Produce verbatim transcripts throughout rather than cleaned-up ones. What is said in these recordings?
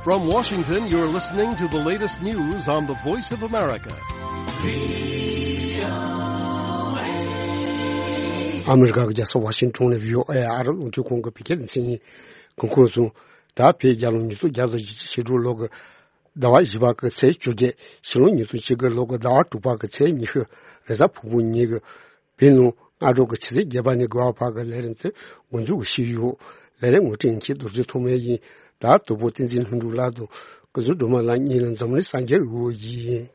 From Washington, you're listening to the latest news on the Voice of America. ཨ་མི་རི་ཀ་གི་རྒྱལ་ས་ཝ་ཤིང་ཊོན་ནས་བྷི་ཨོ་ཨེ་ཨ་རི་རླུང་འཕྲིན་ཁང་གི་བོད་སྐད་སྡེ་ཚན་ཡིན། གོང་འཁོད་སོང་། ད་བོད་རྒྱལ་ལོ་ཉིས་སྟོང་བརྒྱ་དང་བཞི་བཅུ་ཞེ་དྲུག་ལོ་གི་ཟླ་བ་བཞི་པ་གི་ཚེས་བཅོ་བརྒྱད། ཕྱི་ལོ་ཉིས་སྟོང་ཆིག་སྟོང་ལོ་གི་ཟླ་བ་དྲུག་པ་གི་ཚེས་ཉི་ཤུ། རེས་གཟའ་ཕུར་བུ་ཉིན་གྱི་བོད་ནང་སྔ་དྲོ་གི་ཆུ་ཚོད་བརྒྱད་པ་ནས་དགུ་པ་བར་གྱི་ལས་རིམ་དེ་འགོ་འཛུགས་ཞུས་ཡོད། ལས་རིམ་ངོ་སྤྲོད་མཁན་རྡོ་རྗེ་ཐོགས་མེད་ཡིན། ད་དོ་པོ་བསྟན་འཛིན་ལྷུན་གྲུབ་ལགས་དང་སྐུ་ཟུར་སྒྲོལ་མ་ལགས་གཉིས་ལ་འཛམ་གླིང་གསར་འགྱུར་འོས་ཡིན།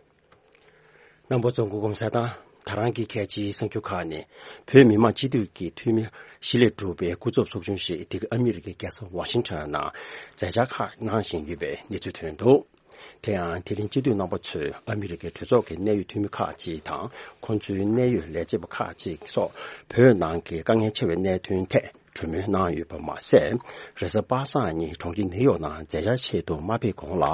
རྣམ་པ་ཚོ་སྐུ་ཁམས་བཟང་། ད་རང་གི་གལ་ཆེའི་གསར་འགྱུར་ཁག་ནི། བོད་མི་མང་སྤྱི་འཐུས་ཀྱི་འཐུས་མི་བཞི་ལས་གྲུབ་པའི་སྐུ་ཚབ་ཚོགས་ཆུང་ཞིག་འདི་ག་ཨ་མི་རི་ཀའི་རྒྱལ་ས་ཝ་ཤིང་ཊོན་ནང་མཛད་འཆར་ཁག་གནང་བཞིན་ཡོད་པའི་གནས་ཚུལ་ཐོན་འདུག་དེ་ཡང་དེ་རིང་སྤྱི་འཐུས་རྣམ་པ་ཚོས་ཨ་མི་རི་ཀའི་གྲོས་ཚོགས་ཀྱི་གནད་ཡོད་འཐུས་མི་ཁག་ཅིག་དང་། ཁོང་ཚོའི་གནད་ཡོད་ལས་བྱེད་པ་ཁག་ཅིག་སོགས་བོད་ནང་གི་དཀའ་ངལ་ཆེ་བའི་གནད་དོན་ཐད་གྲོས་མོལ་གནང་ཡོད་པ་མ་ཟད། རེས་གཟའ་པ་སངས་ཉིན་གྲོང་ཁྱེར་ནིའུ་ཡོག་ནང་མཛད་འཆར་ཆེད་དུ་མ་ཕེབས་གོང་ལ།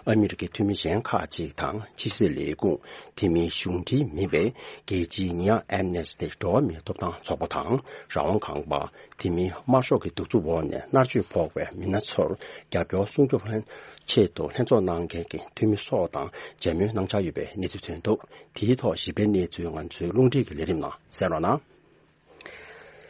ཨ་མི་རི་ཀའི་འཐུས་མི་གཞན་ཁག་ཅིག་དང་ཕྱི་སྲིད་ལས་ཁུངས། དེ་མིན་གཞུང་འབྲེལ་མིན་པའི་རྒྱལ་སྤྱིའི་ཉེས་ཡངས་ཨེམ་ནེ་སི་ཊི་འགྲོ་བ་མིའི་ཐོབ་ཐང་ཚོགས་པ་དང་། རང་དབང་ཁང་པ། དེ་མིན་དམར་ཤོག་གི་གདུག་རྩུབ་འོག་ནས་མནར་གཅོད་ཕོག་པའི་མི་སྣ་ཚོར་རྒྱབ་སྐྱོར་སྲུང་སྐྱོབ་ལྷན་ཆེད་དུ་ལྷན་ཚོགས་གནང་མཁན་གྱི་འཐུས་མི་སོགས་དང་མཇལ་མོལ་གནང་འཆར་ཡོད་པའི་གནས་ཚུལ་ཐོན་འདུག་དེའི་ཐོག་ཞིབ་ཕྲའི་གནས་ཚུལ་ང་ཚོའི་རླུང་འཕྲིན་གྱི་ལས་རིམ་ནང་གསན་རོགས་གནང་།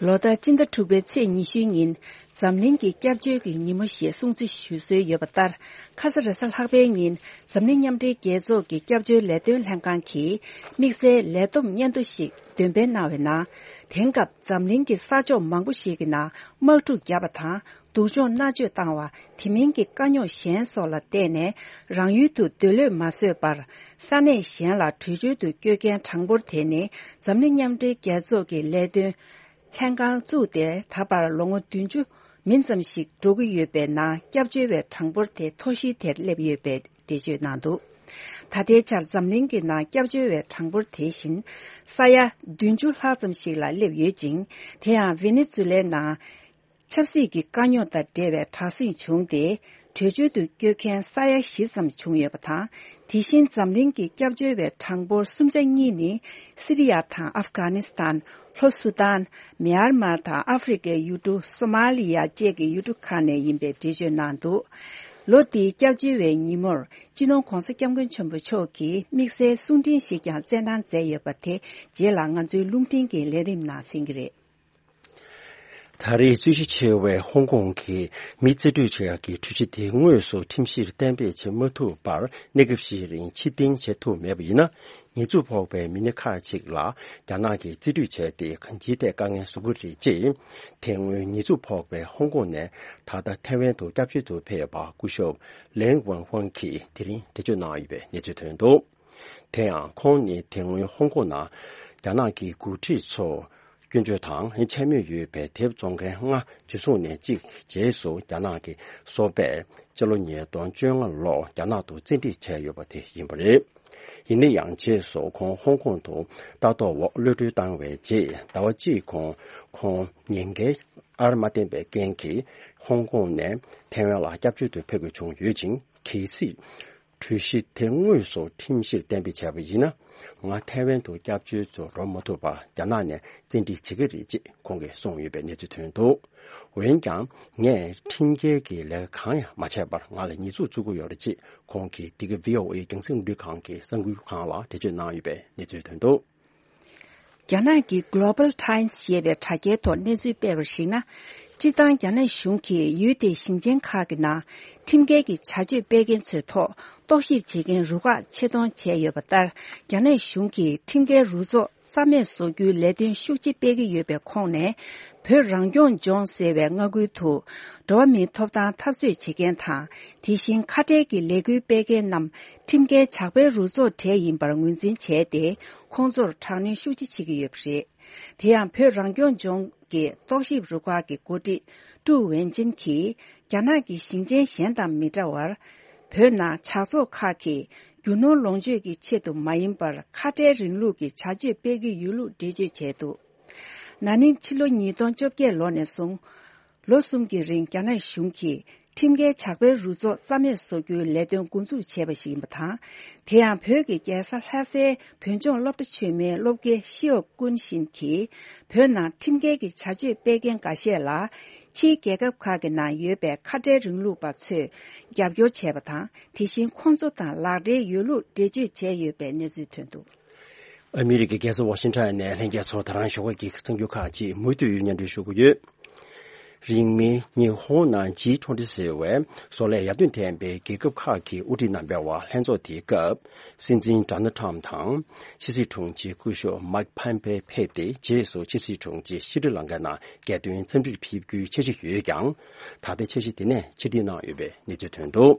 ལོ་ལྟར་སྤྱི་ཟླ་དྲུག་པའི་ཚེས་ཉི་ཤུའི་ཉིན། འཛམ་གླིང་གི་སྐྱབས་བཅོལ་གྱི་ཉིན་མོ་ཞེས་སྲུང་བརྩི་ཞུ་སྲོལ་ཡོད་པ་ལྟར། ཁ་ས་རེས་གཟའ་ལྷག་པའི་ཉིན། འཛམ་གླིང་མཉམ་འབྲེལ་རྒྱལ་ཚོགས་ཀྱི་སྐྱབས་བཅོལ་ལས་དོན་ལྷན་ཁང་གིས་དམིགས་བསལ་ལས་བསྡོམས་སྙན་ཐོ་ཞིག་འདོན་སྤེལ་གནང་བའི་ནང་། དེང་སྐབས་འཛམ་གླིང་གི་ས་ཕྱོགས་མང་པོ་ཞིག་གི་ནང་དམག་འཁྲུག་བརྒྱབ་པ་དང་། སྡུག་སྦྱོང་མནར་གཅོད་བཏང་བ། དེ་མིན་གྱི་དཀའ་རྙོག་གཞན་སོགས་ལ་བརྟེན་ནས། རང་ཡུལ་དུ་སྡོད་ལོས་མ་བཟོད་པར། ས་གནས་གཞན་ལ་བྲོས་བྱོལ་དུ་བསྐྱོད་མཁན་གྲངས་འབོར་དེ་ནི། འཛམ་གླིང་མཉམ་འབྲེལ་རྒྱལ་ཚོགས་ཀྱི་ལས་དོན་ལྷན་ཁང་བཙུགས་ཏེ། ད་བར་ལོ་ངོ་བདུན་ཅུ་མིན་ཙམ་ཞིག་འགྲོ་གི་ཡོད་པའི་ནང་། སྐྱབས་བཅོལ་བའི་གྲངས་འབོར་དེ་མཐོ་ཤོས་དེར་སླེབས་ཡོད་པའི་འགྲེལ་བརྗོད་གནང་འདུག་ད་ལྟའི་ཆར་འཛམ་གླིང་གི་ནང་སྐྱབས་བཅོལ་བའི་གྲངས་འབོར་དེ་བཞིན་ས་ཡ་བདུན་ཅུ་ལྷག་ཙམ་ཞིག་ལ་སླེབས་ཡོད་ཅིང་། དེ་ཡང་ཝེ་ནེ་ཛུ་ལའི་ནང་ཆབ་སྲིད་ཀྱི་དཀའ་རྙོག་དང་འབྲེལ་བའི་དྲག་ཟིང་བྱུང་སྟེ། བྲོས་བྱོལ་དུ་བསྐྱོད་མཁན་ས་ཡ་བཞི་ཙམ་བྱུང་ཡོད་པ་དང་། དེ་བཞིན་འཛམ་གླིང་གི་སྐྱབས་བཅོལ་བའི་གྲངས་འབོར་གསུམ་ཆ་གཉིས་ནི། སི་རི་ཡ་དང་ཨབ་གྷ་ནི་སི་ཐན། ལྷོ་སུ་དཱན། མྱན་མར་དང་ཨ་ཧྥེ་རི་ཁའི་ཡུལ་གྲུ་སོ་མ་ལི་ཡ་བཅས་ཀྱི་ཡུལ་གྲུ་ཁག་ནས་ཡིན་པའི་འགྲེལ་བརྗོད་གནང་འདུག་ལོ་འདིའི་སྐྱབས་བཅོལ་བའི་ཉིན་མོར། སྤྱི་ནོར་༧གོང་ས་༧སྐྱབས་མགོན་ཆེན་པོ་མཆོག་གིས་དམིགས་བསལ་གསུང་འཕྲིན་ཞིག་ཀྱང་སྩལ་གནང་མཛད་ཡོད་པ་དེ། རྗེས་ལ་ང་ཚོའི་རླུང་འཕྲིན་གྱི་ལས་རིམ་ནང་གསན་གྱི་རེད། ད་རེས་རྩོད་གཞི་ཆེ་བའི་ཧོང་ཀོང་གི་མི་རྩིས་སྤྲོད་བྱེད་ཡག་གི་འཕྲུལ་ཆས་དེ་དངོས་སུ་ཁྲིམས་གཞིར་གཏན་འབེབས་བྱེད་མ་ཐུབ་པར། གནས་སྐབས་ཤིག་རིང་ཕྱིར་འཐེན་བྱེད་ཐུབ་མེད་པ་ཡིན་ན། ཉེས་འཛུགས་ཕོག་པའི་མི་སྣ་ཁག་ཅིག་ལ་རྒྱ་ནག་གིས་རྩིས་སྤྲོད་བྱས་ཏེ། གང་ཅིའི་ཐད་དཀའ་ངལ་བཟོ་གི་རེད་ཅེས། དེ་སྔོན་ཉེས་འཛུགས་ཕོག་པའི་ཧོང་ཀོང་ནས་ད་ལྟ་ཐའེ་ཝན་དུ་སྐྱབས་བཅོལ་དུ་ཕེབས་པ་སྐུ་ཞབས་ལེང་ཝན་ཧུང་གིས་དེ་རིང་འགྲེལ་བརྗོད་གནང་ཡོད་པའི་གནས་ཚུལ་ཐོན་འདུག་དེ་ཡང་ཁོང་ནི་དེ་སྔོན་ཧོང་ཀོང་ནང་རྒྱ་ནག་གི་འགོ་ཁྲིད་ཚོ་སྐྱོན་བརྗོད་དང་འཕྱ་སྨོད་ཡོད་པའི་དེབ་བཙོང་མཁན་ལྔ་འཇུ་བཟུང་ནས་གཅིག་རྗེས་སུ་རྒྱ་ནག་གི་སོ་པས་སྤྱི་ལོ་ཉིས་སྟོང་བཅོ་ལྔ་ལོར་རྒྱ་ནག་ཏུ་བཙན་ཁྲིད་བྱས་ཡོད་པ་དེ་ཡིན་པ་རེད། ཡིན་ན་ཡང་རྗེས་སུ་ཁོང་ཧོང་ཀོང་དུ་ལྟ་རྟོག་འོག་གློད་གྲོལ་བཏང་བའི་རྗེས། ཟླ་བ་གཅིག་གོང་ཁོང་ཉེན་ཁའི་ཨར་མ་བསྟན་པའི་རྐྱེན་གྱིས་ཧོང་ཀོང་ནས་ཐའེ་ཝན་ལ་སྐྱབས་བཅོལ་དུ་ཕེབས་དགོས་བྱུང་ཡོད་ཅིང་། གལ་སྲིད་གྲོས་གཞི་དེ་དངོས་སུ་ཁྲིམས་གཞིར་གཏན་འབེབས་བྱས་པ་ཡིན་ན། ང་ཐའེ་ཝན་དུ་སྐྱབས་བཅོལ་དུ་འགྲོ་མ་ཐུབ་པར་རྒྱ་ནག་ནས་བཙན་ཁྲིད་བྱེད་ཀྱི་རེད་ཅེས་ཁོང་གིས་གསུངས་ཡོད་པའི་གནས་ཚུལ་ཐོན་འདུག་འོན་ཀྱང་། ངས་ཁྲིམས་འགལ་གྱི་ལས་ཀ་གང་ཡང་མ་བྱས་པར་ང་ལ་ཉེས་འཛུགས་བཙུགས་ཀྱི་ཡོད་རེད་ཅེས་ཁོང་གིས་འདི་ག་བྷི་ཨོ་ཨེ་རྒྱང་སྲིང་རླུང་འཕྲིན་ཁང་གི་གསར་འགོད་ཁང་ལ་འགྲེལ་བརྗོད་གནང་ཡོད་པའི་གནས་ཚུལ་ཐོན་འདུག་རྒྱ་ནག་གི་Global Times ཞེས་པའི་དྲ་རྒྱའི་ཐོག་གནས་ཚུལ་སྤེལ་བར་གཞིགས་ན། སྤྱིར་བཏང་རྒྱ་ནག་གཞུང་གིས་ཡུལ་དེའི་ཞིང་ཆེན་ཁག་གི་ནང་ཁྲིམས་འགལ་གྱི་བྱ་སྤྱོད་སྤེལ་མཁན་ཚོའི་ཐོག་རྟོག་ཞིབ་བྱེད་མཁན་རུ་ཁག་ཆེད་གཏོང་བྱས་ཡོད་པ་ལྟར། རྒྱ་ནག་གཞུང་གིས་ཁྲིམས་འགལ་རུ་ཚོགས་རྩ་མེད་བཟོ་རྒྱུའི་ལས་དོན་ཤུགས་ཆེ་སྤེལ་གྱི་ཡོད་པའི་ཁོངས་ནས། བོད་རང་སྐྱོང་ལྗོངས་ཟེར་བའི་མངའ་ཁུལ་དུ་འགྲོ་བ་མིའི་ཐོབ་ཐང་འཐབ་རྩོད་བྱེད་མཁན་དང་། དེ་བཞིན་ཁ་བྲལ་གྱི་ལས་འགུལ་སྤེལ་མཁན་རྣམས་ཁྲིམས་འགལ་ཇག་པའི་རུ་ཚོགས་གྲས་ཡིན་པར་ངོས་འཛིན་བྱས་ཏེ། ཁོང་ཚོར་དྲག་གནོན་ཤུགས་ཆེ་བྱེད་ཀྱི་ཡོད་པ་རེད། དེ་ཡང་བོད་རང་སྐྱོང་ལྗོངས་ཀྱི་རྟོག་ཞིབ་རུ་ཁག་གི་འགོ་ཁྲིད་ཀྲུའུ་ཝེན་ཅིན་གྱིས། རྒྱ་ནག་གི་ཞིང་ཆེན་གཞན་དང་མི་འདྲ་བར། བོད་ནང་ཇག་ཚོགས་ཁག་གིས་རྒྱུ་ནོར་ལོངས་སྤྱོད་ཀྱི་ཆེད་དུ་མ་ཡིན་པར། ཁ་བྲལ་རིང་ལུགས་ཀྱི་བྱ་སྤྱོད་སྤེལ་གྱི་ཡོད་ལུགས་འགྲེལ་བརྗོད་བྱས་འདུག་ན་ནིང་ཕྱི་ལོ་ཉིས་སྟོང་བཅོ་བརྒྱད་ལོ་ནས་བཟུང་། ལོ་གསུམ་གྱི་རིང་རྒྱ་ནག་གཞུང་གིས་ ཁྲིམས་འགལ་ཇག་པའི་རུ་ཚོགས་རྩ་མེད་བཟོ་རྒྱུའི་ལས་དོན་འགོ་འཛུགས་བྱས་པ་ཞིག་ཡིན་པ་དང་། དེ་ཡང་བོད་ཀྱི་རྒྱལ་ས་ལྷ་སའི་བོད་ལྗོངས་སློབ་གྲྭ་ཆེན་མོའི་སློབ་དགེ་ཤེའོ་ཀུན་ཤིན་གྱིས་བོད་ནང་ཁྲིམས་འགལ་གྱི་བྱ་སྤྱོད་སྤེལ་མཁན་འགའ་ཤས་ལ། ཕྱིའི་རྒྱལ་ཁབ་ཁག་གི་ནང་ཡོད་པའི་ཁ་བྲལ་རིང་ལུགས་པ་ཚོས་རྒྱབ་སྐྱོར་བྱས་པ་དང་། དེ་བཞིན་ཁོང་ཚོ་དང་ལག་འབྲེལ་ཡོད་ལུགས་འགྲེལ་བརྗོད་བྱས་ཡོད་པའི་གནས་ཚུལ་ཐོན་འདུག། ཨ་མི་རི་ཀའི་རྒྱལ་ས་ཝ་ཤིང་ཊོན་ནས་ལྷན་རྒྱས་ཚོ་ད་རང་ཞོགས་ཀྱི་གསར་འགྱུར་ཁག་ཅིག་མུ་མཐུད་སྙན་སྒྲོན་ཞུ་གི་ཡོད། རིང་མིན་ཉི་ཧོང་ནང་ཇི་ཊོན་ཊི་ཟེར་བའི་བཟོ་ལས་ཡར་ཐོན་ལྡན་པའི་རྒྱལ་ཁབ་ཁག་གི་དབུ་ཁྲིད་རྣམ་པའི་དབར་ལྷན་ཚོགས་དེའི་སྐབས། སྲིད་འཛིན་ཌོ་ནལ་ཊམ་དང་། ཕྱི་སྲིད་དྲུང་ཆེ་སྐུ་ཞབས་མཱིག་ཕམ་པེ་ཕེབས་ཏེ། རྗེས་སུ་ཕྱི་སྲིད་དྲུང་ཆེ་ཤྲི་ལང་ཀ་ནང་རྒྱལ་དོན་འཚམས་འདྲིར་ཕེབས་རྒྱུའི་འཆར་གཞི་ཡོད་ཀྱང་། ད་ལྟའི་འཆར་གཞི་དེ་ནས་ཕྱིར་འཐེན་གནང་ཡོད་པའི་གནས་ཚུལ་ཐོན་འདུག།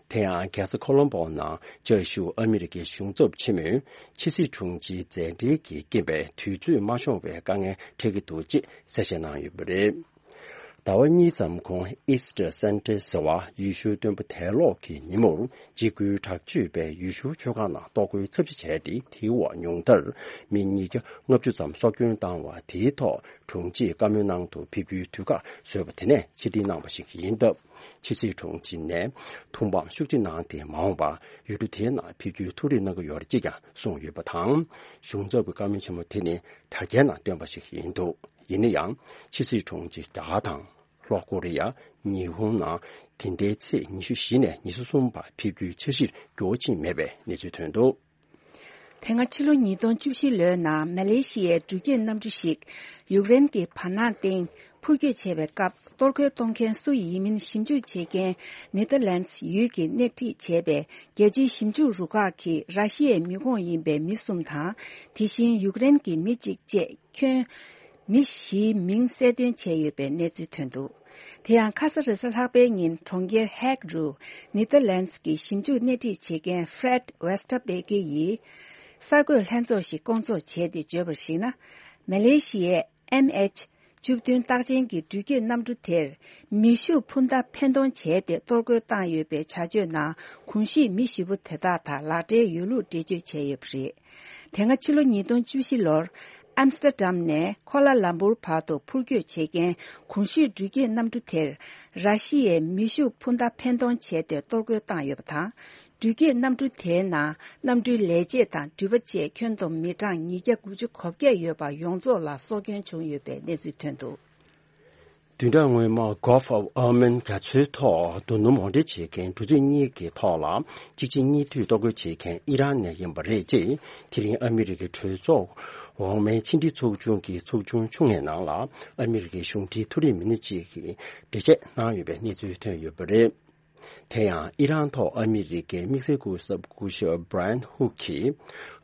དེ་ཡང་རྒྱལ་ས་ཁོ་ལོམ་པོ་ནང་བཅའ་བཞུགས་ཨ་མི་རི་ཀའི་གཞུང་ཚབ་ཆེན་མོས་ཕྱི་སྲིད་དྲུང་ཆེའི་མཛད་འཕྲིན་གྱི་རྐྱེན་པས་དུས་ཚོད་མ་ཤོང་བའི་དཀའ་ངལ་འཕྲད་ཀྱི་འདུག་ཅེས་གསལ་བཤད་གནང་ཡོད་པ་རེད། ཟླ་བ་གཉིས་ཙམ་གོང་Easter Sunday་ཟེར་བ་ཡེ་ཤུའི་སྟོན་པ་དལ་ལོག་གི་ཉིན་མོར་འཇིགས་སྐུལ་དྲག་སྤྱོད་པས་ཡེ་ཤུའི་ཆོས་ཁང་ནང་གཏོར་རྒོལ་ཚབས་ཆེ་བྱས་ཏེ། དེའི་འོག་ཉུང་མཐར་མི་ཉིས་བརྒྱ་ལྔ་བཅུ་ཙམ་སྲོག་སྐྱོན་བཏང་བ་དེའི་ཐོག་དྲུང་ཆེས་བཀའ་མོལ་གནང་དུ་ཕེབས་རྒྱུའི་དུས་བཀག་བཟོས་པ་དེ་ནས་ཕྱིར་འཐེན་གནང་བ་ཞིག་ཡིན་སྟབས། ཕྱི་སྲིད་དྲུང་ཆེ་ནས་ཐུགས་ཕམ་ཤུགས་ཆེ་གནང་སྟེ། མ་འོངས་པར་ཡུལ་གྲུ་དེའི་ནང་ཕེབས་རྒྱུའི་ཐུགས་རེ་གནང་གི་ཡོད་རེད་ཅེས་ཀྱང་གསུངས་ཡོད་པ་དང་། གཞུང་ཚབ་ཀྱི་བཀའ་མོལ་ཆེན་མོ་དེ་ནི་དྲ་རྒྱའི་ནང་བཏོན་པ་ཞིག་ཡིན་འདུག། ཡིན་ན་ཡང་ཕྱི་སྲིད་དྲུང་ཆེ་རྒྱ་གར་དང་ལྷོ་ཀོ་རི་ཡ། ཉི་ཧོང་ནང་དེ་ཟླའི་ཚེས་ཉི་ཤུ་བཞི་ནས་ཉི་ཤུ་གསུམ་བར་ཕེབས་རྒྱུའི་འཆར་གཞིར་འགྱུར་བ་ཕྱིན་མེད་པའི་གནས་ཚུལ་ཐོན་འདུག། དེ་སྔ་ཕྱི་ལོ་ཉིས་སྟོང་བཅུ་བཞི་ལོའི་ནང་མ་ལེ་ཤི་ཡའི་འགྲུལ་སྐྱོད་གནམ་གྲུ་ཞིག་ཡུཀ་རེན་གྱི་བར་སྣང་སྟེང་འཕུར་སྐྱོད་བྱས་པའི་སྐབས། གཏོར་རྒོལ་གཏོང་མཁན་སུ་ཡིན་མིན་ཞིབ་འཇུག་བྱེད་མཁན་ནེ་ཐར་ལན་ཡུལ་གྱིས་སྣེ་ཁྲིད་བྱས་པའི་རྒྱལ་སྤྱིའི་ཞིབ་འཇུག་རུ་ཁག་གིས་ར་ཤི་ཡའི་མི་ཁོངས་ཡིན་པའི་མི་གསུམ་དང་། དེ་བཞིན་ཡུཀ་རེན་གྱི་མི་གཅིག་བཅས་ཁྱོན་མི་བཞིའི་མིང་གསལ་སྟོན་བྱས་ཡོད་པའི་གནས་ཚུལ་ཐོན་འདུག། དེ་ཡང་ཁ་ས་རེ་ས་ལྷག་པའི་ཉིན་གྲོང་ཁྱེར་ཧེག་རུ་ནེ་ཐར་ལན་གྱི་ཞིབ་འཇུག་སྣེ་ཁྲིད་བྱེད་མཁན་ཧྥྲེད་ཝེ་སྟར་བེ་ཀེ་ཡིས་གསར་འགོད་ལྷན་ཚོགས་ཤིག་བསྐོང་ཚོགས་བྱས་ཏེ་བརྗོད་པར་གཞིགས་ན། མ་ལེ་ཤི་ཡའི་ཨེམ་ཨེཆ་བཅུ་བདུན་རྟགས་ཅན་གྱི་འགྲུལ་སྐྱོད་གནམ་གྲུ་དེར་མེ་ཤུགས་འཕུར་མདའ་འཕེན་གཏོང་བྱས་ཏེ་གཏོར་རྒོལ་བཏང་ཡོད་པའི་བྱ་སྤྱོད་ནང་གོང་ཞུས་མི་བཞི་པོ་དེ་དག་དང་ལག་འབྲེལ་ཡོད་ལུགས་འགྲེལ་བརྗོད་བྱས་ཡོད་པ་རེད། དེ་སྔ་ཕྱི་ལོ་ཉིས་སྟོང་བཅུ་བཞི་ལོར་ཨམ་སི་ཏྲ་ཏྲམ་ནས་ཁོ་ལ་ལམ་པུར་བར་དུ་འཕུར་སྐྱོད་བྱེད་མཁན་གོང་ཞུས་འགྲུལ་སྐྱོད་གནམ་གྲུ་དེར་ར་ཤི་ཡའི་མེ་ཤུགས་འཕུར་མདའ་འཕེན་གཏོང་བྱས་ཏེ་གཏོར་རྒོལ་བཏང་ཡོད་པ་དང་། འགྲུལ་སྐྱོད་གནམ་གྲུ་དེའི་ནང་གནམ་གྲུའི་ལས་བྱེད་དང་འགྲུལ་པ་བཅས་ཁྱོན་བསྡོམས་མི་གྲངས་ཉིས་བརྒྱ་དགུ་བཅུ་གོ་བརྒྱད་ཡོད་པ་ཡོངས་རྫོགས་ལ་སྲོག་སྐྱོན་བྱུང་ཡོད་པའི་གནས་ཚུལ་ཐོན་འདུག། བདུན་ཕྲག་སྔོན་མ་Gulf of Oman་རྒྱ་མཚོའི་ཐོག་རྡོ་སྣུམ་མོ་ཊ་བྱེད་མཁན་འགྲོ་འདུག་གཉིས་ཀྱི་ཐོག་ལ་གཅིག་རྗེས་གཉིས་མཐུད་གཏོར་རྒོལ་བྱེད་མཁན་ཨི་རན་ནས་ཡིན་པ་རེད་ཅེས། དེ་རིང་ཨ་མི་རི་ཀའི་གྲོས་ཚོགས་འོག་མའི་ཕྱི་འབྲེལ་ཚོགས་ཆུང་གི་ཚོགས་ཆུང་ཆུང་ངེའི་ནང་ལ་ཨ་མི་རི་ཀའི་གཞུང་འབྲེལ་མཐོ་རིམ་མི་སྣ་གཅིག་གིས་འགྲེལ་བཤད་གནང་ཡོད་པའི་གནས་ཚུལ་ཐོན་ཡོད་པ་རེད། དེ་ཡང་ཨི་རན་ཐོག་ཨ་མི་རི་ཀའི་དམིགས་བསལ་སྐུ་ཚབ་སྐུ་ཞབས་Brian Hook་གིས་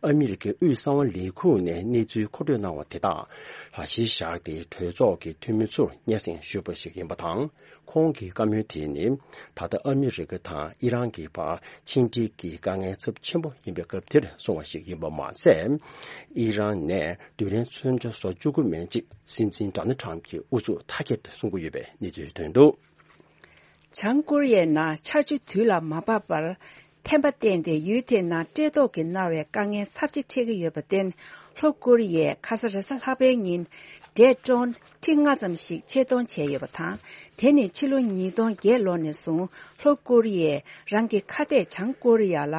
ཨ་མི་རི་ཀའི་དབུས་གསང་བ་ལས་ཁུངས་ནས་གནས་ཚུལ་མཁོ་སྤྲོད་གནང་བ་དེ་དག་ལ་གཞི་བཞག་སྟེ་གྲོས་ཚོགས་ཀྱི་འཐུས་མི་ཚོར་སྙན་སེང་ཞུས་པ་ཞིག་ཡིན་པ་དང་། ཁོང་གི་བཀའ་མོལ་དེ་ནི་ད་ལྟ་ཨ་མི་རི་ཀ་དང་ཨི་རན་གྱི་བར་ཕྱི་འབྲེལ་གྱི་དཀའ་ངལ་ཚབས་ཆེན་པོ་ཡིན་པའི་སྐབས་དེར་གསུངས་པ་ཞིག་ཡིན་པ་མ་ཟད། ཨི་རན་ནས་རྡུལ་ཕྲན་མཚོན་ཆ་བཟོ་བཅུག་གི་མེད་ཅེས་སྲིད་འཛིན་ཌོ་ནལ་ཊམ་གྱིས་ཨུ་ཚུགས་མཐའ་སྐྱེལ་དུ་གསུང་གི་ཡོད་པའི་གནས་ཚུལ་ཐོན་འདུག། བྱང་ཀོ་རི་ཡའི་ནང་ཆར་ཆུ་དུས་ལ་མ་བབས་པར་ཐན་པ་བསྟན་ཏེ། ཡུལ་དེའི་ནང་བཀྲེས་ལྟོགས་ཀྱིས་མནར་བའི་དཀའ་ངལ་ཚབས་ཆེ་འཕྲད་ཀྱི་ཡོད་པར་བརྟེན། ལྷོ་ཀོ་རི་ཡས་ཁ་ས་རེས་གཟའ་ལྷག་པའི་ཉིན་འབྲས་ཊོན་ཁྲི་ལྔ་ཙམ་ཞིག་ཆེད་གཏོང་བྱས་ཡོད་པ་དང་། དེ་ནི་ཕྱི་ལོ་ཉིས་སྟོང་བརྒྱད་ལོ་ནས་བཟུང་ལྷོ་ཀོ་རི་ཡས་རང་གི་ཁ་གཏད་བྱང་ཀོ་རི་ཡ་ལ་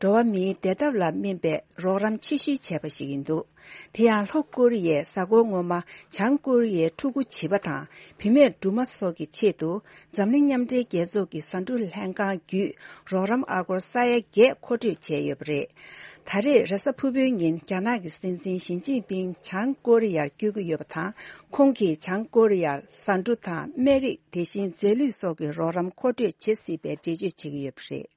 འགྲོ་བ་མིའི་བདེ་ཐབས་ལ་སྨིན་པའི་རོགས་རམ་ཆེ་ཤོས་བྱས་པ་ཞིག་ཡིན་འདུག། དེ་ཡང་ལྷོ་ཀོ་རི་ཡས་གཟའ་འཁོར་སྔོན་མ་བྱང་ཀོ་རི་ཡའི་ཕྲུ་གུ་བྱིས་པ་དང་བུད་མེད་སྦྲུམ་མ་སོགས་ཀྱི་ཆེད་དུ་འཛམ་གླིང་མཉམ་འབྲེལ་རྒྱལ་ཚོགས་ཀྱི་ཟ་འབྲུ་ལྷན་ཁང་བརྒྱུད་རོགས་རམ་ཨ་སྒོར་ས་ཡ་བརྒྱད་མཁོ་སྤྲོད་བྱས་ཡོད་པ་རེད། ད་རེས་རེས་གཟའ་ཕུར་བུའི་ཉིན་རྒྱ་ནག་གི་སྲིད་འཛིན་ཞི་ཅིན་ཕིང་བྱང་ཀོ་རི་ཡར་བསྐྱོད་ཀྱི་ཡོད་པ་དང་། ཁོང་གིས་བྱང་ཀོ་རི་ཡར་ཟ་འབྲུ་དང་སྨན་རིགས། དེ་བཞིན་རྫས་ལུད་སོགས་ཀྱི་རོགས་རམ་མཁོ་སྤྲོད་བྱེད་སྲིད་པའི་འགྲེལ་བརྗོད་བྱེད་ཀྱི་ཡོད་པ་རེད།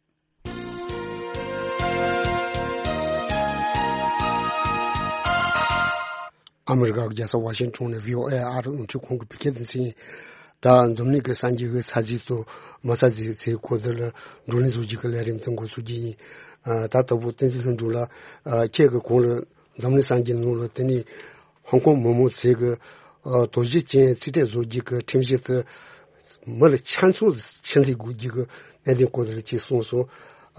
ཨ་མི་རི་ཀ་གི་རྒྱལ་ས་ཝ་ཤིང་ཊོན་ནས་བྷི་ཨོ་ཨེ་ཨ་རི་རླུང་འཕྲིན་ཁང་གི་བོད་སྐད་སྡེ་ཚན་ཡིན། ད་འཛམ་གླིང་གི་གསར་འགྱུར་གྱི་ཚར་རྗེས་སུ་མ་ཚར་རྗེས་ཚེ་ཁོ་དེ་ལ་བགྲོ་གླེང་བཟོ་རྒྱུ་གི་ལས་རིམ་དེ་འགོ་ཚུགས་རྒྱུ་ཡིན། ཨ་ད་ལྟ་བུ་བསྟན་འཛིན་ལྷུན་གྲུབ་ལགས། ཨ་ཁྱེད་ཀྱི་གོང་ལ་འཛམ་གླིང་གསར་འགྱུར་ནང་ལ་དེ་ནི་ཧོང་ཀོང་མི་མང་ཚོས་ཀྱི་ཨ་དོ་ཞིབ་ཅན་རྩིས་སྤྲད་བཟོ་རྒྱུ་གི་ཁྲིམས་གཞི་དེ་མི་ལ་ཆ་ཚང་ཕྱིར་སླེབས་དགོས་རྒྱུ་གི་གནད་དོན་སྐོར་དེ་ཅིག་གསུངས་སོང་།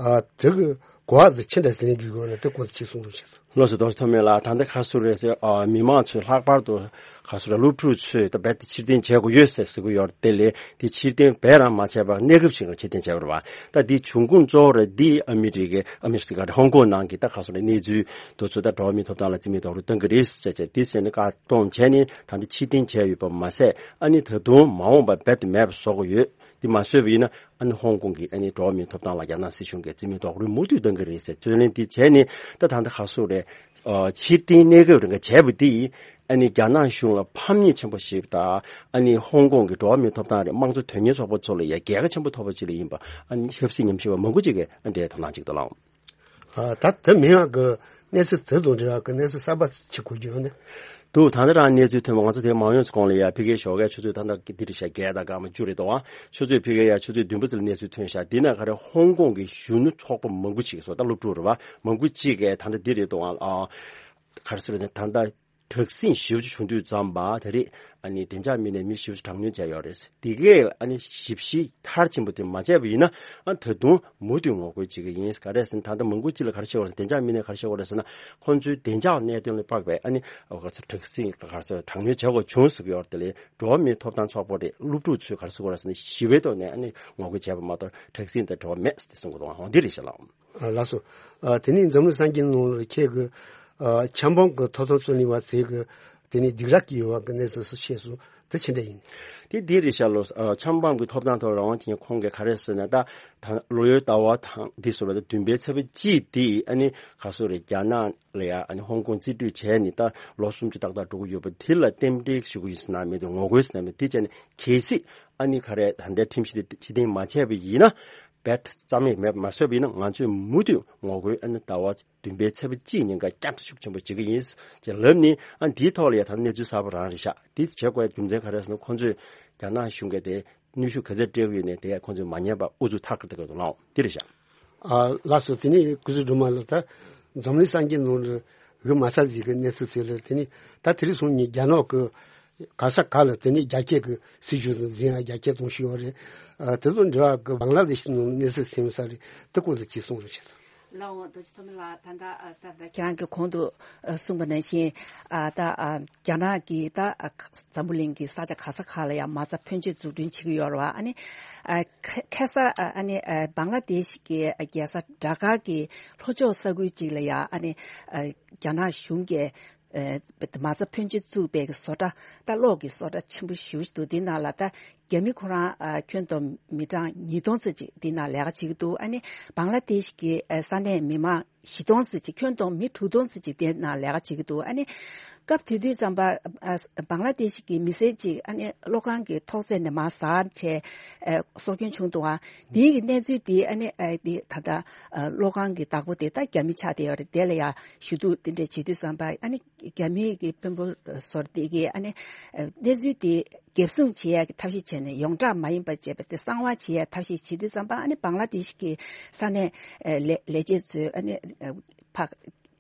ཨ་དེ་གི་ གོ་བ་དེ་ཅི་འདྲ་ཟིན་གྱི་ཡོད་ན་དེ་སྐོར་ཅིག་གསུང་རོགས་བྱེད། ལགས་སོ། རྡོ་རྗེ་ཐོགས་མེད་ལགས། ད་ལྟ་ག་རེ་ཟེར་དགོས་རེད་ཟེར་ན། ཨ། མི་མང་ཚོས་ལྷག་པར་དུ་ག་རེ་ཟེར་དགོས་རེད། སློབ་ཕྲུག་ཚོས་ད་རྦད་དེ་ཕྱིར་འཐེན་བྱེད་དགོས་ཡོད་ཟེར་ཟེར་གྱི་ཡོད་རེད། དེ་ལས་དེ་ཕྱིར་འཐེན་རྦད་རང་མ་བྱས་པར་གནས་སྐབས་ཤིག་ལ་ཕྱིར་འཐེན་བྱས་པ་རེད་པ། ད་དེ་བྱུང་ཁུངས་གཙོ་བོ་རེད། འདི་ཨ་མི་རི་ཀའི། ཨ་མི་རི་ཀ་རེད། ཧོང་ཀོང་ནང་གི་ད་ག་རེ་ཟེར་དགོས་རེད། གནས་ཚུལ་དེ་ཚོ་ད་འགྲོ་བ་མིའི་ཐོབ་ཐང་ལ་བརྩི་མེད་རྡོག་རོལ་གཏོང་གི་རེད་ཟེར་བྱས། དེ་བྱས་ནས་བཀག་སྡོམ་བྱས་ནས་ད་ལྟ་ཕྱིར་འཐེན་བྱས་ཡོད་པ་མ་ཟད། ཨ་ནི་ད་དུང་མ་འོངས་པར་རྦད་དེ་མེད་པ་བཟོ་དགོས་ཡོད། འདི་མ་བཟོས་པ་ཡིན་ན། ཨ་ནི་ཧོང་ཀོང་གི་ཨ་ནི་འགྲོ་བ་མིའི་ཐོབ་ཐང་ལ་རྒྱ་ནག་སྲིད་གཞུང་གིས་བརྩི་མེད་རྡོག་རོལ་མུ་མཐུད་གཏོང་གི་རེད་ཟེར་རྩོད་ལེན་འདི་བྱས་ནས། ད་ད་ལྟ་ག་རེ་ཟེར་དགོས་རེད། ཨ། ཕྱིར་འཐེན་གནས་སྐབས་རིང་ག་བྱས་པ་འདིས་ཨ་ནི་རྒྱ་ནག་གཞུང་ལ་ཕམ་ཉེས་ཆེན་པོ་ཞིག་དང་། ཨ་ནི་ཧོང་ཀོང་གི་འགྲོ་བ་མིའི་ཐོབ་ཐང་རེད། དམངས་གཙོ་དོན་གཉེར་ཚོགས་པ་ཚོ་ལ་ཡང་རྒྱལ་ཁ་ཆེན་པོ་ཐོབ་པ་ཅིག་ལ་ཡིན་པ། ཨ་ནི་ཆབ་སྲིད་ཉམས་ཞིབ་པ་མང་པོ་ཅིག་གིས་ཨ་འདི་དོ་སྣང་བྱེད་ཀྱི་འདུག་ལགས། ཨ། ད་དེ་མིན་ཡང་གི་གནས་ཚུལ་དེ་དང་འབྲེལ་བ་གི་གནས་ཚུལ་གསར་པ་ཅིག་གོ་རྒྱུ་ཡོད་ན། འདུག། ད་ལྟ་རང་གནས་ཚུལ་ཐོན་པ། ང་ཚོ་དེ་མ་ཡོང་ཚེ་གོང་ལ་ཡ་ཕ་གིའི་ཞོགས་ཀའི་ཆུ་ཚོད་ད་ལྟ་འདི་རེད་ཤག་བརྒྱད་དང་སྐར་མ་བཅུ་རེད་འདུག་ཨ། ཆུ་ཚོད་ཕ་གིའི་ཡ་ཆུ་ཚོད་བདུན་པ་ཙམ་ལ་གནས་ཚུལ་ཐོན་ཤག་འདི་ན་ག་རེ། ཧོང་ཀོང་གི་གཞོན་ནུ་ཚོགས་པ་མང་པོ་ཅིག་སོ། ད་སློབ་ཕྲུག་རེད་པ། མང་པོ་ཅིག་གིས་ད་ལྟ་འདི་རེད་འདུག་ཨ། ག་རེ་ཟེར་ན། ད་ལྟ་དྲག་ཟིང་ཞེ་པོ་ཅིག་བྱུང་དུས་ཙམ་པ། ད་རེས་ཨ་ནི་བདེ་འཇགས་མི་སྣས་མི་ཞེ་པོ་ཅིག་དྲག་གནོན་བྱས་ཡོད་རེད། དེ་གས་ཨ་ནི་ཞིབ་བཤེར་མཐར་ཕྱིན་པ་དེ་མ་བྱས་པ་ཡིན་ན། ཨ། ད་དུང་མུ་མཐུད་ངོ་རྒོལ་བྱེད་ཀྱི་ཡིན། ག་རེ་ཟེར་ན། ད་ལྟ་མང་པོ་ཅིག་ལ་ག་རེ་བཤད་དགོས་རེད། བདེ་འཇགས་མི་སྣས་ག་རེ་བཤད་དགོས་རེད་ཟེར་ན། ཁོང་ཚོའི་བདེ་འཇགས་གནད་དོན་ལ་དཔག་པའི་ཨ་ནི། ཨ། ག་རེ་ཟེར། དྲག་ཟིང་ག་རེ་ཟེར། དྲག་གནོན་བྱེད་དགོས་བྱུང་ཟེར་གྱི་ཡོད་རེད། དེ་ལས་འགྲོ་བ་མིའི་ཐོབ་ཐང་ཚོགས་པ་རེད། སློབ་ཕྲུག་ཚོས་ག་རེ་ཟེར་དགོས་རེད་ཟེར་ན། ཞི་བའི་ཐོག་ནས་ཨ་ནི་ངོ་རྒོལ་བྱས་པ་མ་གཏོགས་དྲག་ཟིང་དང་འབྲེལ་བ་མེད་ཟེར་ཏེ་གསུང་གི་འདུག་ཨ། འོ་འདི་རེད་ཤག་ལགས། ཨ། ལགས་སོ། ཨ། དེ་ནས་འཛམ་གླིང་གསར་འགྱུར་ནང་ལ་ཁྱེད་ཀྱིས། ཨ། ཆབ་འབངས་ཀྱི་ཐོབ་ཐང་རྩོད་ལེན་པ་ཚོས་ཀྱི་དེ་ནས་སྡིགས་ར་བསྐུལ་ཡོད་པ་གི་གནས་ཚུལ་སོགས་བཤད་སོང་། དེ་ཅི་འདྲ་ཡིན། དེ་འདི་རེད་ཤག་ལགས། ཨ། ཆབ་འབངས་ཀྱི་ཐོབ་ཐང་ཐོག་རང་དབང་ཅན་ཁོང་གིས་ག་རེ་ཟེར་ན། ད་ད་ལོ་ཡོལ་ཟླ་བ་དང་འདི་སོགས་ལ་ད་བདུན་པའི་ཚེས་པ་གཅིག་འདི་ཨ་ནི་ག་རེ་ཟེར་དགོས་རེད། རྒྱ་ནག་ལ་ཡ་ཨ་ནི་ཧོང་ཀོང་རྩིས་སྤྲོད་བྱས་ནས་ད་ལོ་གསུམ་ཅིག་ཏག་ཏག་འགྲོ་གི་ཡོད་པ་དེ་ལ་རྟེན་འབྲེལ་ཞུ་གི་ཡིན་ཟེར་ན་མེད་དེ། ངོ་རྒོལ་ཟེར་ན་མེད་དེ། བྱས་ནས་གལ་སྲིད་ཨ་ནི་ག་རེ། ད་ལྟའི་ཁྲིམས་གཞི་དེ་ཕྱིར་འཐེན་མ་བྱས་པ་ཡིན་ན། རྦད་རྩ་མེད་མེད་མ་བཟོས་པ་ཡིན་ན། ང་ཚོས་མུ་མཐུད་ངོ་རྒོལ་ཨ་ནི་ཟླ་བ་བདུན་པའི་ཚེས་པ་གཅིག་ཉིན་ཀ་བསྐྱར་དུ་ཤུགས་ཆེན་པོ་བྱེད་ཀྱི་ཡིན་ཅེས་ལབ་ནས། ཨ། འདིའི་ཐོག་ལ་ཡ་ད་གནས་ཚུལ་གསར་པ་རང་རེད་ཤག་འདི་བྱེད་དགོས་རྒྱུ་མཚན་ག་རེ་ཟེར་ན། ཁོང་ཚོས་རྒྱ་ནག་གཞུང་གིས་དེ་གནོན་ཤུགས་ག་ཚད་སྤྲད་ཀྱི་ཡོད་ནའི་དེ་ཁོང་ཚོས་མ་ཉན་པར་ཨུ་ཚུགས་མཐའ་གཅིག་ཏུ་བསྐྱེད་འདུག་ལགས། འདི་རེད་ཤག་ཨ། ལགས་སོ། དེ་ནས་སྐུ་ཞབས་སྒྲོལ་མ་ལགས། ད་འཛམ་གླིང་གསར་འགྱུར་ནང་ལ་འོས་མ་ཚར་ཟིག་གི་གནས་ཚུལ་ཚོ་ལ། དེ་ནས་ད་དེ་རིང་སང་ཉིན་རྒྱ་ནག་གི་ག་ས་ག་ལ་དེ་ནས་རྒྱ་སྐྱེད་ཀྱི་སྲིད་བྱུས་དང་འཛིན་ཡ་རྒྱ་སྐྱེད་གཏོང་བཞིན་ཡོད་རེད། ཨ། དེ་དང་འབྲེལ་བ་གི་བང་ལ་དེ་ཤི་ནང་གནས་ཚུལ་ཐོན་ས་རེད། དེ་སྐོར་ལ་ཅིག་གསུང་རོགས་བྱེད་དང་། ལགས་འོང་། རྡོ་རྗེ་ཐོགས་མེད་ལགས། ད་ལྟ། ཨ། ད་ལྟ་ཁྱེད་རང་གིས་གོང་དུ། ཨ། གསུངས་པ་ནང་བཞིན། ཨ། ད། ཨ། རྒྱ་ནག་གིས་ད། ཨ། འཛམ་བུ་གླིང་གི་ས་ཆ་ག་ས་ག་ལ་ཡང་མ་རྩ་ཕོན་ཆེ་འཛུགས་སྐྲུན་བྱེད་ཀྱི་ཡོད་རེད་པ། ཨ་ནི། ཨ། ཁ་ཁ་ས། ཨ། ཨ་ནི། ཨ། བང་ལ་དེ་ཤི་གི། ཨ། རྒྱལ་ས་ཌ་ཀ་གི་ལྷོ་ཕྱོགས་ས་ཁུལ་ཅིག་ལ་ཡང་། ཨ་ནི། ཨ། རྒྱ་ནག་གཞུང་གིས། ཨ། མ་རྩ་ཕོན་ཆེ་བཙུགས་པའི་གི་བཟོ་གྲྭ། ད་གློག་གི་བཟོ་གྲྭ་ཆེན་པོ་ཞེ་པོ་ཅིག་འདུག་འདི་ནང་ལ་ད་རྒྱ་མི་ཁོ་རང་། ཨ། ཁྱོན་བསྡོམས་མི་གྲངས་ཉིས་སྟོང་ཙམ་ཅིག་འདི་ནང་ལས་ཀ་བྱེད་ཀྱི་འདུག་ཨ་ནི་བང་ལ་དེ་ཤི་གི། ཨ། ས་གནས་མི་མང་བཞི་སྟོང་ཙམ་ཅིག་ཁྱོན་བསྡོམས་མི་དྲུག་སྟོང་ཙམ་ཅིག་དེ་ནང་ལས་ཀ་བྱེད་ཀྱི་འདུག་ཨ་ནི་སྐབས་དེ་དུས་ཙམ་པ། ཨ། བང་ལ་དེ་ཤི་གི་མི་སེར་ཅིག་ཨ་ནི་གློག་ཁང་གི་ཐོག་བརྩེགས་ནས་མར་ཟགས་བྱས། ཨ། སྲོག་སྐྱོན་བྱུང་འདུག་ཨ། དེའི་གི་གནས་ཚུལ་དེ། ཨ་ནི། ཨ། དེ་ད་ལྟ། ཨ། གློག་ཁང་གི་བདག་པོ་དེ་ད་རྒྱ་མི་ཆགས་བསྡད་ཡོད་རེད། དེ་ལ་ཡང་ཞུ་གཏུག་དེ་འདྲ་བྱེད་དུས་ཙམ་པ། ཨ་ནི་རྒྱ་མིའི་གི་དཔོན་པོ་ཚོ་དེ་གིས། ཨ་ནི། ཨ། གནས་ཚུལ་དེ་འགེབས་སྲུང་བྱེད་ཡ་གི་ཐབས་ཤེས་བྱས་ནས། ཡོངས་གྲགས་མ་ཡིན་པ་བྱས་པ་དེ་གསང་བ་བྱེད་ཡ་ཐབས་ཤེས་བྱེད་དུས་ཙམ་པ། ཨ་ནི་བང་ལ་དེ་ཤི་གི་ས་གནས། ཨ། ལས་ལས་བྱེད་ཚོས། ཨ་ནི། ཨ། ཕར་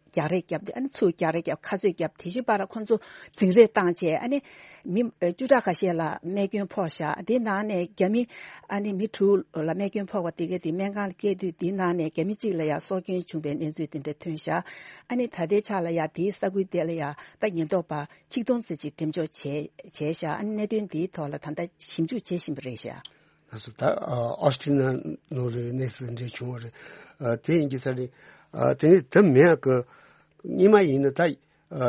རྒྱག་རེས་བརྒྱབ་སྟེ། ཨ་ནི་ཚུར་རྒྱག་རེས་བརྒྱབ། ཁ་རྩོད་བརྒྱབ། དེ་བཞིན་པར་ཁོང་ཚོ་འཛིང་རེས་བཏང་བྱས། ཨ་ནི་མི། ཨ། བཅུ་ཕྲག་ཁ་ཤས་ལ་རྨས་སྐྱོན་ཕོག་ཤག་དེའི་ནང་ནས་རྒྱ་མི། ཨ་ནི་མི་དྲུག་ལ་རྨས་སྐྱོན་ཕོག་པ་དེ་གས་དེ་སྨན་ཁང་ལ་བསྐྱལ་དུས། དེའི་ནང་ནས་རྒྱ་མི་གཅིག་ལ་ཡང་སྲོག་སྐྱོན་བྱུང་བའི་གནས་ཚུལ་དེ་འདྲ་ཐོན་ཤག་ཨ་ནི་ད་ལྟའི་ཆ་ལ་ཡང་དེའི་ས་ཁུལ་དེ་ལ་ཡང་ད་ཉེན་རྟོག་པ་ཆིག་སྟོང་ཙམ་ཅིག་འགྲེམས་འཇོག་བྱས་བྱས་ཤག་ཨ་ནི་གནད་དོན་དེའི་ཐོག་ལ་ད་ལྟ་ཞིབ་འཇུག་བྱེད་བཞིན་པ་རེད་ཤག་ལགས་སོ། ད། ཨ། ཨོ་སི་ཀྲི་ལི་ཡ་ནང་ལ་གནས་ཚུལ་འདྲ་བྱུང་བ་རེད། ཨ། དེ་ཡིན་གྱི་ས་རེད། ཨ། དེ་ནས་དེ་མིན་ཡ་གི་སྔོན་མ་ཡིན་ན་ད། ཨ།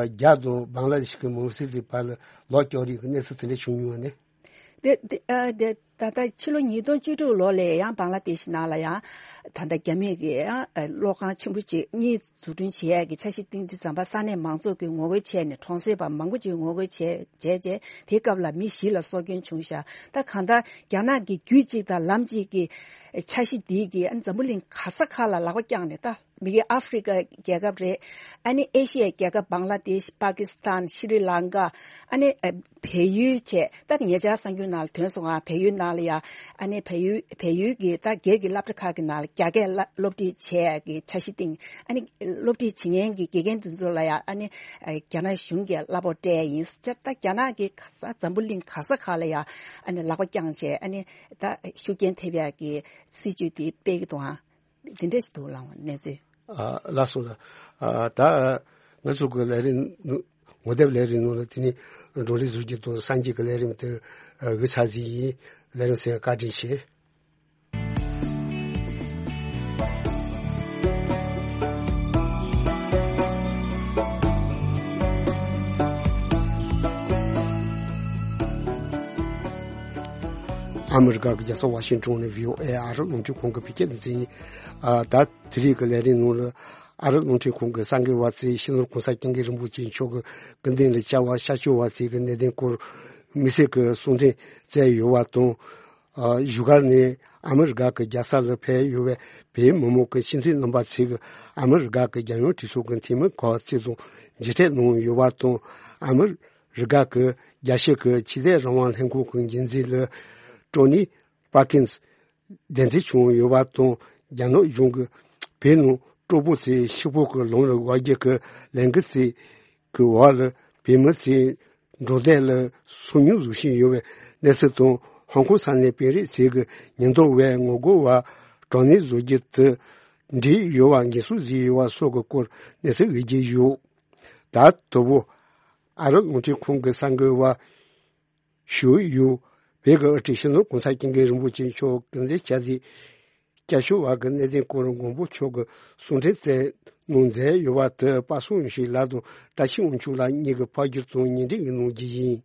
རྒྱ་དང་བང་ལ་དེ་ཤི་གི་མི་སེར་ཚོའི་བར་ལ་ལོག་སྐྱོར་རེས་ཀྱི་གནས་ཚུལ་དེ་འདྲ་བྱུང་མྱོང་བ་ནི། དེ་དེ། ཨ། དེ་ད་ལྟ་ཕྱི་ལོ་ཉིས་སྟོང་བཅུ་དྲུག་ལོ་ལ་ཡང་བང་ལ་དེ་ཤི་ནང་ལ་ཡང་ད་ལྟ་རྒྱ་མི་གིས་ཡང་། ཨ། གློག་ཁང་ཆེན་པོ་ཅིག་གཉིས་འཛུགས་སྐྲུན་བྱེད་ཡ་གི་འཆར་གཞི་བཏིང་དུས་ཙམ་པ། ས་གནས་མང་ཚོགས་ཀྱིས་ངོ་རྒོལ་བྱས་ནས་གྲོང་གསེབ་པ་མང་པོ་ཅིག་ངོ་རྒོལ་བྱས་བྱས་བྱས། དེའི་སྐབས་ལ་མི་བཞི་ལ་སྲོག་སྐྱོན་བྱུང་ཤག་ད་གང་ལྟར་རྒྱ་ནག་གི་རྒྱུད་གཅིག་དང་ལམ་གཅིག་གི་འཆར་གཞི་འདིས་ཀྱིས། ཨ། འཛམ་བུ་གླིང་ག་ས་ག་ལ་ལག་པ་བརྐྱངས་ནས། ད་མི་གི་ཨ་ཧྥི་རི་ཀ་རྒྱལ་ཁབ་རེད། ཨ་ནི་ཨེ་ཤི་ཡའི་རྒྱལ་ཁབ་བང་ལ་དེཤ། པ་ཀི་སི་ཐན། ཤི་རི་ལང་ཀ། ཨ་ནི། ཨ། བལ་ཡུལ་བཅས། ད་ཉེ་ཆར་གསར་འགྱུར་ནང་ལ་ཐོན་སོང་ང་། བལ་ཡུལ་ནང་ལ་ཡང་། ཨ་ནི་བལ་ཡུལ། བལ་ཡུལ་གྱི་ད་སྒེར་གྱི་སློབ་གྲྭ་ཁག་གི་ནང་ལ་རྒྱ་སྐད་སློབ་ཁྲིད་བྱེད་ཡ་གི་འཆར་གཞི་བཏིང་། ཨ་ནི་སློབ་ཁྲིད་བྱེད་མཁན་གྱི་དགེ་རྒན་དེ་ཚོ་ལ་ཡང་། ཨ་ནི། ཨ། རྒྱ་ནག་གཞུང་གིས་གླ་ཕོགས་སྤྲད་ཡིན་ཟེར། ད་རྒྱ་ནག་གིས་ག་ས། འཛམ་བུ་གླིང་ག་ས་ག་ལ་ཡང་། ཨ་ནི་ལག་པ་བརྐྱངས་བྱས། ཨ་ནི་ད་ཤུགས་རྐྱེན་ཐེབས་ཡ་གི་སྲིད་ཇུས་དེ་སྤེལ་གྱི་འདུག་ཨང་། དེ་འདྲ་ཞིག་འདུག་ལགས་འོང་། གནས་ཚུལ། ཨ་ལགས་སོ་ལགས། ཨ་ད་ང་ཚོ་གི་ལས་རིམ་ནང་ངོ་དེབ་ལས་རིམ་ནང་ལ་དེ་ནས་བགྲོ་གླེང་བཟོ་རྒྱུ་དང་གསར་འགྱུར་གྱི་ལས་རིམ་དེ་ཨ་འགོ་ཚར་ཟིན་ཡིན། ལས་རིམ་གསན་པར་བཀའ་དྲིན་ཆེ། ཨ་མི་རི་ཀ་གི་རྒྱལ་ས་ཝ་ཤིང་ཊོན་ནས་བྷི་ཨོ་ཨེ་ཨ་རི་རླུང་འཕྲིན་ཁང་གི་བོད་སྐད་སྡེ་ཚན་ཡིན། ཨ་ད་དེ་རིང་གི་ལས་རིམ་ནང་ལ་ཨ་རི་རླུང་འཕྲིན་ཁང་གི་གསར་འགོད་པ་ཚོས་སྤྱི་ནོར་གོང་ས་སྐྱབས་མགོན་རིན་པོ་ཆེ་མཆོག་གི་སྐུ་མདུན་ལ་བཅར་བ་ཤར་ཕྱོགས་པ་ཚོས་ཀྱི་གནད་དོན་སྐོར་དམིགས་བསལ་གྱི་གསུང་འཕྲིན་བསྩལ་ཡོད་པ་དང་། ཨ་བཞུགས་སྒར་ནས་ཨ་མི་རི་ཀ་གི་རྒྱལ་ས་ལ་ཕེབས་ཡོད་པའི་བོད་མི་མང་གི་སྤྱི་འཐུས་རྣམ་པ་ཚོས་ཀྱི་ཨ་མི་རི་ཀ་གི་རྒྱལ་ཡོངས་གྲོས་ཚོགས་ཀྱི་འཐུས་མི་ཁག་ཚོ་དང་མཇལ་འཕྲད་གནང་ཡོད་པ་དང་། ཨ་མི་རི་ཀ་གི་རྒྱལ་སྤྱི་གི་ཆོས་དད་རང་དབང་ལྷན་ཁང་གི་འགན་འཛིན་ལགས་ཀྲོ་ནི་པར་ཀིན་སི་གདན་འདྲེན་བྱུང་ཡོད་པ་དང་། རྒྱ་ནག་གཞུང་གིས་བོད་ནང་སྤྲོ་པོ་ཚོས་ཤི་བོ་གི་ལམ་ལ་བབས་རྒྱུ་གི་ལས་འགུལ་ཚོས་གི་འོག་ལ་བོད་མི་ཚོས་འགྲོ་སྟངས་ལ་སོ་ཉུལ་བཟོ་བཞིན་ཡོད་པའི་གནས་ཚུལ་དང་། ཧོང་ཀོང་ས་གནས་དཔོན་རིགས་ཚོས་ཀྱི་ཉེན་རྟོག་པས་ངོ་རྒོལ་བ་དྲག་གནོན་བཟོ་རྒྱུ་དེ་འབྲེལ་ཡོད་པ་ངེས་སོ་བཟོས་ཡོད་པ་སོགས་ཀྱི་སྐོར་གནས་ཚུལ་ཡོད་ཀྱི་ཡོད། ད་དོ་བོ་ཨ་རི་རླུང་འཕྲིན་ཁང་གི་གསར་འགོད་པ་ཞུ་ཡུལ་བོད་ཀྱི་དབུ་ཁྲིད་སྤྱི་ནོར་གོང་ས་སྐྱབས་མགོན་རིན་པོ་ཆེ་མཆོག་གི་མཛད་བྱ་དེ་སྐྱབས་བཅོལ་བ་གི་གནད་དོན་སྐོར་མགོན་པོ་མཆོག་གི་གསུང་འཕྲིན་བསྩལ་གནང་མཛད་ཡོད་པ་དེ་པ་སངས་ཡོང་ཞིག་ལགས་དང་བཀྲ་ཤིས་དབང་ཕྱུག་ལགས་གཉིས་ཀྱིས་ཕབ་བསྒྱུར་དང་ཉན་སྒྲིག་གནང་རྒྱུ་ཡིན།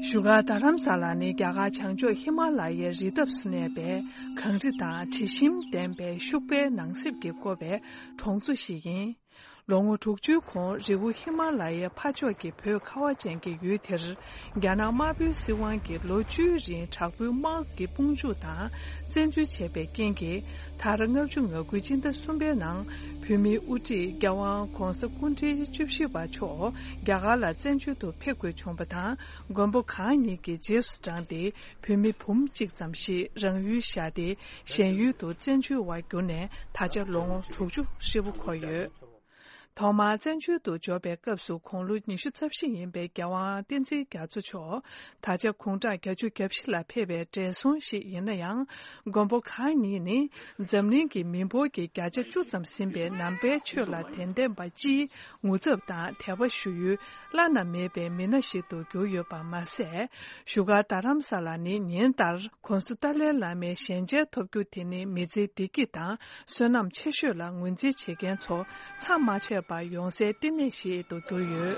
བཞུགས་སྒར་རྡ་རམ་ས་ལ་ནི་རྒྱ་གར་བྱང་ཕྱོགས་ཧི་མ་ལ་ཡའི་རི་འདབས་སུ་གནས་པའི་གངས་རི་དང་དྲི་ཞིམ་ལྡན་པའི་ཤུག་པའི་ནགས་གསེབ་ཀྱིས་བསྐོར་བའི་གྲོང་ཚོ་ཞིག་ཡིན། ལོ་ངོ་དྲུག་ཅུའི་གོང་རི་བོ་ཧི་མ་ལ་ཡའི་ཕར་ཕྱོགས་ཀྱི་བོད་ཁ་བ་ཅན་གྱི་ཡུལ་དེར་རྒྱ་ནག་དམར་པོའི་སྲིད་དབང་གིས་ལོ་བཅུའི་རིང་དྲག་པོའི་དམག་གི་དཔུང་འཇུག་དང་བཙན་འཛུལ་བྱས་པའི་རྐྱེན་གྱིས། ད་རེས་ལྔ་བཅུ་ང་དགུའི་སྤྱི་ཟླ་གསུམ་པའི་ནང་བོད་མིའི་དབུ་ཁྲིད་རྒྱལ་དབང་གོང་ས་སྐུ་ཕྲེང་བཅུ་བཞི་པ་མཆོག་རྒྱ་གར་ལ་བཙན་བྱོལ་དུ་ཕེབས་དགོས་བྱུང་བ་དང་། མགོན་པོ་གང་ཉིད་ཀྱི་རྗེས་སུ་འབྲངས་ཏེ་བོད་མི་འབུམ་གཅིག་ཙམ་ཞིག་རང་ཡུལ་བཞག་སྟེ་གཞན་ཡུལ་དུ་བཙན་བྱོལ་བར་གྱུར་ནས་ད་ཆ་ལོ་ངོ་དྲུག་ཅུ་ཧྲིལ་པོ་འཁོར་ཡོད། ཐོག་མར་བཙན་བྱོལ་དུ་འབྱོར་བའི་སྐབས་སུ་དགུང་ལོ་ཉི་ཤུ་རྩ་བཞི་ཡིན་པའི་རྒྱལ་དབང་བསྟན་འཛིན་རྒྱ་མཚོ་མཆོག་ད་ཆ་དགུང་གྲངས་བརྒྱད་ཅུ་གྱ་བཞི་ལ་ཕེབས་པའི་བགྲེས་སོང་ཞིག་ཡིན་ན་ཡང་། མགོན་པོ་གང་ཉིད་ནི་འཛམ་གླིང་གི་མི་འབོར་གྱི་བརྒྱ་ཆ་བཅུ་ཙམ་ཟིན་པའི་ནང་པའི་ཆོས་ལ་དད་ལྡན་པ་སྤྱིའི་ངོ་ཚབ་དང་དད་པ་ཞུ་ཡུལ་བླ་ན་མེད་པའི་མི་སྣ་ཞིག་ཏུ་གྱུར་ཡོད་པ་མ་ཟད། བཞུགས་སྒར་རྡ་རམ་ས་ལ་ནི་ཉིན་ལྟར་༸གོང་ས་ཏཱ་ལའི་བླ་མའི་ཞལ་མཇལ་ཐོབ་རྒྱུ་དེ་ནི་མི་ཚེའི་བདེ་སྐྱིད་དང་བསོད་ནམས་ཆེ་ཤོས་ལ་ངོས་འཛིན་བྱེད་མཁན་ཚོ་མཚམས་མ་ཆད་པར་ཡོང་སའི་བསྟི་གནས་ཤིག་ཏུ་གྱུར་ཡོད།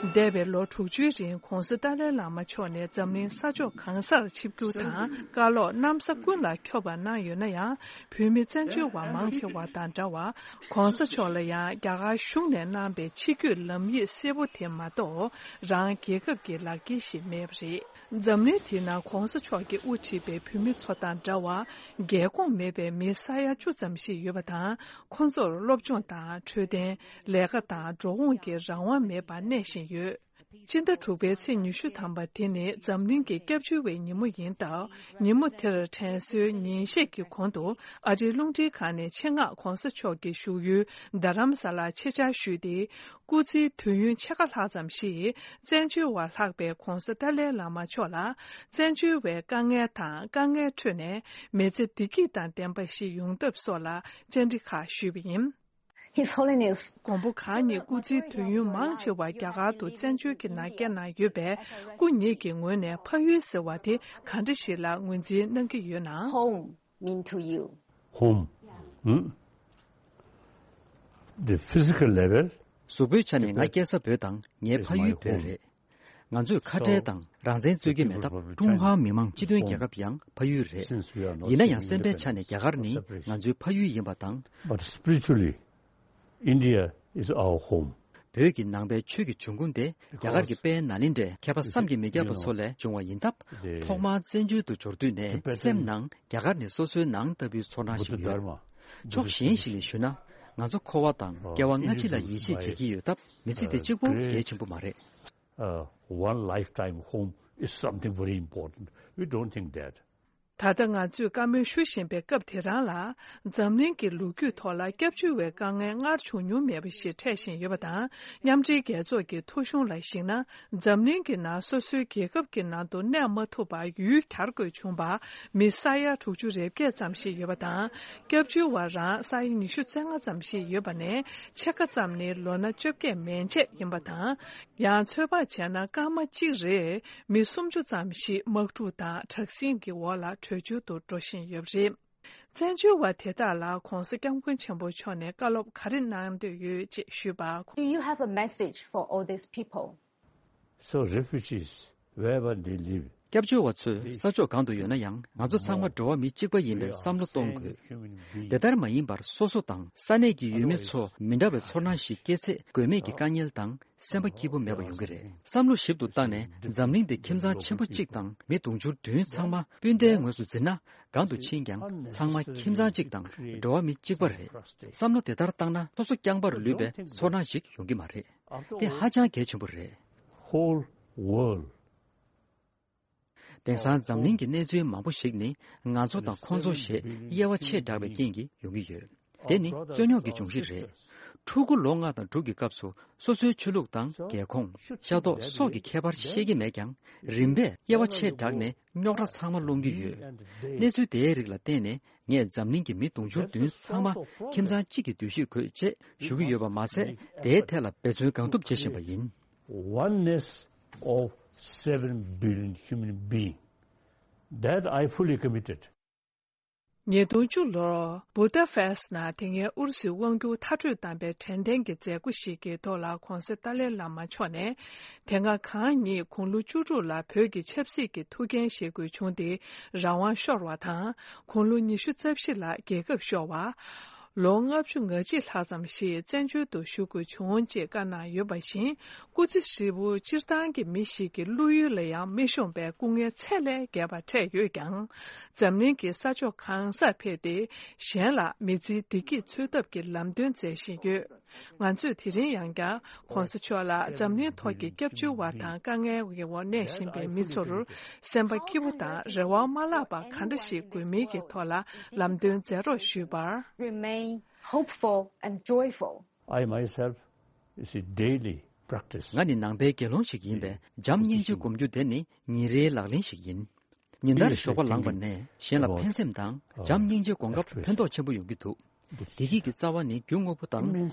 འདས་པའི་ལོ་དྲུག་ཅུའི་རིང་༸གོང་ས་ཏཱ་ལའི་བླ་མ་མཆོག་ནས་འཛམ་གླིང་ས་ཕྱོགས་གང་སར་ཆིབས་བསྒྱུར་དང་བཀའ་སློབ་གནམ་ས་ཀུན་ལ་ཁྱབ་པ་གནང་ཡོད་ན་ཡང་། བོད་མི་བཙན་བྱོལ་བ་མང་ཆེ་བ་དང་འདྲ་བར་༸གོང་ས་མཆོག་ལ་ཡང་རྒྱ་གར་གཞུང་ནས་གནང་པའི་ཆིབས་བསྒྱུར་ལམ་ཡིག་གསལ་པོ་དེ་མ་གཏོགས་རང་རྒྱལ་ཁབ་ཀྱི་ལག་འཁྱེར་ཞིག་མེད་པ་རེད། འཛམ་གླིང་དེ་ན་༸གོང་ས་མཆོག་གིས་དབུ་ཁྲིད་པའི་བོད་མི་ཚོ་དང་འདྲ་བར་རྒྱལ་ཁོངས་མེད་པའི་མི་ས་ཡ་བཅུ་ཙམ་ཞིག་ཡོད་པ་དང་། ཁོང་ཚོར་སློབ་སྦྱོང་དང་འཕྲོད་བསྟེན། ལས་ཀ་དང་འགྲོ་འོང་གི་རང་དབང་མེད་པར་གནས་བཞིན་ཡོད། སྤྱི་ཟླ་དྲུག་པའི་ཚེས་ཉི་ཤུ་ཐམ་པ་དེ་ནི་འཛམ་གླིང་གི་སྐྱབས་བཅོལ་བའི་ཉིན་མོ་ཡིན་སྟབས། ཉིན་མོ་དེར་དྲན་གསོའི་ཉིན་ཤས་ཀྱི་གོང་དུ་ཨ་རིའི་རླུང་འཕྲིན་ཁང་ནས་ཆེད་མངགས་༸གོང་ས་མཆོག་གི་བཞུགས་ཡུལ་རྡ་རམ་ས་ལར་ཆེད་བཅར་ཞུས་ཏེ། སྐུ་ཚེའི་དུས་ཡུན་ཕྱེད་ཀ་ལྷག་ཙམ་ཞིག་བཙན་བྱོལ་བ་ལྷག་པའི་༸གོང་ས་ཏཱ་ལའི་བླ་མ་མཆོག་ལ་བཙན་བྱོལ་བའི་དཀའ་ངལ་དང་དཀའ་ངལ་ཁྲོད་ནས་མི་ཚེ་བདེ་སྐྱིད་དང་ལྡན་པ་ཞིག་ཡོང་ཐབས་སོགས་ལ་བཅར་འདྲི་ཁག་ཞུས་པ་ཡིན། His Holiness མགོན་པོ་གང་ཉིད་སྐུ་ཚེའི་དུས་ཡུན་མང་ཆེ་བ་རྒྱ་གར་དུ་བཙན་བྱོལ་གྱི་ནང་བསྐྱལ་གནང་ཡོད་པས། སྐུ་ཉིད་ཀྱི་ངོས་ནས་ཕ་ཡུལ་ཟེར་བ་དེ་ག་འདྲ་ཞིག་ལ་ངོས་འཛིན་གནང་གི་ཡོད་ན། Home mean to you? Home. Hmm? The physical level. གཟུགས་པོའི་ཆ་ནས་ང་སྐྱེས་ས་བོད་དང་ངའི་ཕ་ཡུལ་བོད་རེད། ང་ཚོས་ཁ་བྲལ་དང་རང་བཙན་རྩོད་ཀྱི་མེད་སྟབས། ཀྲུང་ཧྭ་མི་དམངས་སྤྱི་མཐུན་རྒྱལ་ཁབ་ཡང་ཕ་ཡུལ་རེད། ཡིན་ན་ཡང་སེམས་པའི་ཆ་ནས་རྒྱ་གར་ནི་ང་ཚོའི་ཕ་ཡུལ་ཡིན་པ་དང་། But spiritually, India is our home. བོད་ཀྱི་ནང་པའི་ཆོས་ཀྱི་འབྱུང་ཁུངས་དེ་རྒྱ་གར་གྱི་དཔལ་ནཱ་ལེནྡྲའི་མཁས་པ་བསམ་གྱིས་མི་ཁྱབ་པ་ཚོ་ལས་བྱུང་བ་ཡིན་སྟབས། ཐོག་མར་བཙན་བྱོལ་དུ་འབྱོར་དུས་ནས་སེམས་ནང་རྒྱ་གར་ནི་སོ་སོའི་ནང་ལྟ་བུའི་ཚོར་སྣང་ཞིག་ཡོད། ཕྱོགས་གཞན་ཞིག་ནས་ཞུས་ན། ང་ཚོ་འཁོར་བ་དང་སྐྱེ་བ་སྔ་ཕྱི་ལ་ཡིད་ཆེས་བྱེད་ཀྱི་ཡོད་སྟབས། མི་ཚེ་འདི་གཅིག་པོ་གལ་ཆེན་པོ་མ་རེད། Uh, one lifetime home is something very important. We don't think that. ད་ལྟ་ང་ཚོས་བཀའ་མོལ་ཞུ་བཞིན་པའི་སྐབས་དེ་རང་ལ། འཛམ་གླིང་གི་ལོ་རྒྱུས་ཐོག་ལ་སྐྱབས་བཅོལ་བའི་དཀའ་ངལ་སྔར་བྱུང་མྱོང་མེད་པ་ཞིག་འཕྲད་བཞིན་ཡོད་པ་དང་། མཉམ་འབྲེལ་རྒྱལ་ཚོགས་ཀྱི་ཐོ་གཞུང་ལ་གཞིགས་ན། འཛམ་གླིང་གི་ནང་སོ་སོའི་རྒྱལ་ཁབ་ཀྱི་ནང་དུ་གནས་མ་ཐུབ་པར་ཡུལ་གྱར་དགོས་བྱུང་བ། མི་ས་ཡ་དྲུག་ཅུ་རེ་བརྒྱད་ཙམ་ཞིག་ཡོད་པ་དང་། སྐྱབས་བཅོལ་བ་རང་ས་ཡ་ཉི་ཤུ་རྩ་ལྔ་ཙམ་ཞིག་ཡོད་པ་ནས། ཕྱེད་ཀ་ཙམ་ནི་ལོ་ན་བཅོ་བརྒྱད་མན་ཆད་ཡིན་པ་དང་། ཡང་ཚོད་དཔག་བྱས་ན་སྐར་མ་གཅིག་རེར་མི་སུམ་ཅུ་ཙམ་ཞིག་དམག་འཁྲུག་དང་དྲག་ཟིང་གི་འོག་ལ་བྲོས་བྱོལ་དུ་འགྲོ་བཞིན་ཡོད་པ་རེད། བཙན་བྱོལ་བ་དེ་དག་ལ་༧གོང་ས་༧སྐྱབས་མགོན་ཆེན་པོ་མཆོག་ནས་བཀའ་སློབ་ག་རེ་གནང་འདོད་ཡོད་ཅེས་ཞུས་པར། Do you have a message for all these people? So refugees, wherever they live, སྐྱབས་བཅོལ་བ་ཚོས་ས་ཕྱོགས་གང་དུ་ཡོད་ན་ཡང་། ང་ཚོ་ཚང་མ་འགྲོ་བ་མི་གཅིག་པ་ཡིན་པའི་བསམ་བློ་གཏོང་དགོས། དེ་ལྟར་མ་ཡིན་པར་སོ་སོ་དང་ས་གནས་ཀྱི་ཡུལ་མི་ཚོ་མི་འདྲ་བའི་ཚོར་སྣང་ཞིག་སྐྱེས་ཚེ། དགོས་མེད་ཀྱི་དཀའ་ངལ་དང་སེམས་པ་སྐྱིད་པོ་མེད་པ་ཡོང་གི་རེད། བསམ་བློ་ཞིབ་ཏུ་བཏང་ནས། འཛམ་གླིང་འདི་ཁྱིམ་ཚང་ཆེན་པོ་གཅིག་དང་མི་དུང་ཕྱུར་བདུན་ཚང་མ་སྤུན་ཟླའི་ངོས་སུ་འཛིན་ན། གང་དུ་ཕྱིན་ཀྱང་ཚང་མ་ཁྱིམ་ཚང་གཅིག་དང་འགྲོ་བ་མི་གཅིག་པ་རེད། བསམ་བློ་དེ་ལྟར་བཏང་ན། སོ་སོ་རྐྱང་པར་ལུས་པའི་ཚོར་སྣང་ཞིག་ཡོང་གི་མ་རེད། དེ་ཧ་ཅང་གལ་ཆེན་པོ་རེད། Whole world. དེང་སང་འཛམ་གླིང་གི་གནས་ཚུལ་མང་པོ་ཞིག་ནི། ང་ཚོ་དང་ཁོང་ཚོ་ཞེས་དབྱེ་བ་ཆེ་དྲགས་པའི་རྐྱེན་གྱིས་ཡོང་གི་ཡོད། དེ་ནི་རྩོད་རྙོག་གི་འབྱུང་གཞི་རེད། ཕྲུ་གུ་ལོ་ལྔ་དང་དྲུག་གི་སྐབས་སུ། སོ་སོའི་ཆོས་ལུགས་དང་རྒྱལ་ཁོངས། ཤ་མདོག་སོགས་ཀྱི་ཁྱད་པར་ཤེས་ཀྱི་མེད་ཀྱང་། རིམ་པས་དབྱེ་བ་ཆེ་དྲགས་ནས་རྙོག་དྲ་ཚང་མ་སློང་གི་ཡོད། གནས་ཚུལ་དེའི་རིགས་ལ་བརྟེན་ནས། ངས་འཛམ་གླིང་གི་མི་དུང་ཕྱུར་བདུན་ཚང་མ་ཁྱིམ་ཚང་གཅིག་གི་འདུ་ཤེས་དགོས་ཅེས་ཞུ་གི་ཡོད་པ་མ་ཟད། དེའི་ཐད་ལ་འབད་བརྩོན་གང་ཐུབ་བྱེད་བཞིན་པ་ཡིན། Oneness of seven billion human being, that I fully committed. ཉིས་སྟོང་བཅུ་ལོར་བུ་ད་ཕེ་སི་ནང་དེ་སྔའི་ཨུ་རུ་སུའི་དབང་སྒྱུར་མཐར་སྐྲོད་བཏང་པའི་དྲན་རྟེན་གྱི་མཛད་སྒོ་ཞིག་གི་ཐོག་ལ། ྋགོང་ས་ཏཱ་ལའི་བླ་མ་མཆོག་ནས། དེ་སྔ་གང་ཉིད་དགུང་ལོ་བཅུ་དྲུག་ལ་བོད་ཀྱི་ཆབ་སྲིད་ཀྱི་ཐུགས་འགན་བཞེས་དགོས་བྱུང་སྟེ། རང་དབང་ཤོར་བ་དང་། དགུང་ལོ་ཉི་ཤུ་རྩ་བཞི་ལ་རྒྱལ་ཁབ་ཤོར་བ། ལོ་ལྔ་བཅུ་ང་གཅིག་ལྷག་ཙམ་ཞིག་བཙན་བྱོལ་དུ་བཞུགས་དགོས་བྱུང་ཅེས་བཀའ་གནང་ཡོད་པ་བཞིན། སྐུ་ཚེ་ཧྲིལ་པོ་སྤྱིར་བཏང་གི་མི་ཞིག་གི་བློ་ཡུལ་ལ་ཡང་མི་ཤོང་པའི་སྐུ་ངལ་ཚད་ལས་བརྒལ་བ་འཕྲད་ཡོད་ཀྱང་། འཛམ་གླིང་གི་ས་ཕྱོགས་གང་སར་ཕེབས་ཏེ། གཞན་ལ་མི་ཚེའི་བདེ་སྐྱིད་འཚོལ་ཐབས་ཀྱི་ལམ་སྟོན་མཛད་བཞིན་ཡོད། ང་ཚོས་དེ་རིང་ཡང་བསྐྱར་༧གོང་ས་མཆོག་ལ་འཛམ་གླིང་ཐོག་གི་སྐྱབས་བཅོལ་བ་དང་དཀའ་ངལ་གྱི་འོག་གནས་བཞིན་པའི་མི་ཚོར། སེམས་པ་སྐྱིད་པོ་དང་རེ་བ་མ་བརླག་པ་ག་འདྲ་ཞིག་དགོས་མིན་གྱི་ཐོག་ལ་ལམ་སྟོན་མཛད་རོགས་ཞུས་པར། Remain hopeful and joyful. I myself is a daily practice. ང་ནི་ནང་པའི་དགེ་སློང་ཞིག་ཡིན་པས། བྱམས་སྙིང་རྗེ་སྒོམ་རྒྱུ་དེ་ནི་ཉིན་རེའི་ལག་ལེན་ཞིག་ཡིན། ཉིན་ལྟར་ཞོགས་པ་ལངས་པ་ནས་གཞན་ལ་ཕན་སེམས་དང་བྱམས་སྙིང་རྗེ་སྒོམ་སྐབས་ཕན་ཐོགས་ཆེན་པོ་ཡོང་གི་འདུག་བདེ་སྐྱིད་ཀྱི་རྩ་བ་ནི་རྒྱུ་དངོས་པོ་དང་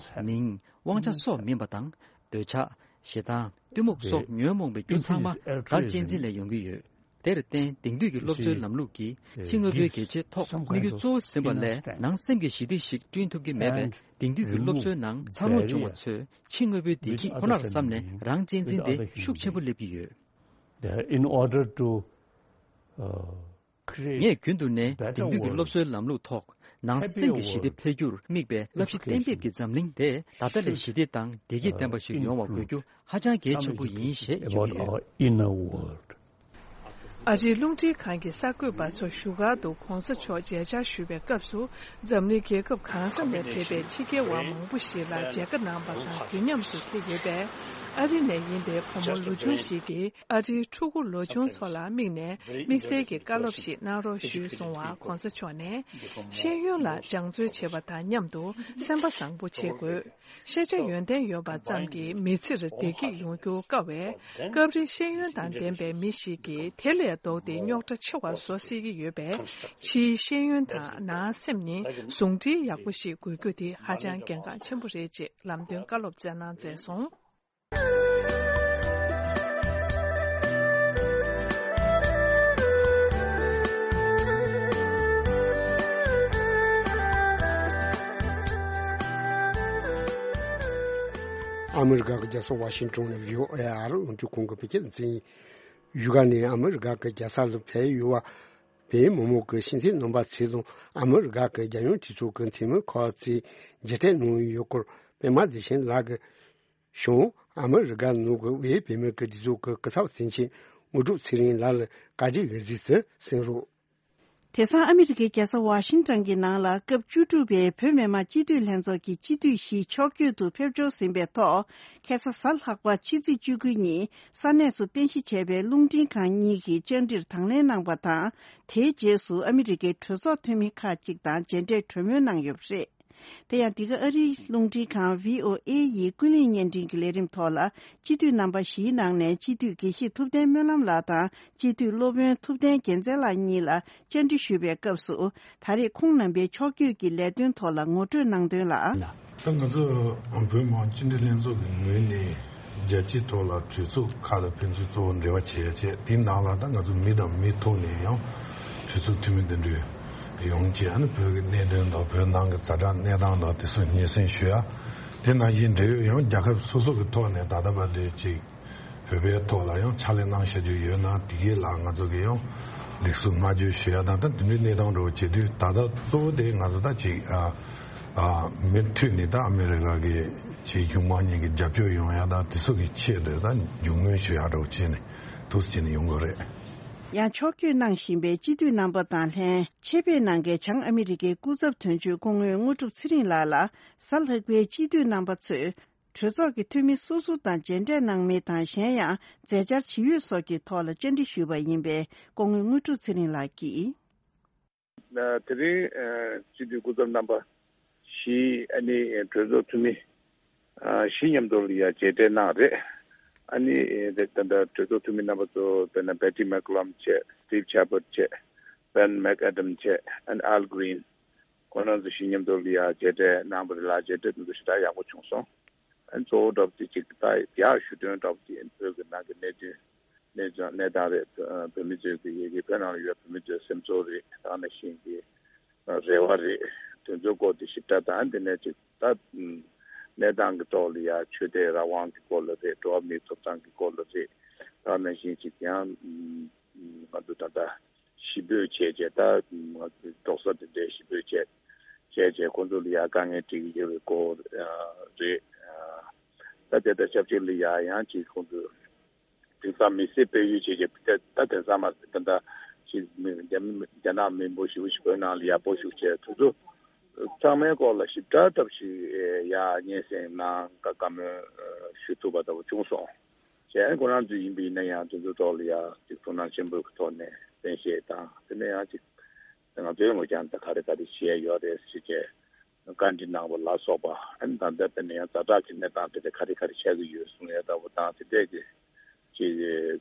མིང་། དབང་ཆ་སོགས་མིན་པ་དང་། འདོད་ཆགས། ཞེ་སྡང་། གཏི་མུག་སོགས་ཉོན་མོངས་པའི་རྒྱུ་ཚང་མ་བདག་གཅེས་འཛིན་ལས་ཡོང་གི་ཡོད། དེར་བརྟེན་དེང་དུས་ཀྱི་སློབ་གསོའི་ལམ་ལུགས་ཀྱིས་ཕྱི་དངོས་པོའི་གལ་ཆེའི་ཐོག་དམིགས་ཡུལ་གཙོ་བོ་ཟིན་པ་ལས། ནང་སེམས་ཀྱི་ཞི་བདེ་ཞིག་བསྐྲུན་ཐུབ་ཀྱི་མེད་པས། དེང་དུས་ཀྱི་སློབ་གསོའི་ནང་འཚར་ལོངས་བྱུང་བ་ཚོས་ཕྱི་དངོས་པོའི་བདེ་སྐྱིད་ཁོ་ནར་བསམ་ནས་རང་གཅེས་འཛིན་དེ་ཤུགས་ཆེན་པོ་སླེབས་ཀྱི་ཡོད། In order to, uh, ངས་རྒྱུན་དུ་ནས་དེང་དུས་ཀྱི་སློབ་གསོའི་ལམ་ལུགས་ཐོག་ནང་སེམས་ཀྱི་ཞི་བདེ་འཕེལ་རྒྱུར་དམིགས་པའི་བསླབ་གཞི་གཏན་འབེབས་ཀྱི་འཛམ་གླིང་དེ་ད་ལྟ་ལས་ཞི་བདེ་དང་བདེ་སྐྱིད་ལྡན་པ་ཞིག་ཡོང་བ་དགོས་རྒྱུ་ཧ་ཅང་གལ་ཆེན་པོ་ཡིན་ཞེས་བརྗོད་ཀྱི་ཡོད། Inner world. ཨ་རིའི་རླུང་འཕྲིན་ཁང་གི་གསར་འགོད་པ་ཚོ་བཞུགས་སྒར་དུ་༧གོང་ས་མཆོག་མཇལ་བཅར་ཞུས་པའི་སྐབས་སུ། འཛམ་གླིང་རྒྱལ་ཁབ་གང་ས་ནས་ཕེབས་པའི་ཕྱི་རྒྱལ་བ་མང་པོ་ཞིག་ལ་མཇལ་ཁ་གནང་བ་དང་དུས་མཉམ་དུ་ཕེབས་ཡོད་པས། ཨ་རི་ནས་ཡིན་པའི་བུ་མོ་ལོ་ཆུང་ཞིག་གིས། ཨ་རིའི་ཕྲུ་གུ་ལོ་ཆུང་ཚོ་ལ་དམིགས་ནས་དམིགས་བསལ་གྱི་བཀའ་སློབ་ཞིག་གནང་རོགས་ཞུས་གསུང་བར། ྋགོང་ས་མཆོག་ནས། ཤེས་ཡོན་ལ་སྦྱང་བརྩོན་བྱེད་པ་དང་མཉམ་དུ་སེམས་པ་བཟང་པོ་བྱེད་དགོས། ཤེས་བྱ་ཡོན་ཏན་ཡོད་པ་ཙམ་གྱིས་མི་ཚེར་བདེ་སྐྱིད་ཡོང་རྒྱུ་དཀའ་བས། སྐབས་རེ་ཤེས་ཡོན་དང་ལྡན་པའི་མི་ཞིག་གིས་དེ་ལས་ལྡོག་སྟེ་རྙོག་དྲ་ཆེ་བ་བཟོ་སྲིད་ཀྱི་ཡོད་པས། ཕྱིའི་ཤེས་ཡོན་དང་ནང་སེམས་གཉིས་ཟུང་འབྲེལ་ཡག་པོ་ཞིག་དགོས་རྒྱུ་དེ་ཧ་ཅང་གལ་འགངས་ཆེན་པོ་རེད་ཅེས་ལམ་སྟོན་བཀའ་སློབ་སྩལ་གནང་མཛད་སོང་། ཨ་མི་རི་ཀ་གི་རྒྱལ་ས་ཝ་ཤིང་ཊོན་ནས་བྷི་ཨོ་ཨེ་ཨ་རི་རླུང་འཕྲིན་ཁང་གི་བོད་སྐད་སྡེ་ཚན་ཡིན། བཞུགས་སྒར་ནས་ཨ་མི་རི་ཀ་གི་རྒྱལ་ས་ལ་ཕེབས་ཡོད་པའི་མི་མང་གི་ཤེས་ཚད་རྣམ་པ་ཚོ་དང་། ཨ་མི་རི་ཀ་གི་རྒྱལ་ཡོངས་གྲོས་ཚོགས་ཀྱི་འཐུས་མི་ཁག་ཅིག་མཇལ་འཕྲད་གནང་ཡོད་སྐོར། པད་མ་བདེ་ཆེན་ལགས་ཀྱིས་བྱུང་། ཨ་མི་རི་ཀ་ནང་གི་བོད་མིའི་སྒྲིག་འཛུགས་ཀྱི་སྐུ་ཚབ་དོན་གཅོད་དངོས་གྲུབ་ཚེ་རིང་ལགས་ལ་བཀའ་འདྲི་འོས་གཟིགས་སུ་གསན་རོགས། དེང་སང་ཨ་མི་རི་ཀའི་རྒྱལ་ས་ཝ་ཤིང་ཊོན་གྱི་ནང་ལ་སྐབས་བཅུ་དྲུག་པའི་བོད་མི་མང་སྤྱི་འཐུས་ལྷན་ཚོགས་ཀྱི་སྤྱི་འཐུས་བཞི་ཕྱོགས་བསྐྱོད་དུ་ཕེབས་འབྱོར་ཟིན་པའི་ཐོག་ཁ་སང་གཟའ་ལྷག་པ་ཕྱི་ཚེས་བཅུ་དགུ་ཉིན་ས་གནས་སུ་རྟེན་གཞི་བྱས་པའི་རླུང་འཕྲིན་ཁང་གཉིས་ཀྱི་བཅར་འདྲིར་དང་ལེན་གནང་པ་དང་། དེའི་རྗེས་སུ་ཨ་མི་རི་ཀའི་གྲོས་ཚོགས་འཐུས་མི་ཁག་ཅིག་དང་མཇལ་འཕྲད་གྲོས་མོལ་གནང་ཡོད་པ་རེད། དེ་ཡང་འདི་ག་ཨ་རིའི་རླུང་འཕྲིན་ཁང་བྷི་ཨོ་ཨེ་ཡི་ཀུན་གླེང་བརྙན་འཕྲིན་གྱི་ལས་རིམ་ཐོག་ལ་སྤྱི་འཐུས་རྣམ་པ་བཞིའི་ནང་ནས་སྤྱི་འཐུས་དགེ་བཤེས་ཐུབ་བསྟན་སྨོན་ལམ་ལགས་དང་སྤྱི་འཐུས་སློབ་དཔོན་ཐུབ་བསྟན་རྒྱལ་མཚན་ལགས་གཉིས་ལ་བཅར་འདྲི་ཞུས་པའི་སྐབས་སུ། ད་རེས་ཁོང་རྣམ་པའི་ཕྱོགས་བསྐྱོད་ཀྱི་ལས་དོན་ཐོག་ལ་ངོ་སྤྲོད་གནང་དོན་ལ། ད་ང་ཚོ་བོད་མི་མང་སྤྱི་འཐུས་ལྷན་ཚོགས་ཀྱི་ངོས་ནས་རྒྱལ་སྤྱིའི་ཐོག་ལ་གྲོས་ཚོགས་ཁག་ལ་ཕན་ཚུན་གཙོ་བོ་འབྲེལ་བ་བྱེད་ཡ་བྱས། དེའི་ནང་ལ་ད་ང་ཚོ་མི་དང་མི་ཐོག་ནས་ཡང་གྲོས་ཚོགས་འཐུས་མི་འདི་འདྲ་ཡོང་བྱས། ཨ་ནི་བོད་ཀྱི་གནད་དོན་དང་བོད་ནང་གི་ཛ་དྲག་གནས་སྟངས་དང་དེ་ཚོ་སྙན་སེང་ཞུ་ཡ། དེ་ནང་བཞིན་འབྲེལ་ཡོད་ཡང་རྒྱལ་ཁབ་སོ་སོ་གི་ཐོག་ནས་ད་ལྟ་བར་དུ་ཅིག་བོད་པའི་ཐོག་ལ་ཡང་ཕྱག་ལས་གནང་བཞག་རྒྱུ་ཡོད་ན་དེ་གའི་ལ་ང་ཚོ་གི་ཡང་ལེགས་སོ་བསྔགས་བརྗོད་ཞུ་ཡ་དང་། ད་དེ་འདྲའི་གནས་སྟངས་འདྲ་བོ་བྱེད་དུས་ད་ལྟ་གཙོ་བོ་དེ་ང་ཚོ་ད་ཅིག་ཨ་ཨ་མུ་མཐུད་ནས་ད་ཨ་མི་རི་ཀ་གི་ཅིག་གཞུང་མང་གཉིས་ཀྱི་རྒྱབ་སྐྱོར་ཡོང་ཡ་དང་དེ་ཚོ་གི་ཆེད་དུ་ད་མཇུག་སྣོན་ཞུ་ཡ་འདྲ་བོ་བྱས་ནས་འདུག་སེ་བྱས་ནས་ཡོང་གི་རེད། ཡང་ཕྱོགས་བསྐྱོད་གནང་བཞིན་པའི་སྤྱི་འཐུས་རྣམ་པ་དང་ལྷན་ཆེད་ཕེབས་གནང་མཁན་བྱང་ཨ་མི་རི་ཀའི་སྐུ་ཚབ་དོན་གཅོད་སྐུ་ངོ་དངོས་གྲུབ་ཚེ་རིང་ལགས་ལ་གཟའ་ལྷག་པའི་སྤྱི་འཐུས་རྣམ་པ་ཚོས། གྲོས་ཚོགས་ཀྱི་འཐུས་མི་སོ་སོ་དང་མཇལ་འཕྲད་གནང་མིན་དང་། གཞན་ཡང་མཛད་འཆར་ཇི་ཡོད་སོགས་ཀྱི་ཐོག་ལ་བཅར་འདྲི་ཞུས་པ་ཡིན་པས། སྐུ་ངོ་དངོས་གྲུབ་ཚེ་རིང་ལགས་ཀྱིས། དེ་རིང་སྤྱི་འཐུས་སྐུ་ཚབ་རྣམ་པ་བཞི་ཨ་ནི་གྲོས་ཚོགས་འཐུས་མི་བཞི་མཉམ་དུ་ལ་ཡ་མཇལ་འཕྲད་གནང་རེད། ཨ་ནི་ད་ལྟ་གྲོས་ཚོགས་འཐུས་མི་རྣམ་པ་ཚོ་དཔེར་ན་Patty McCallum་བྱས། Steve Chabot་བྱས། Ben McAdam་བྱས། ཨ་ནི་Al Green། ཁོང་རྣམ་ཚོ་བཞི་མཉམ་དུ་ལ་ཡ་མཇལ་འཕྲད་གནང་བ་རེད་ལ། མཇལ་འཕྲད་དེ་ཚོ་ཞེ་དྲག་ཡག་པོ་བྱུང་སོང་། ཨ་ནི་གཙོ་བོ་འདྲ་པོ་དེ་གཅིག་ད་ཡར་ཞུ་དོན་འདྲ་པོ་དེ་བོད་ཀྱི་ནང་གི་གནད་དོན་གནས་ཚུལ་གནས་སྟངས་རེད། བོད་མི་ཚོའི་གི་ཡ་གི་བོད་ནང་ལ་ཡོད་བོད་མི་ཚོའི་སེམས་ཚོར་རེད། ད་ནང་བཞིན་གྱི་རེ་བ་རེད། དེ་ཚོའི་སྐོར་དེ་ཞིབ་ཕྲ་དང་དེ་ནས་ཅིག་ད་གནས་སྟངས་ཀྱི་ཐོག་ལ་ཡ་ཆོས་དད་རང་དབང་གི་སྐོར་ལ་རེད། འགྲོ་བ་མིའི་ཐོབ་ཐང་གི་སྐོར་ལ་རེད། ད་ནང་བཞིན་ཅིག་ཡང་ང་ཚོ་ད་ལྟ་ཞི་འབོད་བྱས་བྱས་ད་ང་ཚོ་འབྲོག་ས་དེ་འདྲའི་ཞི་འབོད་བྱས་བྱས་བྱས་ཁོང་ཚོ་ལ་ཡ་དཀའ་ངལ་འཕྲད་ཀྱི་ཡོད་པའི་སྐོར་རེད། ད་དེ་ལྟར་ཆབས་ཅིག་ལ་ཡ་ཡང་ཅིག་ཁོང་ཚོ་དེང་སང་མི་སེར་སྤེལ་ཡུལ་བྱས་བྱས་ད་ད་དེང་སང་མ་ཟད་ད་ལྟ་ཅིག་མི་རྒྱ་མི་རྒྱ་ནག་མི་འབོར་ཞེ་པོ་ཞིག་བོད་ནང་ལ་ཡ་སྤོ་བཞུགས་བྱས་དེ་ཚོ་ཚང་མའི་སྐོར་ལ་ཞིབ་ཕྲ་ཐབས་ཤིག་ཡ་སྙན་སེང་གནང་བཀའ་མོལ་ཞུ་ཐུབ་པ་ལྟ་བུ་བྱུང་སོང་། གཞན་ཁོ་རང་ཚོ་ཡིན་པ་ཡིན་ན་ཡང་དེ་ཚོའི་ཐོག་ལ་ཡང་ཅིག་ཐུགས་སྣང་ཆེན་པོའི་ཐོག་ནས་གསན་བཞེས་དང་། དེ་ནས་ཡང་ཅིག་ང་ཚོའི་ངོས་ཀྱང་ད་ག་རེ་ག་རེ་བྱས་ཡོད་རེད་ཟེར་བྱས་བཀའ་འདྲི་གནང་བ་ལ་སོགས་པ། ཨ་ནི་ད་ལྟ་དཔེར་ན་ཡང་ཛ་དྲག་གི་གནས་སྟངས་དེ་འདྲ་ག་རེ་ག་རེ་ཆགས་ཀྱི་ཡོད་གསུང་ཡས་ལྟ་བུ་དང་དེ་འདྲས་ཀྱི་ཅིག་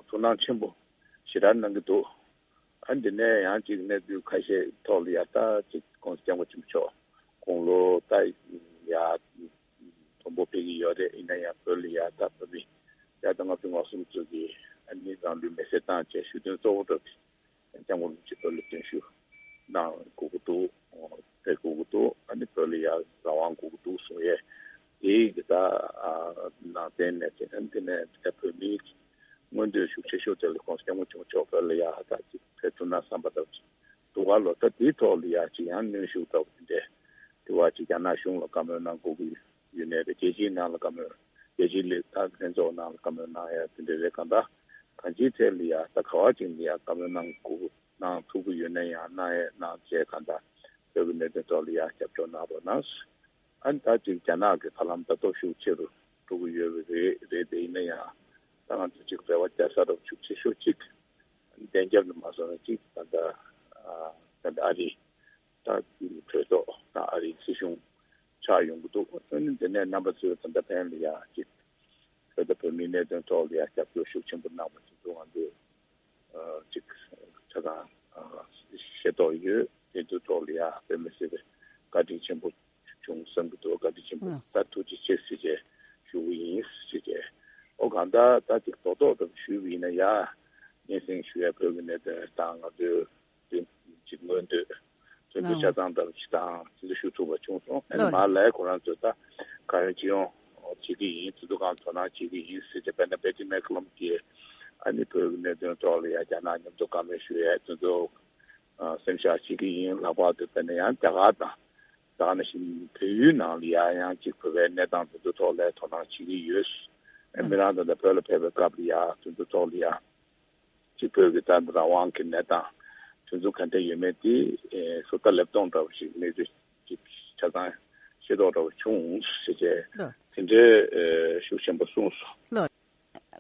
ཐུགས་སྣང་ཆེན་པོ་ཞེ་དྲག་གནང་གི་འདུག་ཨ་ནི་དེ་ནས་ཡང་ཅིག་གནས་ཚུལ་ཁ་ཤས་ཐོག་ལ་ཡ་ད་ཅིག་༸གོང་ས་༸སྐྱབས་མགོན་ཆེན་པོ་མཆོག་དགུང་ལོ་ད་ཡ་མཐོན་པོ་ཕེབས་ཀྱི་ཡོད་རེད། ཡིན་ན་ཡང་བོད་ལ་ཡ་ད་བོད་མི་ཡ་ད་ལྔ་བཅུ་ང་གསུམ་ཚོ་གིས་ཨ་ནི་རང་ལུས་མེར་སྲེག་བཏང་བྱས་ཞུ་དོན་གཙོ་བོ་འདྲ་དེ་༸སྐྱབས་མགོན་རིན་པོ་ཆེ་བོད་ལ་བརྟན་བཞུགས་གནང་དགོས་ཀྱི་འདུག་ཕེབས་དགོས་ཀྱི་འདུག་ཨ་ནི་བོད་ལ་ཡ་རང་དབང་དགོས་ཀྱི་འདུག་གསུང་ཡས་དེའི་གི་ད་ནང་བསྟན་ནས་དེ་ཨ་ནི་དེ་ནས་ད་བོད་མིའི་མངོན་འདོད་ཤུགས་ཆེ་ཤོས་དེ་ལ་༸གོང་ས་༸སྐྱབས་མགོན་ཆེན་པོ་མཆོག་བོད་ལ་ཡ་ད་ཅིག་ཕེབས་ཐུབ་ན་བསམ་པ་ལྟ་བུ་ཅིག་འདུག་ག་ལོ། ད་དེའི་ཐོག་ལ་ཡ་ཅིག་ཡང་གནོན་ཤུགས་ལྟ་བུ་དེ་འདྲས་དེ་བ་ཅིག་རྒྱ་ནག་གཞུང་ལ་བཀའ་མོལ་གནང་དགོས་ཀྱི་ཡོད་ནའི་རེད། རྒྱལ་སྤྱིའི་ནང་ལ་བཀའ་མོལ་རྒྱལ་སྤྱིའི་ལས་ད་ལྷན་ཚོགས་ནང་ལ་བཀའ་མོལ་གནང་ཡ་དེ་འདྲས་རེད། གང་ལྟར་གང་ཅིའི་ཐད་ལ་ཡ་ད་ག་བ་ཅིག་ལ་ཡ་བཀའ་མོལ་གནང་དགོས་གནང་ཐུབ་ཀྱི་ཡོད་ན་ཡང་གནང་ཡས་གནང་བྱས་གང་ལྟར་བོད་ཀྱི་གནད་དོན་ཐོག་ལ་ཡ་རྒྱབ་སྐྱོར་གནང་རོགས་གནང་། ཨ་ནི་ད་ཅིག་རྒྱ་ནག་གི་ཧ་ལམ་ད་སྟོབས་ཤུགས་ཆེ་རུ་འགྲོ་གི་ཡོད་པ་རེད། རེད་དེ་ཡིན་ན་ཡང་ད་ང་ཚོ་ཅིག་རེ་བ་རྒྱག་ས་རོགས་ཤུགས་ཆེ་ཤོས་ཅིག་བདེན་རྒྱབ་ནས་མ་སོང་ན་ཅིག་ད་ལྟ་ད་ལྟ་ཨ་རི་ད་གྲོས་ཚོགས་དང་ཨ་རིའི་སྲིད་གཞུང་ཆགས་ཡོང་གི་འདུག་ཨ་ནི་དེ་ནས་རྣམ་པ་ཚོས་ད་ལྟ་ཕན་ལ་ཡ་ཅིག་བོད་དང་བོད་མིའི་གནད་དོན་ཐོག་ལ་ཡ་རྒྱབ་སྐྱོར་ཤུགས་ཆེན་པོ་གནང་བ་དེ་ཚོ་ང་ཚོས་ཅིག་ཆ་ཚང་ཤེས་རྟོགས་ཡོད། དེ་ཚོའི་ཐོག་ལ་ཡ་དཔེ་མི་སྲིད་པའི་བཀའ་དྲིན་ཆེན་པོ་བྱུང་བསམ་གྱི་འདུག་བཀའ་དྲིན་ཆེན་པོ་ད་ཐུགས་རྗེ་ཆེ་ཟེར་བྱས་ཞུ་གི་ཡིན་ཟེར་བྱས། ཨོ་གང་ལྟར་ད་ཅིག་རྡོག་རྡོག་ཙམ་ཞུས་པ་ཡིན་ན་ཡ་སྙན་སེང་ཞུ་ཡ་བོད་ཀྱི་གནད་དོན་དང་ང་ཚོའི་དེ་ཅིག་མངོན་འདོད་དོན་དུ་ཆ་ཚང་འདྲ་བོ་ཅིག་དང་དེ་ཚོ་ཞུ་ཐུབ་པ་བྱུང་སོང་། ཨ་ནི་མར་ལས་ཁོ་རང་ཚོས་ད་གང་ཡོང་ཅི་ཡོང་བྱེད་ཀྱི་ཡིན། དེ་ཚོ་གང་དོ་སྣང་བྱེད་ཀྱི་ཡིན་ཟེར་བྱས། དཔེར་ན་བེ་ཏི་མེ་ཁ་ལམ་གྱིས་ཨ་ནི་བོད་ཀྱི་གནད་དོན་ཐོག་ལ་ཡ་རྒྱ་ནག་མཉམ་དུ་བཀའ་མོལ་ཞུ་ཡས་དེ་ཚོ་སེམས་ཤར་བྱེད་ཀྱི་ཡིན། ལྷག་པར་དུ་དཔེར་ན་ཡང་རྒྱ་གར་དང་ད་ག་ནང་བཞིན་བལ་ཡུལ་ནང་ལ་ཡ་ཡང་ཅིག་བོད་པའི་གནས་སྟངས་དེ་ཚོ་ཐོག་ལ་དོ་སྣང་བྱེད་ཀྱི་ཡོད། ཨ་མི་རང་ད་ལྟ་བོད་ལ་ཕེབས་པའི་སྐབས་ལ་ཡ་དེ་ཚོ་ཐོག་ལ་ཡ་ཅིག་བོད་ཀྱི་ད་རང་དབང་གི་གནས་སྟངས་ དེ་ཚོ་ག་འདྲ་ཡོད་མེད་དེ་ཨེ་ཟུར་ལྟ་ལེབ་སྟོང་འདྲ་བོ་ཞིག་གནས་ཚུལ་ཅིག་ཆ་ཚང་ཤེས་རྟོགས་འདྲ་བོ་བྱུང་ཟེར་བྱས། ལགས། དེ་འདྲའི་ཨེ་ཤུགས་ཆེན་པོ་གསུངས་སོང་། ལགས།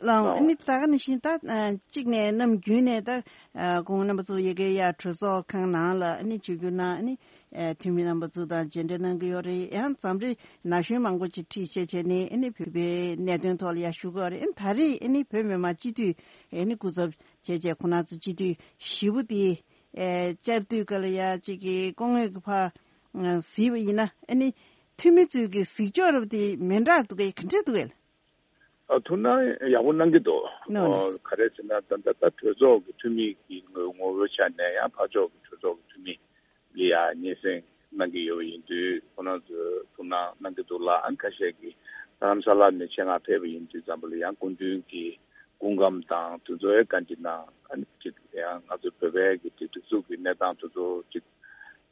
ལགས། ཨ་ནི་ད་ག་ནང་བཞིན་ད་ཨ་གཅིག་ནས་གནམ་དགུན་ནས་ད་ཨ་ཁོང་རྣམ་པ་ཚོ་ཡ་གི་ཡ་གྲོས་ཚོགས་ཁང་ནང་ལ་ཨ་ནི་བཅར་རྒྱུ་ན་ཨ་ནི་ཨ་འཐུས་མི་རྣམ་པ་ཚོ་དང་མཇལ་འཕྲད་གནང་གི་ཡོད་རེད། ཡང་འཛམ་གླིང་ན་གཞོན་མང་པོ་ཅིག་ཁྲིད་བྱས་བྱས་ནས་ཨ་ནི་བོད་པའི་གནད་དོན་ཐོག་ལ་ཡ་ཞུ་གི་ཡོད་རེད། ཨ་ནི་ད་རེས་ཨ་ནི་བོད་མི་མང་སྤྱི་འཐུས་ཨ་ནི་སྐུ་ཚབ་བྱས་བྱས་ཁོང་རྣམ་ཚོ་སྤྱི་འཐུས་བཞི་པོ་དེ་ཨ་བཅར་དུས་སྐབས་ལ་ཡ་གཅིག་གི་སྐུ་ངོ་གི་ཕར་གཟིགས་པ་ཡིན་ན་ཨ་ནི་འཐུས་མི་ཚོའི་གི་གཟིགས་ཕྱོགས་རབ་དེ་མི་འདྲ་འདུག་གས། ག་འདྲ་འདུག་གས། ཨ་ཐུགས་སྣང་ཡག་པོ་གནང་གི་འདུག། ནོ་ནོ། ཨོ་ག་རེ་ཟེར་ན་ད་ལྟ་ད་གྲོས་ཚོགས་ཀྱི་འཐུས་མི་གི་ངོ་ངོ་བོའི་ཆ་ནས་ཡང་ཕར་ཕྱོགས་ཀྱི་གྲོས་ཚོགས་ཀྱི་འཐུས་མི་ལ་ཡ་སྙན་སེང་གནང་གི་ཡོད་པ་ཡིན་དུས། ཁོང་རྣམ་ཚོས་ཐུགས་སྣང་གནང་གི་འདུག་ལ། ཨ་ནི་ཁ་ཤས་ཀྱིས་རྡ་རམ་ས་ལ་ནས་ཆེད་མངགས་ཕེབས་པ་ཡིན་དུས་ཙམ་པ་ལ་ཡང་སྐུ་མདུན་གྱི་སྐུ་ཁམས་དང་དེ་ཚོའི་བཀའ་འདྲི་གནང་། ཨ་ནི་ཅིག་ཡང་ང་ཚོ་བོད་པའི་གི་དེ་སྒྲིག་འཛུགས་ཀྱི་གནས་སྟངས་དེ་ཚོ་ཅིག་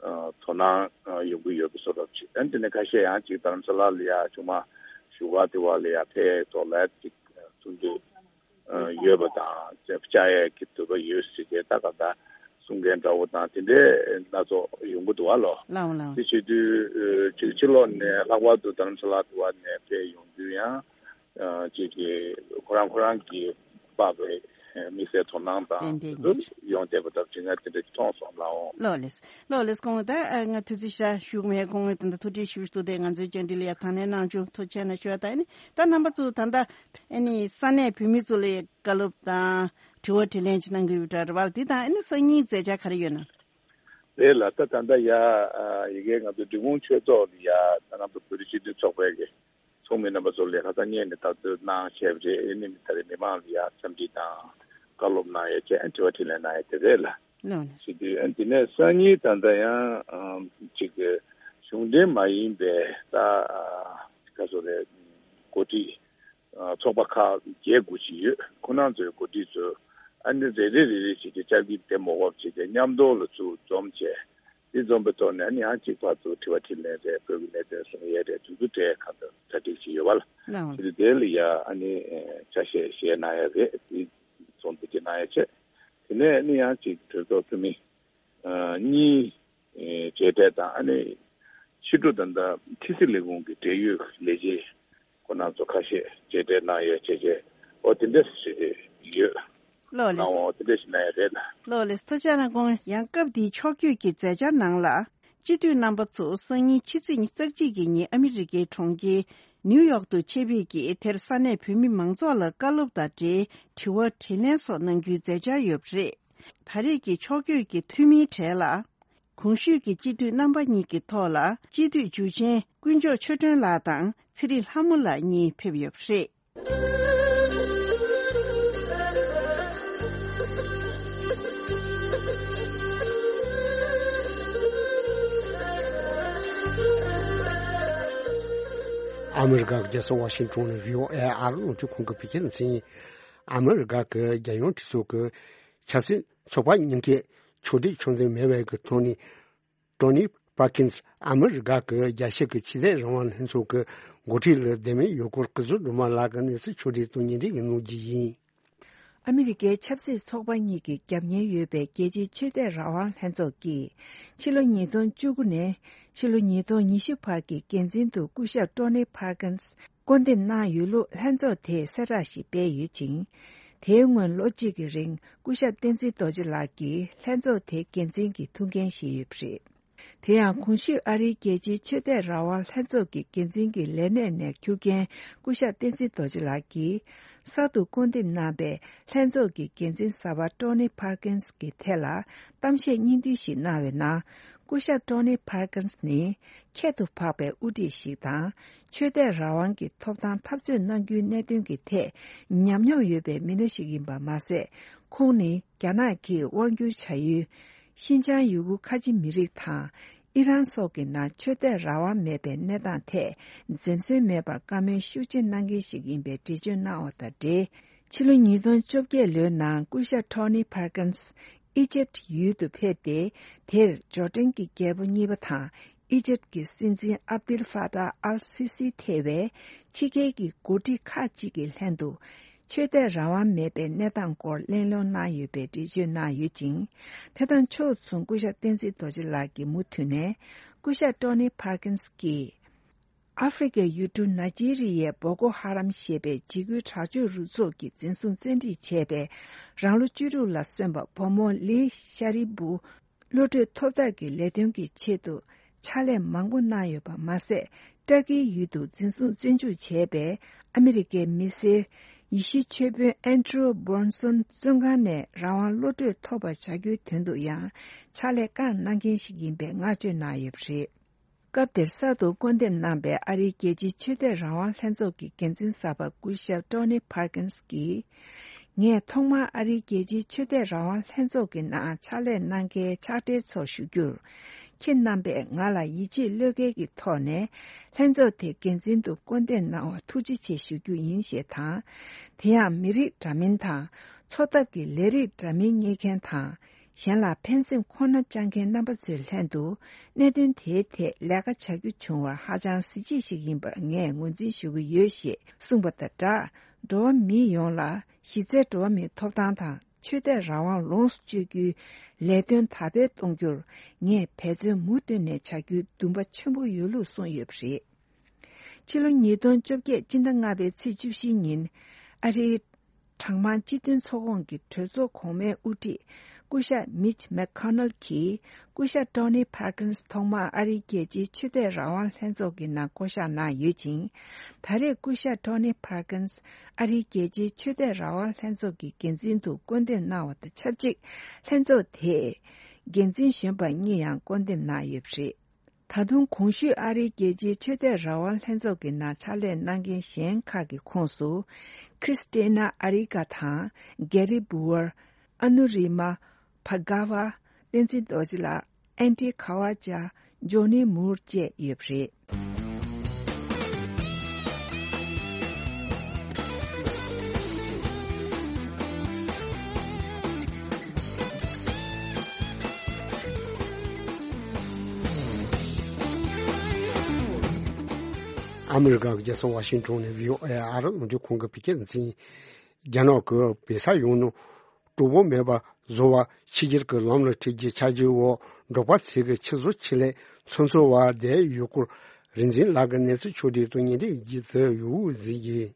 ཨ་དོ་སྣང་ཨ་ཡོང་གི་ཡོད་པའི་བཟོ་འདྲ་ཅིག། ཨ་ནི་དེ་ནས་ཁ་ཤས་ཡང་ཅིག་རྡ་རམ་ས་ལ་ལ་ཡ་ཆུང་མ་བཞུགས་སྒར་དེ་བ་ལ་ཡ་ཕེབས་ཐོག་ལ་ཅིག་ཚོགས་འདུ་ཨ་ཡོད་པ་དང་བཅར་ཡས་ཀྱི་འདོད་པ་ཡོད་ཟེར་བྱས་ད་ག་ད་གསུང་མཁན་འདྲ་བོ་དང་དེ་འདྲའི་སྣ་ཚོགས་ཡོང་གི་འདུག་བ་ལོ། ལའོ་ལའོ། དེ་བྱེད་དུས་ཨ་ཅིག་ཕྱི་ལོགས་ནས་ལྷག་པར་དུ་རྡ་རམ་ས་ལ་དེ་བ་ནས་ཕེབས་ཡོང་དུས་ཡང་། ཨ་ཅིག་གིས་ཁོ་རང་ཁོ་རང་གི་དམིགས་བསལ་དོ་སྣང་དང་ཏན་ཏན་དེ་ཚོ་ཡོང་བསྡད་པ་དང་བྱེད་ངས་དེ་འདྲ་མཐོང་སོང་ལགས། ལགས་ལེས། ལགས་ལེས། སྐུ་ངོ་ད་ཨ་ང་དུས་ཚོད་ཞེ་དྲག་ཞུ་གི་མེད། སྐུ་ངོ་ད་ལྟ་ཐུགས་རྗེ་ཆེ་ཞུ་འདུག་སྟེ་ང་ཚོའི་བཅར་འདྲི་ལ་ཡ་དང་ལེན་གནང་བྱུང་། ཐུགས་རྗེ་ཆེ་གནང་ཞུ་བ་དང་། ཨ་ནི་ད་རྣམ་པ་ཚོ་ད་ལྟ་ཨ་ནི་ས་གནས་བོད་མི་ཚོ་ལ་བཀའ་སློབ་དང་དྲི་བ་དྲིས་ལན་ཅིག་གནང་གི་ཡོད་པ་འདྲ་རེད་བ། དེ་དང་ཨ་ནི་སང་ཉིན་མཛད་འཆར་ག་རེ་ཡོད་ན། རེད་ལགས། ད་ད་ལྟ་ཡ་ཨ་ཡ་གི་ང་ཚོ་འབྲི་གུང་ཆོས་ཚོགས་ལ་ཡ་ད་ང་ཚོ་བོད་རིགས་སྤྱི་མཐུན་ཚོགས་པའི་གི་ཚོགས་མི་རྣམ་པ་ཚོ་ལ་ཁ་སང་སྔོན་ནས་ལྟ་ཚུལ་གནང་བྱས་པ་རེད། ཨ་ནི་ད་རེས་མི་མང་ལ་ཡ་འཚམས་འདྲི་དང་བཀའ་སློབ་གནང་ཡ་བྱས། དྲི་བ་དྲིས་ལན་གནང་ཡ་དེ་རེད་ལ། ལགས་ལགས། བྱེད་དུས་ཨ་དེ་ནས་སང་ཉིན་ད་ལྟ་ཡང་ཨམ་ཅིག་གཞུང་འབྲེལ་མ་ཡིན་པའི་ད་ཨ་ག་ཚོད་རེད། འགོ་ཁྲིད་ཨ་ཚོགས་པ་ཁག་བརྒྱད་དགུ་ཅིག་ཡོད། ཁོ་རང་ཚོའི་འགོ་ཁྲིད་ཚོ་ཨ་ནི་རེ་རེ་རེ་རེ་བྱས་ཏེ་བཅར་འདྲི་དེ་མ་འོངས་བྱས་ཏེ་མཉམ་དུ་ལ་ཚུར་འཛོམས་བྱས། དེ་འཛོམས་པའི་ཐོག་ནས་ཨ་ནི་ཡང་གཅིག་ཕར་ཚུར་དྲི་བ་དྲིས་ལན་རེད། བོད་ཀྱི་གནད་དོན་གསུང་ཡས་རེད། དེ་ཚོ་གྲས་ཁ་ཚ་གྲ་སྒྲིག་བྱས་ཡོད་པ་ལ། ལགས་འོང་། དེ་དེ་ལ་ཡ་ཨ་ནི་ཆ་ཤས་བཞེས་གནང་ཡ་རེད། དེ་ཚོགས་འདུ་དེ་གནང་ཡ་བྱས། དེ་ནས་ཨ་ནི་ཡང་གཅིག་གྲོས་ཚོགས་འཐུས་མི་ཨ་གཉིས་ཨེ་མཇལ་འཕྲད་དང་། ཨ་ནི་ཕྱི་དྲོ་ད་ལྟ་ཕྱི་སྲིད་ལས་ཁུངས་ཀྱི་འབྲེལ་ཡོད་ལས་བྱེད་ཁོང་རྣམ་ཚོ་ཁ་ཤས་མཇལ་འཕྲད་གནང་ཡོད་བྱས་བྱས། ཨོ་དེ་འདྲ་ཞིག་ཡོད། ལགས་ལེས། གནང་བ་དེ་འདྲ་ཞིག་གནང་ཡོད་རེད་ལ། ལགས་ལེས། ཐུགས་རྗེ་གནང་། ཡང་སྐབས་འདིའི་ཕྱོགས་བསྐྱོད་ཀྱི་མཛད་འཆར་ནང་ལ། སྤྱི་འཐུས་རྣམ་པ་ཚོ་སང་ཉིན་ཕྱི་ཚེས་ཉི་ཤུ་རྩ་གཅིག་གི་ཉིན་ཨ་མི་རི་ཀའི་གྲོང་ཁྱེར་ནིའུ་ཡོག་ཏུ་ཆེད་ཕེབས་ཀྱིས་དེར་ས་གནས་བོད་མི་མང་ཚོགས་ལ་བཀའ་སློབ་དང་འབྲེལ་དྲི་བ་དྲིས་ལན་སོགས་གནང་རྒྱུའི་མཛད་འཆར་ཡོད་པ་རེད། ད་རེས་ཀྱི་ཕྱོགས་བསྐྱོད་ཀྱི་འཐུས་མིའི་གྲས་ལ། གོང་ཞུས་ཀྱི་སྤྱི་འཐུས་རྣམ་པ་གཉིས་ཀྱི་ཐོག་ལ་སྤྱི་འཐུས་འཇུ་ཆེན་དཀོན་མཆོག་ཆོས་སྒྲོན་ལགས་དང་ཚེ་རིང་ལྷ་མོ་ལགས་གཉིས་ཕེབས་ཡོད་པ་རེད། ཨ་མི་རི་ཀ་གི་རྒྱལ་ས་ཝ་ཤིང་ཊོན་ནས་བྷི་ཨོ་ཨེ་ཨ་རི་རླུང་འཕྲིན་ཁང་གི་བོད་སྐད་སྡེ་ཚན་ཡིན། ཨ་མི་རི་ཀ་གི་རྒྱལ་ཡོངས་གྲོས་ཚོགས་ཀྱི་ཆབ་སྲིད་ཚོགས་པ་གཉིས་ཀའི་ཕྱོགས་སྒྲིག་ཕྱོགས་འཛིན་མེད་པའི་གི་ཐོག་ནས། ཀྲོ་ནི་པར་ཀིན་སི་ཨ་མི་རི་ཀ་གི་རྒྱལ་སྤྱི་གི་ཆོས་དད་རང་དབང་ལྷན་ཚོགས་ཀྱི་འགོ་ཁྲིད་ལ་བདེ་མོ་ཡོད་སྐོར་སྐུ་ཚབ་སྒྲོལ་མ་ལགས་ཀྱིས་གནས་ཚུལ་ཕྱོགས་སྒྲིག་དང་སྙན་སྒྲོན་གནང་རྒྱུ་ཡིན། ཨ་མི་རི་ཀའི་ཆབ་སྲིད་ཚོགས་པ་གཉིས་ཀྱི་རྒྱབ་གཉེར་ཡོད་པའི་རྒྱལ་སྤྱིའི་ཆོས་དད་རང་དབང་ལྷན་ཚོགས་ཀྱིས་ཕྱི་ལོ་ཉིས་སྟོང་བཅུ་དགུ་ནས་ཕྱི་ལོ་ཉིས་སྟོང་ཉི་ཤུ་བར་གྱི་འགན་འཛིན་དུ་སྐུ་ཞབས་ཀྲོ་ནི་པར་ཀིན་སི་བསྐོ་འདེམས་གནང་ཡོད་ལུགས་ལྷན་ཚོགས་དེས་གསལ་བསྒྲགས་ཤིག་སྤེལ་ཡོད་ཅིང་། དེའི་སྔོན་ལོ་གཅིག་གི་རིང་སྐུ་ཞབས་བསྟན་འཛིན་རྡོ་རྗེ་ལགས་ཀྱིས་ལྷན་ཚོགས་དེའི་འགན་འཛིན་གྱི་ཐུགས་འགན་བཞེས་ཡོད་པ་རེད། དེ་ཡང་གོང་ཞུས་ཨ་རིའི་རྒྱལ་སྤྱིའི་ཆོས་དད་རང་དབང་ལྷན་ཚོགས་ཀྱི་འགན་འཛིན་གྱི་ལས་གནས་ནས་འཁྱུར་མཁན་སྐུ་ཞབས་བསྟན་འཛིན་རྡོ་རྗེ་ལགས་ཀྱིས་གསར་དུ་བསྐོ་འདེམས་གནང་པའི་ལྷན་ཚོགས་ཀྱི་འགན་འཛིན་གསར་པ་ཀྲོ་ནི་པར་ཀིན་སི་གི་ཐད་ལ་གཏམ་བཤད་སྙིང་བསྡུས་ཤིག་གནང་བའི་ནང་། སྐུ་ཞབས་ཀྲོ་ནི་པར་ཀིན་སི་ནི་ཁྱད་དུ་འཕགས་པའི་དབུ་ཁྲིད་ཞིག་དང་། ཆོས་དད་རང་དབང་གི་ཐོབ་ཐང་འཐབ་རྩོད་གནང་རྒྱུའི་གནད་དོན་གྱི་ཐད་ཉམས་མྱོང་ཡོད་པའི་མི་སྣ་ཞིག་ཡིན་པ་མ་ཟད། ཁོང་ནི་རྒྱ་ནག་གིས་དབང་བསྒྱུར་བྱ་ཡུལ་ཤིན་ཅང་ཡུ་གུར་ཁ་ཆེ་མི་རིགས་དང་ཨི་རན་སོགས་ཀྱི་ནང་ཆོས་དད་རང་དབང་མེད་པའི་གནས་སྟངས་ཐད་འཛེམ་ཟོན་མེད་པར་བཀའ་མོལ་ཤུགས་ཆེ་གནང་མཁན་ཞིག་ཡིན་པའི་འགྲེལ་བརྗོད་གནང་བ་དང་འབྲེལ། ཕྱི་ལོ་ཉིས་སྟོང་བཅོ་བརྒྱད་ལོའི་ནང་སྐུ་ཞབས་ཀྲོ་ནི་པར་ཀིན་སི་ཨི་ཇེབ་ཡུལ་དུ་ཕེབས་ཏེ། དེར་ཇོར་ཌན་གྱི་རྒྱལ་པོ་གཉིས་པ་དང་ཨི་ཇེབ་ཀྱི་སྲིད་འཛིན་ཨབ་དིལ་ཧྥ་ཏཱ་ཨལ་སི་སི་ཐེ་བའི་ཕྱི་རྒྱལ་གྱི་འགོ་ཁྲིད་ཁག་ཅིག་གི་ལྷན་དུ། ཆོས་དད་རང་དབང་མེད་པའི་གནས་སྟངས་སྐོར་གླེང་སློང་གནང་ཡོད་པའི་འགྲེལ་བརྗོད་གནང་ཡོད་ཅིང་། དེ་དང་ཕྱོགས་མཚུངས་སྐུ་ཞབས་བསྟན་འཛིན་རྡོ་རྗེ་ལགས་ཀྱིས་མུ་མཐུད་ནས་སྐུ་ཞབས་ཊོ་ནི་ཕར་ཀིན་སི་ཀྱིས། ཨ་ཧྥེ་རི་ཁའི་ཡུལ་གྲུ་ནཱི་ཇི་རི་ཡའི་བོ་ཀོ་ཧ་རམ་ཞེས་པའི་འཇིགས་སྐུལ་དྲག་སྤྱོད་རུ་ཚོགས་ཀྱིས་འཛིན་བཟུང་བཙན་ཁྲིད་བྱས་པའི་རང་ལོ་བཅུ་དྲུག་ལ་སོན་པ་བུ་མོ་ལི་ཤ་རི་བུ། གློད་གྲོལ་ཐོབ་ཐབས་ཀྱི་ལས་དོན་གྱི་ཆེད་དུ་ཕྱག་ལས་མང་པོ་གནང་ཡོད་པ་མ་ཟད། ཏར་ཀིའི་ཡུལ་དུ་འཛིན་བཟུང་བཙོན་འཇུག་བྱས་པའི་ཨ་མི་རི་ཀའི་མི་སེར་ཡེ་ཤུའི་ཆོས་དཔོན་ཨན་ཌྲུ་སྦོན་སོན་བཙོན་ཁང་ནས་རང་དབང་གློད་གྲོལ་ཐོབ་པ་བྱ་རྒྱུའི་དོན་དུ་ཡང་ཕྱག་ལས་བསྐངས་གནང་མཁན་ཞིག་ཡིན་པའི་བསྔགས་བརྗོད་གནང་ཡོད་པ་རེད། སྐབས་དེར་གསར་དུ་སྐུར་འདེབས་གནང་པའི་ཨ་རིའི་རྒྱལ་སྤྱིའི་ཆོས་དད་རང་དབང་ལྷན་ཚོགས་ཀྱི་འགན་འཛིན་གསར་པ་སྐུ་ཞབས་ཊོ་ནི་ཕར་ཀིན་སི་ཀྱིས། ངས་ཐོག་མར་ཨ་རིའི་རྒྱལ་སྤྱིའི་ཆོས་དད་རང་དབང་ལྷན་ཚོགས་ཀྱི་ནང་ཕྱག་ལས་གནང་མཁན་ཕྱག་སྦྲེལ་ཚོར་ཞུ་རྒྱུར། ཁྱེད་རྣམ་པས་ང་ལ་ཡིད་ཆེས་བློས་འགེལ་གྱི་ཐོག་ནས་ལྷན་ཚོགས་དེའི་འགན་འཛིན་དུ་སྐུར་འདེབས་གནང་བར་ཐུགས་རྗེ་ཆེ་ཞུ་རྒྱུ་ཡིན་ཞེས་དང་། དེ་ཡང་མི་རིགས་འདྲ་མིན་དང་འཚོ་ཐབས་ཀྱི་ལས་རིགས་འདྲ་མིན་གཉེར་མཁན་དང་། གཞན་ལ་ཕན་སེམས་ཁོ་ན་བཅངས་མཁན་རྣམ་པ་ཚོའི་ལྷན་དུ་གནད་དོན་དེའི་ཐད་ལས་ཀ་བྱ་རྒྱུ་བྱུང་བར་ཧ་ཅང་གཟི་བརྗིད་ཞིག་ཡིན་པར་ངས་ངོས་འཛིན་ཞུ་གི་ཡོད་ཞེས་གསུངས་པ་དང་སྦྲགས། འགྲོ་བ་མི་ཡོངས་ལ་གཞི་རྩའི་འགྲོ་བ་མིའི་ཐོབ་ཐང་དང་ཆོས་དད་རང་དབང་ལོངས་སུ་སྤྱོད་རྒྱུའི་ལས་དོན་དར་སྤེལ་གཏོང་རྒྱུར་ངས་འབད་བརྩོན་མུ་མཐུད་ནས་བྱ་རྒྱུའི་འདུན་པ་ཆེན་པོ་ཡོད་ལུགས་གསུངས་ཡོད་པ་རེད། ཕྱི་ལོ་ཉིས་སྟོང་བཅོ་བརྒྱད་སྤྱི་ཟླ་ལྔ་པའི་ཚེས་བཅུ་བཞིའི་ཉིན། ཨ་རིའི་གྲངས་མང་སྤྱི་མཐུན་ཚོགས་ཁོངས་ཀྱི་གྲོས་ཚོགས་གོང་མའི་དབུ་ཁྲིད་སྐུ་ཞབས་མིཆ་མེག་ཁོ་ནལ་གྱིས། སྐུ་ཞབས་ཊོ་ནི་ཕར་ཀིན་སི་ཐོག་མར་ཨ་རིའི་རྒྱལ་སྤྱིའི་ཆོས་དད་རང་དབང་ལྷན་ཚོགས་ཀྱི་ནང་བསྐོ་གཞག་གནང་ཡོད་ཅིང་། ད་རེས་སྐུ་ཞབས་ཊོ་ནི་ཕར་ཀིན་སི་ཨ་རིའི་རྒྱལ་སྤྱིའི་ཆོས་དད་རང་དབང་ལྷན་ཚོགས་ཀྱི་འགན་འཛིན་དུ་བསྐོ་འདེབས་གནང་བ་དང་ཆབས་ཅིག་ལྷན་ཚོགས་དེས་འགན་འཛིན་གཞོན་པ་གཉིས་ཡང་བསྐོ་འདེབས་གནང་ཡོད་པ་རེད། ད་དུང་གོང་ཞུས་ཨ་རིའི་རྒྱལ་སྤྱིའི་ཆོས་དད་རང་དབང་ལྷན་ཚོགས་ཀྱི་ནང་ཕྱག་ལས་གནང་མཁན་གཞན་ཁག་གི་ཁོངས་སུ། ཁྲིས་ཏེ་ན་ཨ་རི་ཀ་དང་། གེ་རི་བྷུ་ཨར། ཨ་ནུ་རི་མ། བྷ་ག་ཝ། བསྟན་འཛིན་རྡོ་རྗེ་ལགས། ཨན་ཏི་ཁ་ཝ་ཅ། ཇོ་ནི་མུར་བཅས་ཡོད་པ་རེད། ཨ་མི་རི་ཀ་གི་རྒྱལ་ས་ཝ་ཤིང་ཊོན་ནས་བྷི་ཨོ་ཨེ་ཨ་རི་རླུང་འཕྲིན་ཁང་གི་བོད་སྐད་སྡེ་ཚན་ཡིན། རྒྱ་ནག་གི་བོད་ས་ཡོངས་ནས་གྲོགས་པོ་མེད་པ་བཟོ་བ་ཕྱི་རྒྱལ་གྱི་ལམ་ལ་ཁྲིད་རྒྱུའི་འཆར་གཞིའི་འོག་འབྲོག་པ་ཚོས་ཀྱི་ཆུ་བཟོ་ཆེད་ལས་ཚོན་འཚོལ་བ་བསྡད་ཡོད་སྐོར་རིག་འཛིན་ལགས་ཀྱིས་གནས་ཚུལ་ཕྱོགས་བསྒྲིགས་དང་སྙན་སྒྲོན་ཡོད་ཚུལ་ཡོད་འོས་གཟིགས་ཡིན།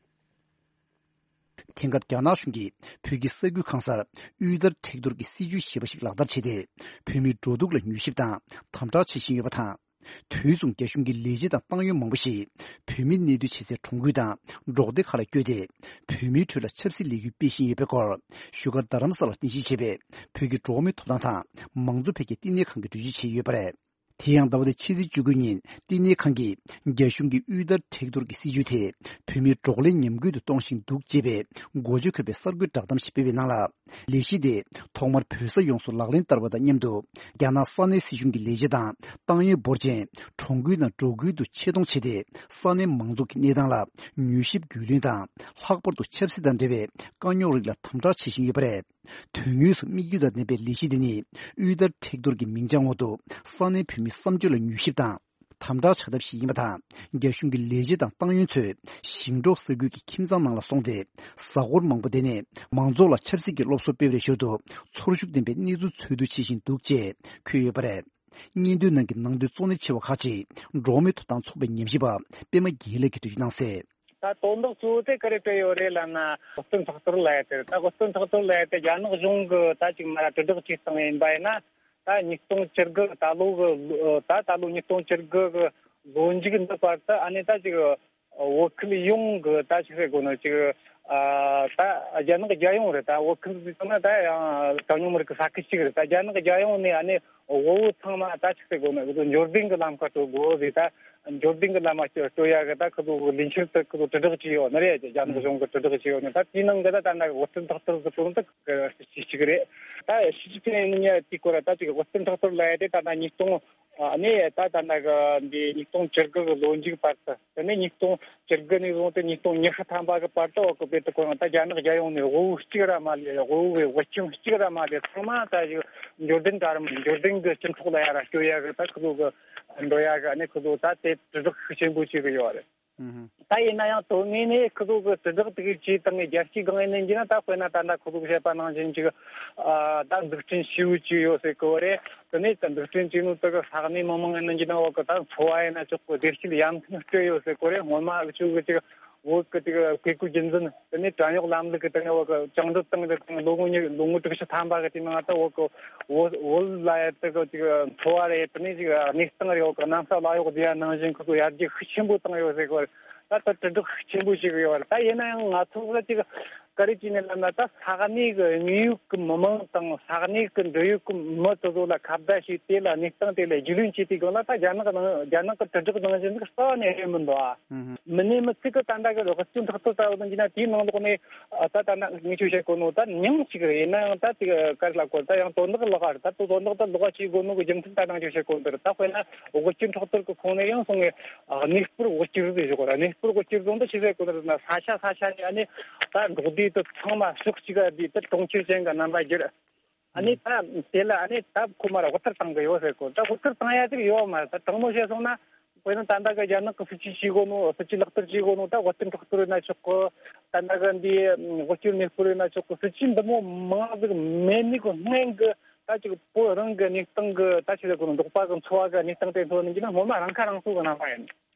དེང་སྐབས་རྒྱ་ནག་གཞུང་གིས་བོད་ཀྱི་ས་ཁུལ་གང་སར་དབུལ་ཐར་མཁྲེགས་གཏོར་གྱི་སྲིད་ཇུས་ཞེས་པ་ཞིག་ལག་བསྟར་བྱས་ཏེ། བོད་མིའི་འགྲོ་འདུག་ལ་མྱུལ་ཞིབ་དང་དམ་དྲག་བྱེད་བཞིན་ཡོད་པ་དང་། དུས་མཚུངས་རྒྱ་གཞུང་གི་ལས་བྱེད་དང་ཏང་ཡོན་མང་པོ་ཞིག་བོད་མི་གནས་སྡོད་བྱེད་སའི་གྲོང་ཁུལ་དང་འབྲོག་སྡེ་ཁག་ལ་བསྐྱོད་དེ། བོད་མིའི་ཁྲོད་ལ་ཆབ་སྲིད་ལས་འགུལ་སྤེལ་བཞིན་ཡོད་པའི་སྐོར། བཞུགས་སྒར་རྡ་རམ་ས་ལར་རྟེན་གཞི་བྱས་པའི་བོད་ཀྱི་འགྲོ་བ་མིའི་ཐོབ་ཐང་དང་མང་གཙོ་འཕེལ་རྒྱས་བསྟི་གནས་ཁང་གིས་འགྲེལ་བརྗོད་བྱས་ཡོད་པ་རེད། དེ་ཡང་ཟླ་བ་འདིའི་ཕྱི་ཚེས་བཅུ་དགུ་ཉིན་བསྟི་གནས་ཁང་གིས་རྒྱ་གཞུང་གི་དབུལ་ཐར་མཁྲེགས་གཏོར་གྱི་སྲིད་ཇུས་དེ་བོད་མིའི་འབྲོག་ལས་ཉམས་རྒུད་དུ་གཏོང་བཞིན་འདུག་ཅེས་པའི་འགོ་བརྗོད་འཁོད་པའི་གསར་འགོད་བསྒྲགས་གཏམ་ཞིག་སྤེལ་བའི་ནང་ལ། ལས་གཞི་དེ་ཐོག་མར་བོད་ས་ཡོངས་སུ་ལག་ལེན་བསྟར་བ་དང་མཉམ་དུ། རྒྱ་ནག་ས་གནས་སྲིད་གཞུང་གི་ལས་བྱེད་དང་ཏང་ཡོན་འབོར་ཆེན་གྲོང་ཁུལ་དང་འབྲོག་ཁུལ་དུ་ཆེད་གཏོང་བྱས་ཏེ། ས་གནས་མང་ཚོགས་ཀྱི་གནས་སྟངས་ལ་མྱུལ་ཞིབ་རྒྱུས་ལོན་དང་། ལྷག་པར་དུ་ཆབ་སྲིད་དང་འབྲེལ་བའི་དཀའ་རྙོག་རིགས་ལ་དམ་དྲག་བྱེད་བཞིན་ཡོད་པ་རེད། དོན་དངོས་སུ་དམིགས་ཡུལ་དང་ལྡན་པའི་ལས་གཞི་འདི་ནི་དབུལ་ཐར་མཁྲེགས་གཏོར་གྱི་མིང་བྱང་འོག་ཏུ་ས་གནས་བོད་མིའི་བསམ་སྤྱོད་ལ་མྱུལ་ཞིབ་དང་དམ་དྲག་བྱ་ཐབས་ཤིག་ཡིན་པ་དང་། རྒྱ་གཞུང་གི་ལས་བྱེད་དང་ཏང་ཡོན་ཚོས་ཞིང་འབྲོག་ས་ཁུལ་གྱི་ཁྱིམ་ཚང་ནང་ལ་སོང་སྟེ། གཟའ་འཁོར་མང་པོ་བསྡད་ནས་མང་ཚོགས་ལ་ཆབ་སྲིད་ཀྱི་སློབ་གསོ་སྤེལ་བའི་ཞོར་དུ་ཚོར་ཤུགས་ལྡན་པའི་གནས་ཚུལ་འཚོལ་བསྡུ་བྱེད་བཞིན་འདུག་ཅེས་འཁོད་ཡོད་པ་རེད། སྙན་ཐོའི་ནང་གི་ནང་དོན་གཙོ་གནད་ཆེ་བ་ཁག་ཅིག་འགྲོ་བ་མིའི་ཐོབ་ཐང་ཚོགས་པའི་ཉམས་ཞིབ་པ་པད་མ་དགེ་ལེགས་ཀྱིས་འགྲེལ་བརྗོད་གནང་གསལ། ད་དོན་དག་གཙོ་བོ་དེ་ག་རེ་སྤྲད་ཡོད་རེད་ལབ་ན། དབུལ་སྟོན་ཁྲག་གཏོར་ལབ་ཡ་དེ་རེད། ད་དབུལ་སྟོན་ཁྲག་གཏོར་ལབ་ཡ་དེ་རྒྱ་ནག་གཞུང་གི་ད་ཅིག་མ་ར་དྲིལ་བསྒྲགས་བྱས་བཏང་ཡིན་པ་ཡིན་ན། ད་ཉིས་སྟོང་བཅུ་དགུ་ད་ལོ་གི་ད་ད་ལོ་ཉིས་སྟོང་བཅུ་དགུ་གི་ལོ་མཇུག་འདི་བར་དུ་ཨ་ནི་ད་ཅིག་བོད་ཁུལ་ཡོངས་གི་ད་ཅིག་ཟེར་དགོས་ན་ཅིག་ཨ་ད་རྒྱ་ནག་རྒྱལ་ཡོངས་རེད། ད་བོད་ཁུལ་ཟེར་ན་ད་ཡང་གྲངས་ཉུང་མི་རིགས་ཀྱི་ས་ཁུལ་གཅིག་རེད། ད་རྒྱ་ནག་རྒྱལ་ཡོངས་ནས་ཨ་ནི་དབུལ་བོ་ཚང་མ་ད་ཅིག་ཟེར་དགོས་ན་འབྱོར་ལྡན་གྱི་ལམ་ཁ་སྤྲོད་དགོས་ཟེར། ད་འབྱོར་ལྡན་གྱི་ལམ་ཁ་སྤྲོད་ཡ་གི་ད་ཁོ་ཚོ་ལས་འཆར་དེ་ཁོ་ཚོ་དྲིལ་བསྒྲགས་བྱས་ཡོད་ནི་རེད། རྒྱ་ནག་གཞུང་གི་དྲིལ་བསྒྲགས་བྱས་ཡོད་ནི། ད་དེའི་ནང་གི་ད་ད་ལྟ་དབུལ་སྟོན་ཁྲག་གཏོར་གི་དོན་དག་གི་གཅིག་རེད། ད་ཞི་ཅིན་ཕིང་ནས་དེའི་སྐོར་ད་ཅིག་དབུལ་སྟོན་ཁྲག་གཏོར་ལབ་ཡ་དེ་ད་ད་ཉིས་སྟོང་ཨ་ནི་ད་ད་ལྟ་གི་འདི་ཉིས་སྟོང་བཅུ་དགུ་གི་ལོ་མཇུག་བར་དུ། དེ་ནས་ཉིས་སྟོང་བཅུ་དགུ་ནས་བཟུང་སྟེ་ཉིས་སྟོང་ཉི་ཤུ་ཐམ་པ་གི་བར་དུ་འོག་གི་བོད་དུ་ཁོ་རང་ད་རྒྱ་ནག་རྒྱལ་ཡོངས་ནས་དབུལ་བོ་གཅིག་ར་མ་ལས། དབུལ་བོའི་དབུལ་ཁྱིམ་གཅིག་ར་མ་ལས། ཚང་མ་ད་ཅིག་འབྱོར་ལྡན་གྲལ་རིམ་འབྱོར་ལྡན་གྱི་སྤྱི་ཚོགས་ལ་ཡ་ར་སྐྱོད་ཡ་གི་ད་ཁོ་ཚོ་གི་འགྲོ་ཡ་གི་ཨ་ནི་ཁོ་ཚོ་ད་དེ་དྲིལ་བསྒྲགས་ཤུགས་ཆེན་པོ་བྱེད་གི་ཡོད་རེད། ད་ཡིན་ན་ཡང་དོན་དངོས་ནས་ཁོ་ཚོ་གི་དྲིལ་བསྒྲགས་དེ་གའི་བྱས་བཏང་ནས་རྒྱལ་སྤྱིའི་སྒང་ཡིན་ནའི་ན། ད་དཔེར་ན་ད་ལྟ་ཁོ་ཚོ་གི་བཤད་པ་ནང་བཞིན་ཅིག་ཨ་ད་འཛུགས་སྐྲུན་ཞེ་པོ་ཅིག་ཡོད་ཟེར་གོ་རེད། དེ་ནས་ད་འཛུགས་སྐྲུན་བྱས་ནོ་དེ་གི་ས་གནས་མི་མང་ཡིན་ནའི་ན། འོག་གི་ད་འཚོ་བ་ཡིན་ན་ཆོག་གི། བདེ་སྐྱིད་ཡར་ཐོན་སྤྲད་ཡོད་ཟེར་གོ་རེད། སྔོན་མ་འུ་ཆོ་གི་ཅིག་བོད་གི་ཅིག་བཀས་བཀོད་རྒྱུད་འཛིན། དེ་ནས་བྲན་གཡོག་ལམ་ལུགས་གི་དེ་ནས་འོག་གི་བཅིངས་འགྲོལ་བཏང་གི་དེ་ལོ་ངོ་ཉི་ལོ་ངོ་དྲུག་ཅུ་ཐམ་པ་གི་དེ་ནང་ད་འོག་གི་བོད་བོད་ལ་ཡ་དེ་གི་ཅིག་འཚོ་བ་རེད། དེ་ནས་ཅིག་གནས་སྟངས་རེད། འོག་གི་གནམ་ས་བླ་གཡོག་བསྡད་ཡ་ནང་བཞིན་ཁོ་ཚོ་ཡར་རྒྱས་ཤུགས་ཆེན་པོ་བཏང་ཡོད་ཟེར་གོ་རེད། ད་ལྟ་དྲིལ་བསྒྲགས་ཤུགས་ཆེན་པོ་ཞིག་ཡོད་རེད། ད་ཡིན་ན་ཡང་ང་ཚོ་ལ་ཅིག་ག་རེ་བྱས་ནས་ལབ་ན། ད་ས་གནས་ཀྱི་དངོས་ཡོད་ཀྱི་མི་མང་དང་ས་གནས་ཀྱི་འབྲེལ་ཡོད་ཀྱི་མི་དེ་ཚོ་ལ་ཁ་བརྡ་བྱས། དེ་ལ་གནས་སྟངས་དེ་ལ་རྒྱུས་ལོན་བྱས་དུས་སྒང་ལ། ད་རྒྱ་ནག་ནང་རྒྱ་ནག་གི་དྲིལ་བསྒྲགས་ནང་བཞིན་ཟིག་རྩ་བ་ནས་རེད་མི་འདུག་ཨ། མི་སྣེ་མི་གཅིག་གིས་ད་ལྟ་གི་དབུལ་སྐྱོར་འཕྲོག་བསྟེན་ལྟ་བུ་དང་བྱས་ན། དེའི་ནང་ལོགས་ནས་ཨ་ད་ད་ལྟ་ངས་ཁྱོད་བཤད་གོ་ནོ་ད་མྱིང་གཅིག་རེད། ཡིན་ན་ཡང་ད་དེ་ག་རེ་ལབ་དགོས། ད་ཡང་དོན་དག་ལོགས་ཀ་རེད། ད་དོན་དག་ད་ལོགས་ཀ་བྱེད་དགོས་ནོ་གི་རྒྱུ་མཚན་ད་ནང་ཁྱོད་བཤད་གོ་ནོ་དེ་རེད། ད་དཔེར་ན་དབུལ་སྐྱོར་འཕྲོག་བསྟེན་གི་ཁོངས་ནས་ཡང་སོང་ངས་གནས་སྤོར་དབུལ་སྐྱོར་ཟེར་ཞོག་གོ་ར། གནས་སྤོར་དབུལ་སྐྱོར་ཟེར་ནོ་ད་ཆི་ཟེར་གོ་ནི་རེད་ན། ས་ཆ་ས་ཆ་ནས་ཨ་ནི་ད་འབྲོག་སྡེ་དེ་ཚང་མ་ཕྱོགས་གཅིག་ག་བསྡུས་ཏེ་གྲོང་ཁྱེར་ཅན་གྱི་རྣམ་པ་བསྒྱུར། ཨ་ནི་ད་དེ་ལ་ཨ་ནི་ད་ཁོ་མར་དབུལ་ཐར་བཏང་གི་ཡོད་ཟེར་གོ། ད་དབུལ་ཐར་བཏང་ཡ་ཅིག་ཡོད་མ་རེད། ད་དྲང་མོ་བཤད་སོང་ན། དཔེར་ན་ད་ལྟ་གི་རྒྱ་ནག་གི་སྲིད་ཇུས་བྱེད་གོ་ནོ། སྲིད་ཇུས་ལག་བསྟར་བྱེད་གོ་ནོ། ད་དབུལ་སྐྱོར་འཕྲོག་བསྟེན་ཡིན་ན་ཆོག་གི། ད་ལྟ་གི་འདི་དབུལ་སྐྱོར་གནས་སྤོར་ཡིན་ན་ཆོག་གི། སྲིད་ཇུས་འདི་མོ་མང་ཟིག་མེད་ནི་གི་སྔོན་གི་ད་ཅིག་བོད་རང་གི་གནས་སྟངས་གི་ད་ཆི་ཟེར་གོ་ནོ། འབྲོག་པ་གི་འཚོ་བ་གི་གནས་སྟངས་དེ་ཚོ་ནི་ཡིན་ན་སྔོན་མ་རང་ཁ་རང་གསོ་གི་རྣམ་པ་ཡིན།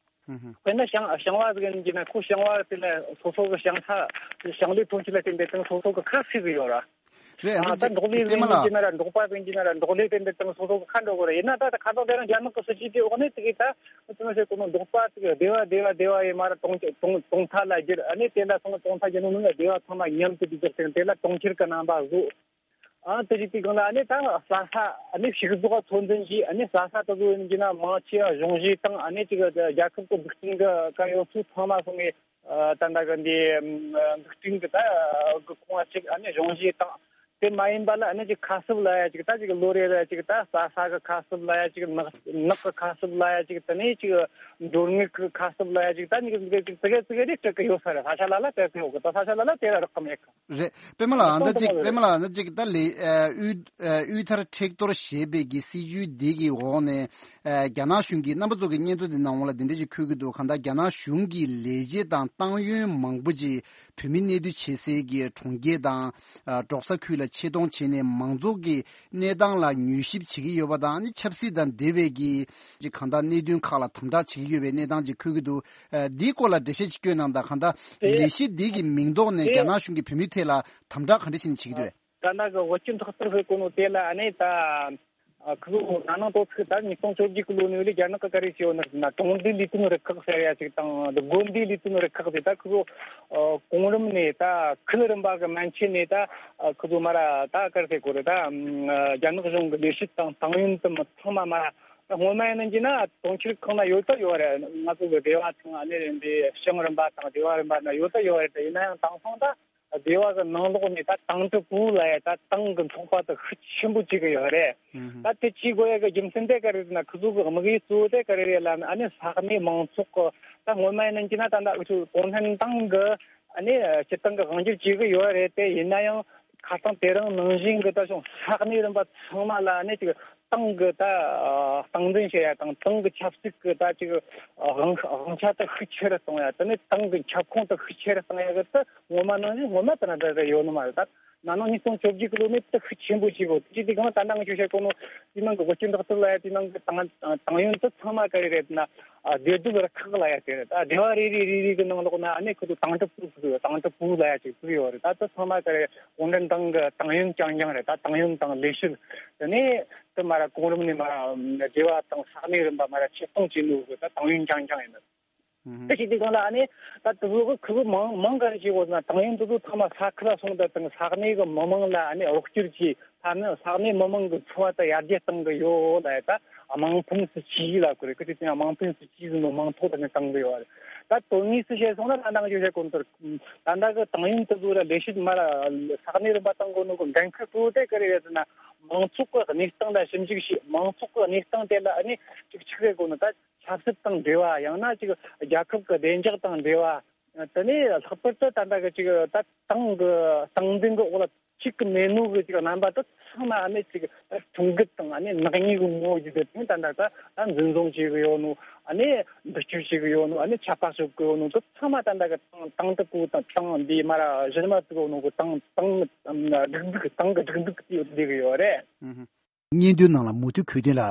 དཔེར་ན་ཞིང་ཞིང་བ་ཟིག་ཡིན་གྱི་ན། ཁོ་ཞིང་བ་དེ་ལ་སོ་སོ་གི་ཞིང་ས་ཞིང་ལས་ཐོན་སྐྱེད་ལ་བརྟེན་པའི་སྟེང་སོ་སོ་གི་ཁ་ཕྱེ་གི་ཡོད་ར། རེད། ཨ་ད་འདི་འབྲོག་ལས་ཟིག་ཡིན་གྱི་ན་ར། འབྲོག་པ་ཟིག་ཡིན་གྱི་ན་ར། འབྲོག་ལས་དེ་འདི་སྟེང་སོ་སོ་གི་ཁ་འགྲོ་གི་རེད། ཡིན་ན་ད་ད་ཁ་སང་དེ་རིང་རྒྱ་ནག་གི་སྲིད་ཇུས་དེའི་འོག་ནས་དེ་གི་ད་ཅི་མ་ཟེར་གོ་ནོ། འབྲོག་པ་ཟིག་སྡེ་བ་སྡེ་བ་སྡེ་བ་ཡི་མར་གྲོང་གྲོང་གྲོང་མཐའ་ལ་བསྒྱུར། ཨ་ནི་དེ་ལ་སོང་གྲོང་མཐའ་བསྒྱུར་ནོ་ནི་སྡེ་བ་ཚང་མ་མཉམ་དུ་བསྒྱུར་ཏེ་དེ་ལ་གྲོང་ཁྱེར་གི་རྣམ་པ་བཟོ། ཨ་དེ་རིགས་དེའི་སྒང་ལ་ཨ་ནི་ད་ས་ས་ཨ་ནི་ཕྱུགས་ཟོག་ཚོད་འཛིན་གྱིས། ཨ་ནི་ས་ས་དེ་ཚོ་ཡིན་གྱི་ན་མང་ཆེ་བ་གཞུང་བཞེས་དང་། ཨ་ནི་ཅིག་རྒྱལ་ཁབ་ཀྱི་འཛུགས་སྐྲུན་གྱི་གལ་ཡོད་ཚུལ་ཚང་མ་སོང་ངས་ཨ་ད་ལྟ་གི་འདི་འཛུགས་སྐྲུན་གྱི་ད་གི་ཁོངས་ཅིག་ཨ་ནི་གཞུང་བཞེས་དང་། དེ་མ་ཡིན་པ་ལ་ཨ་ནི་ཅིག་ཁ་གསབ་ལབ་ཡ་ཅིག་ད་ཅིག་ལོ་རེ་རེ་ཅིག་ད་ས་ས་གི་ཁ་གསབ་ལབ་ཡ་ཅིག་ནགས་ནགས་གི་ཁ་གསབ་ལབ་ཡ་ཅིག་དེ་ནས་ཅིག་མགྲོན་དངུལ་གི་ཁ་གསབ་ལབ་ཡ་ཅིག་ད་ནི་ཅིག་ཙི་གེ་ཙི་གེ་རེ་སྤྲད་གི་ཡོད་ས་རེད། ས་ཆ་ལ་ལ་སྤྲད་གི་ཡོད་གི། ད་ས་ཆ་ལ་ལ་དེ་ར་རག་གི་མེད་གི། རེད། པད་མ་ལགས། ཨ་ད་ཅིག་པད་མ་ལགས། ཨ་ད་ཅིག་ད་ལས་ཨ་དབུལ་ཨ་དབུལ་ཐར་མཁྲེགས་གཏོར་ཞེས་པའི་གི་སྲིད་ཇུས་འདི་གི་འོག་ནས་ཨ་རྒྱ་ནག་གཞུང་གིས་རྣམ་པ་ཚོ་གི་སྙན་ཐོ་འདི་ནང་འོག་ལ་འདི་འདྲ་ཞིག་འཁོད་ཀྱི་འདུག་གང་ལྟར་རྒྱ་ནག་གཞུང་གིས་ལས་བྱེད་དང་ཏང་ཡོན་མང་པོ་ཅིག་བོད་མི་གནས་སྡོད་བྱེད་སའི་གི་གྲོང་ཁྱེར་དང་ཨ་འབྲོག་ས་ཁུལ་ལ་ཆེད་གཏོང་བྱས་ནས་མང་ཚོགས་ཀྱི་གནས་སྟངས་ལ་མྱུལ་ཞིབ་བྱེད་ཀྱི་ཡོད་པ་དང་། ཨ་ནི་ཆབ་སྲིད་དང་འབྲེལ་བའི་གི་ཅིག་གང་ལྟར་གནད་དོན་ཁག་ལ་དམ་དྲག་བྱེད་ཀྱི་ཡོད་པའི་གནས་སྟངས་ཅིག་འཁོད་ཀྱི་འདུག་ཨ་འདིའི་སྐོར་ལ་འགྲེལ་བཤད་ཅིག་སྐྱོན་གནང་དང་། གང་ལྟར་དེ་ལས་གཞི་འདི་གི་མིང་འདོགས་ནས་དེ་རྒྱ་ནག་གཞུང་གིས་བོད་མིའི་ཐད་ལ་དམ་དྲག་ག་འདྲ་བྱས་ནས་བྱེད་ཀྱི་འདུག་ད་ལྟ་གི་དབུལ་སྐྱོར་འཕྲོག་བསྟེན་ཟེར་གོ་ནོ་དེ་ལ་ཨ་ནི་ད་ཨ་ཁུ་ལོ་ན་ནིང་ལོ་ཚིགས་ད་ཉིས་སྟོང་བཅོ་བརྒྱད་གི་ལོ་ནས་ལས་རྒྱ་ནག་གི་ག་རེ་བྱས་ཡོད་ན་ཟེར་ན། གྲོང་སྡེ་ལས་དོན་རུ་ཁག་ཟེར་ཡ་ཅིག་དང་། དགོན་སྡེ་ལས་དོན་རུ་ཁག་ཟེར། ད་ཁུ་ལོ་ཨ་གོང་རིམ་ནས་ད་ཁུལ་རིམ་པ་གི་མན་ཆད་ནས་ད་ཨ་ཁུ་ལོ་མ་ར་ད་ག་རེ་ཟེར་དགོས་རེད། ད་ཨ་རྒྱ་ནག་གཞུང་གི་ལས་བྱེད་དང་ཏང་ཡོན་དུ་མི་ཚང་མ་མ་ར། སྔོན་མ་ཡིན་ན་གྱི་ན་གྲོང་ཁྱེར་ཁག་ན་ཡོད་ད་ཡོད་རེད། ང་ཚོ་གི་སྡེ་བ་དང་ཨ་ནི་འདི་ཞིང་རིམ་པ་དང་སྡེ་བ་རིམ་པ་ན་ཡོད་ད་ཡོད་རེད། ཡིན་ན་ཡང་དེང་སང་ད་སྡེ་བ་གི་ནང་ལོགས་ནས་ད་ཏང་ཀྲི་པུའུ་ལབ་ཡ་ད་ཏང་གི་ཚོགས་པ་དེ་ཤུགས་ཆེན་པོ་བྱེད་གི་ཡོད་རེད། ད་དེ་བྱེད་དགོས་ཡ་གི་རྒྱུ་མཚན་དེ་ག་རེ་རེད་ན། ཁོ་ཚོ་གི་དམིགས་ཡུལ་གཙོ་བོ་དེ་ག་རེ་རེད་ལབ་ན། ཨ་ནི་ས་གནས་མང་ཚོགས་གི་ད་སྔོན་མ་ཡིན་ན་གྱི་ན་ད་ལྟ་འུ་ཚོ་གུང་ཁྲན་ཏང་གི་ཨ་ནི་སྤྱིར་བཏང་གི་དབང་སྒྱུར་བྱེད་གི་ཡོད་རེད་དེ། ཡིན་ན་ཡང་ཁ་སང་དེ་རིང་ནང་བཞིན་གི་ད་ཅུང་ས་གནས་རིམ་པ་ཚང་མ་ལ་ཨ་ནི་ཅིག་ཏང་གི་ད་ཨ་སྟངས་འཛིན་བྱེད་ཡ་དང་། ཏང་གི་ཆབ་སྲིད་གི་ད་ཅིག་དབང་དབང་ཆ་ད་ཤུགས་ཆེ་རུ་གཏོང་ཡ། དེ་ནས་ཏང་གི་ཁྱབ་ཁོངས་ད་ཤུགས་ཆེ་རུ་གཏོང་ཡ་གི་ད་སྔོན་མ་ནང་བཞིན་སྔོན་མ་ད་ན་ད་ད་ཡོད་ནི་མ་རེད། ད་ན་ནིང་ཉིས་སྟོང་བཅོ་བརྒྱད་གི་ལོ་ནས་ད་ཤུགས་ཆེན་པོ་བྱས་གོ། དེ་དེ་གང་ད་ནང་ཆོས་བཤད་གོ་ནོ་དེ་ནང་གི་དབུལ་སྐྱོར་འཕྲོག་བསྟེན་ལབ་ཡ་དེ་ནང་གི་ཏང་ཏང་ཡོན་ད་ཚང་མ་ག་རེ་རེད་ན། ཨ་སྡེ་སྡོད་རུ་ཁག་ལབ་ཡ་དེ་རེད། ད་སྡེ་བ་རེ་རེ་རེ་རེ་གི་ནང་ལོགས་ན་ཨ་ནི་ཁོ་ཚོ་ཏང་ཀྲི་པུའུ་ཟེར་ཡོད། ཏང་ཀྲི་པུའུ་ལབ་ཡ་ཅིག་ཟེར་ཡོད་རེད། ད་ད་ཚང་མ་ག་རེ་གུང་ཁྲན་ཏང་གི་ཏང་ཡོན་རྐྱང་རྐྱང་རེད། ད་ཏང་ཡོན་དང་ལས་བྱེད། དེ་ནས་དེ་མ་ར་གོང་རིམ་ནས་མ་ར་སྡེ་བ་དང་ས་གནས་རིམ་པ་མ་ར་ཆེད་གཏོང་བྱས་ནོ་གི་ད་ཏང་ཡོན་རྐྱང་རྐྱང་ཡིན། དེ་བྱེད་དུས་སྒང་ལ་ཨ་ནི་ད་དེ་ཚོ་གི་ཁུ་བོ་མང་མང་ག་རེ་བྱེད་དགོས་ན། ཏང་ཡོན་དེ་ཚོ་ཚང་མ་ས་ཁུལ་ལ་སོང་དུས་དང་ས་གནས་གི་མི་མང་ལ་ཨ་ནི་རོགས་སྐྱོར་གྱིས། ས་གནས་ས་གནས་མི་མང་གི་འཚོ་བ་དེ་ཡར་རྒྱས་གཏང་གི་ཡོད་ལ། ད་དམངས་ཕན་སྲིད་ཇུས་ལབ་གི་རེད། ཁི་དེ་དེ་དམངས་ཕན་སྲིད་ཇུས་ཟེར་ནོ་མང་ཚོགས་དང་ནི་གཏང་གི་ཡོད་རེད། ད་དོན་དངོས་སུ་བཤད་སོང་ན་ད་ནང་བཞིན་བཤད་གོ་ནོ་ལྟར། ད་ལྟ་གི་ཏང་ཡོན་དེ་ཚོ་ལ་ལས་བྱེད་མ་ར་ས་གནས་རིམ་པ་གཏང་གོ་ནོ་གི་འགན་ཁུར་གཙོ་བོ་དེ་ག་རེ་རེད་ཟེར་ན། མང་ཚོགས་གི་གནས་སྟངས་ལ་ཞིབ་འཇུག་བྱེད། མང་ཚོགས་གི་གནས་སྟངས་དེ་ལ་ཨ་ནི་ཅིག་ཆི་ཟེར་གོ་ནོ། ད་ཆབ་སྲིད་དང་འབྲེལ་བ། ཡང་ན་ཅིག་རྒྱལ་ཁབ་ཀྱི་བདེ་འཇགས་དང་འབྲེལ་བ། དེ་ནས་ལྷག་པར་དུ་ད་ལྟ་གི་ཅིག་ད་ཏང་གི་སྟངས་འཛིན་གྱི་འོག་ལ་ཅིག་གི་མེད་ནོ་གི་ཅིག་རྣམ་པ་དེ་ ཚང་མ་ཨ་ནི་ཅིག་ཁྲིམས་འགལ་དང་ཨ་ནི་ནག་ཉེས་ཀྱི་ངོ་བོ་བརྒྱུད་དེ་ད་ལྟ་ད་འཛིན་བཟུང་བྱེད་གི་ཡོད་ནོ། ཨ་ནི་འདྲི་གཅོད་བྱེད་གི་ཡོད་ནོ། ཨ་ནི་ཆད་པ་གཅོད་གི་ཡོད་ནོ། དེ་ཚང་མ་ད་ལྟ་གི་ཏང་ཏང་དུ་གུ་དང་ཏང་འདི་མ་ར་གཞི་མ་དུ་གུ་ནོ་གི་ཏང་ཏང་སྒྲིག་འཛུགས་ཏང་གི་སྒྲིག་འཛུགས་དེ་ཡོད་བསྡད་གི་ཡོད་རེད། སྙན་ཐོའི་ནང་ལ་མུ་མཐུད་འཁོད་དོན་ལ།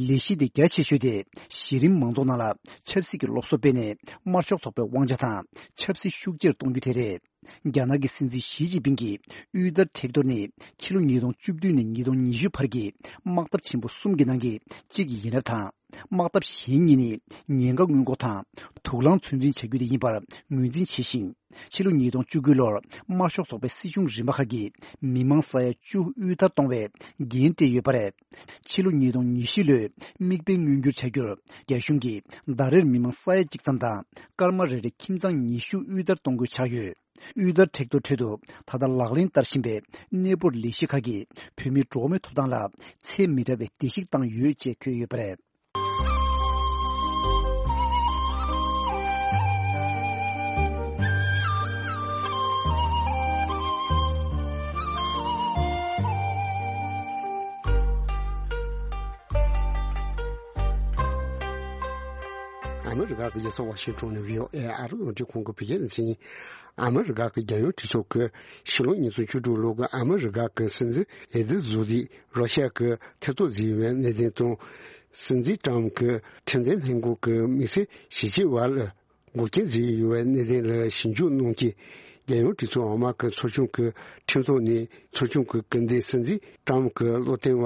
ལས་གཞི་དེ་རྒྱ་ཆེ་ཤོས་དེ་གཞི་རིམ་མང་ཚོགས་ནང་ལ་ཆབ་སྲིད་ཀྱི་སློབ་གསོ་སྤེལ་ནས་དམར་ཤོག་ཚོགས་པའི་དབང་ཆ་དང་ཆབ་སྲིད་ཤུགས་ཆེར་གཏོང་རྒྱུ་དེ་རེད། རྒྱ་ནག་གི་སྲིད་འཛིན་ཞི་ཅིན་ཕིང་གིས་དབུལ་ཐར་མཁྲེགས་གཏོར་ནི་ཕྱི་ལོ་ཉིས་སྟོང་བཅུ་བདུན་ནས་ཉིས་སྟོང་ཉི་ཤུ་བར་གྱི་དམག་འཐབ་ཆེན་པོ་གསུམ་གྱི་ནང་གི་གཅིག་ཡིན་རབས་དང་། དམག་འཐབ་གཞན་གཉིས་ནི་ཉེན་ཁ་སྔོན་འགོག་དང་དུག་རླངས་ཚོད་འཛིན་བྱ་རྒྱུ་དེ་ཡིན་པར་ངོས་འཛིན་བྱས་ཤིང་། ཕྱི་ལོ་ཉིས་སྟོང་བཅུ་དགུ་ལོར་དམར་ཤོག་ཚོགས་པའི་སྲིད་གཞུང་རིམ་པ་ཁག་གིས་མི་མང་ས་ཡ་བཅུ་དབུལ་ཐར་གཏོང་བའི་འགན་སྤྲད་ཡོད་པ་རེད། ཕྱི་ལོ་ཉིས་སྟོང་ཉི་བཞི་ལོའི་དམིགས་འབེན་མངོན་འགྱུར་བྱ་རྒྱུར་རྒྱ་གཞུང་གིས་ཟླ་རེར་མི་མང་ས་ཡ་གཅིག་ཙམ་དང་སྐར་མ་རེ་རེ་ཁྱིམ་ཚང་ཉི་ཤུ་དབུལ་ཐར་གཏོང་དགོས་ཆགས་ཡོད། དབུལ་ཐར་མཁྲེགས་གཏོར་ཁྲོད་དུ་ད་ལྟ་ལག་ལེན་བསྟར་བཞིན་པའི་གནས་སྤོར་ལས་གཞི་ཁག་གིས་བོད་མིའི་འགྲོ་བ་མིའི་ཐོབ་ཐང་ལ་ཚད་མི་འདྲ་བའི་བརྡལ་བཤིག་བཏང་ཡོད་ཅེས་འཁོད་ཡོད་པ་རེད། ཨ་མི་རི་ཀ་གི་རྒྱལ་ས་ཝ་ཤིང་ཊོན་ནས་བྷི་ཨོ་ཨེ་ཨ་རི་རླུང་འཕྲིན་ཁང་གི་བོད་སྐད་སྡེ་ཚན་ཡིན། ཨ་མི་རི་ཀ་གི་རྒྱལ་ཡོངས་གྲོས་ཚོགས་ཀྱིས་ཕྱི་ལོ་ཉིས་སྟོང་བཅུ་དྲུག་ལོ་གི་ཨ་མི་རི་ཀ་གི་སྲིད་འཛིན་འོས་བསྡུ་བཟོ་རིགས་རོ་ཤ་གི་ཐེ་གཏོགས་བཟོས་ཡོད་པའི་གནད་དོན་དང་། སྲིད་འཛིན་ཊམ་གྱི་ཁྲིམས་འཛིན་ལྷན་ཁང་གི་དམིགས་བསལ་ཞིབ་དཔྱད་པ་ལ་འགོག་རྐྱེན་བཟོས་ཡོད་པའི་གནད་དོན་ལ་ཞིབ་འཇུག་གནང་རྐྱེན། རྒྱལ་ཡོངས་གྲོས་ཚོགས་འོག་མ་གི་ཚོགས་ཆུང་གི་ཁྲིམས་ཐོག་ནས་ཚོགས་ཆུང་གི་སྐུ་མདུན་སྲིད་འཛིན་ཊམ་གྱི་བློ་བསྟེན་པ་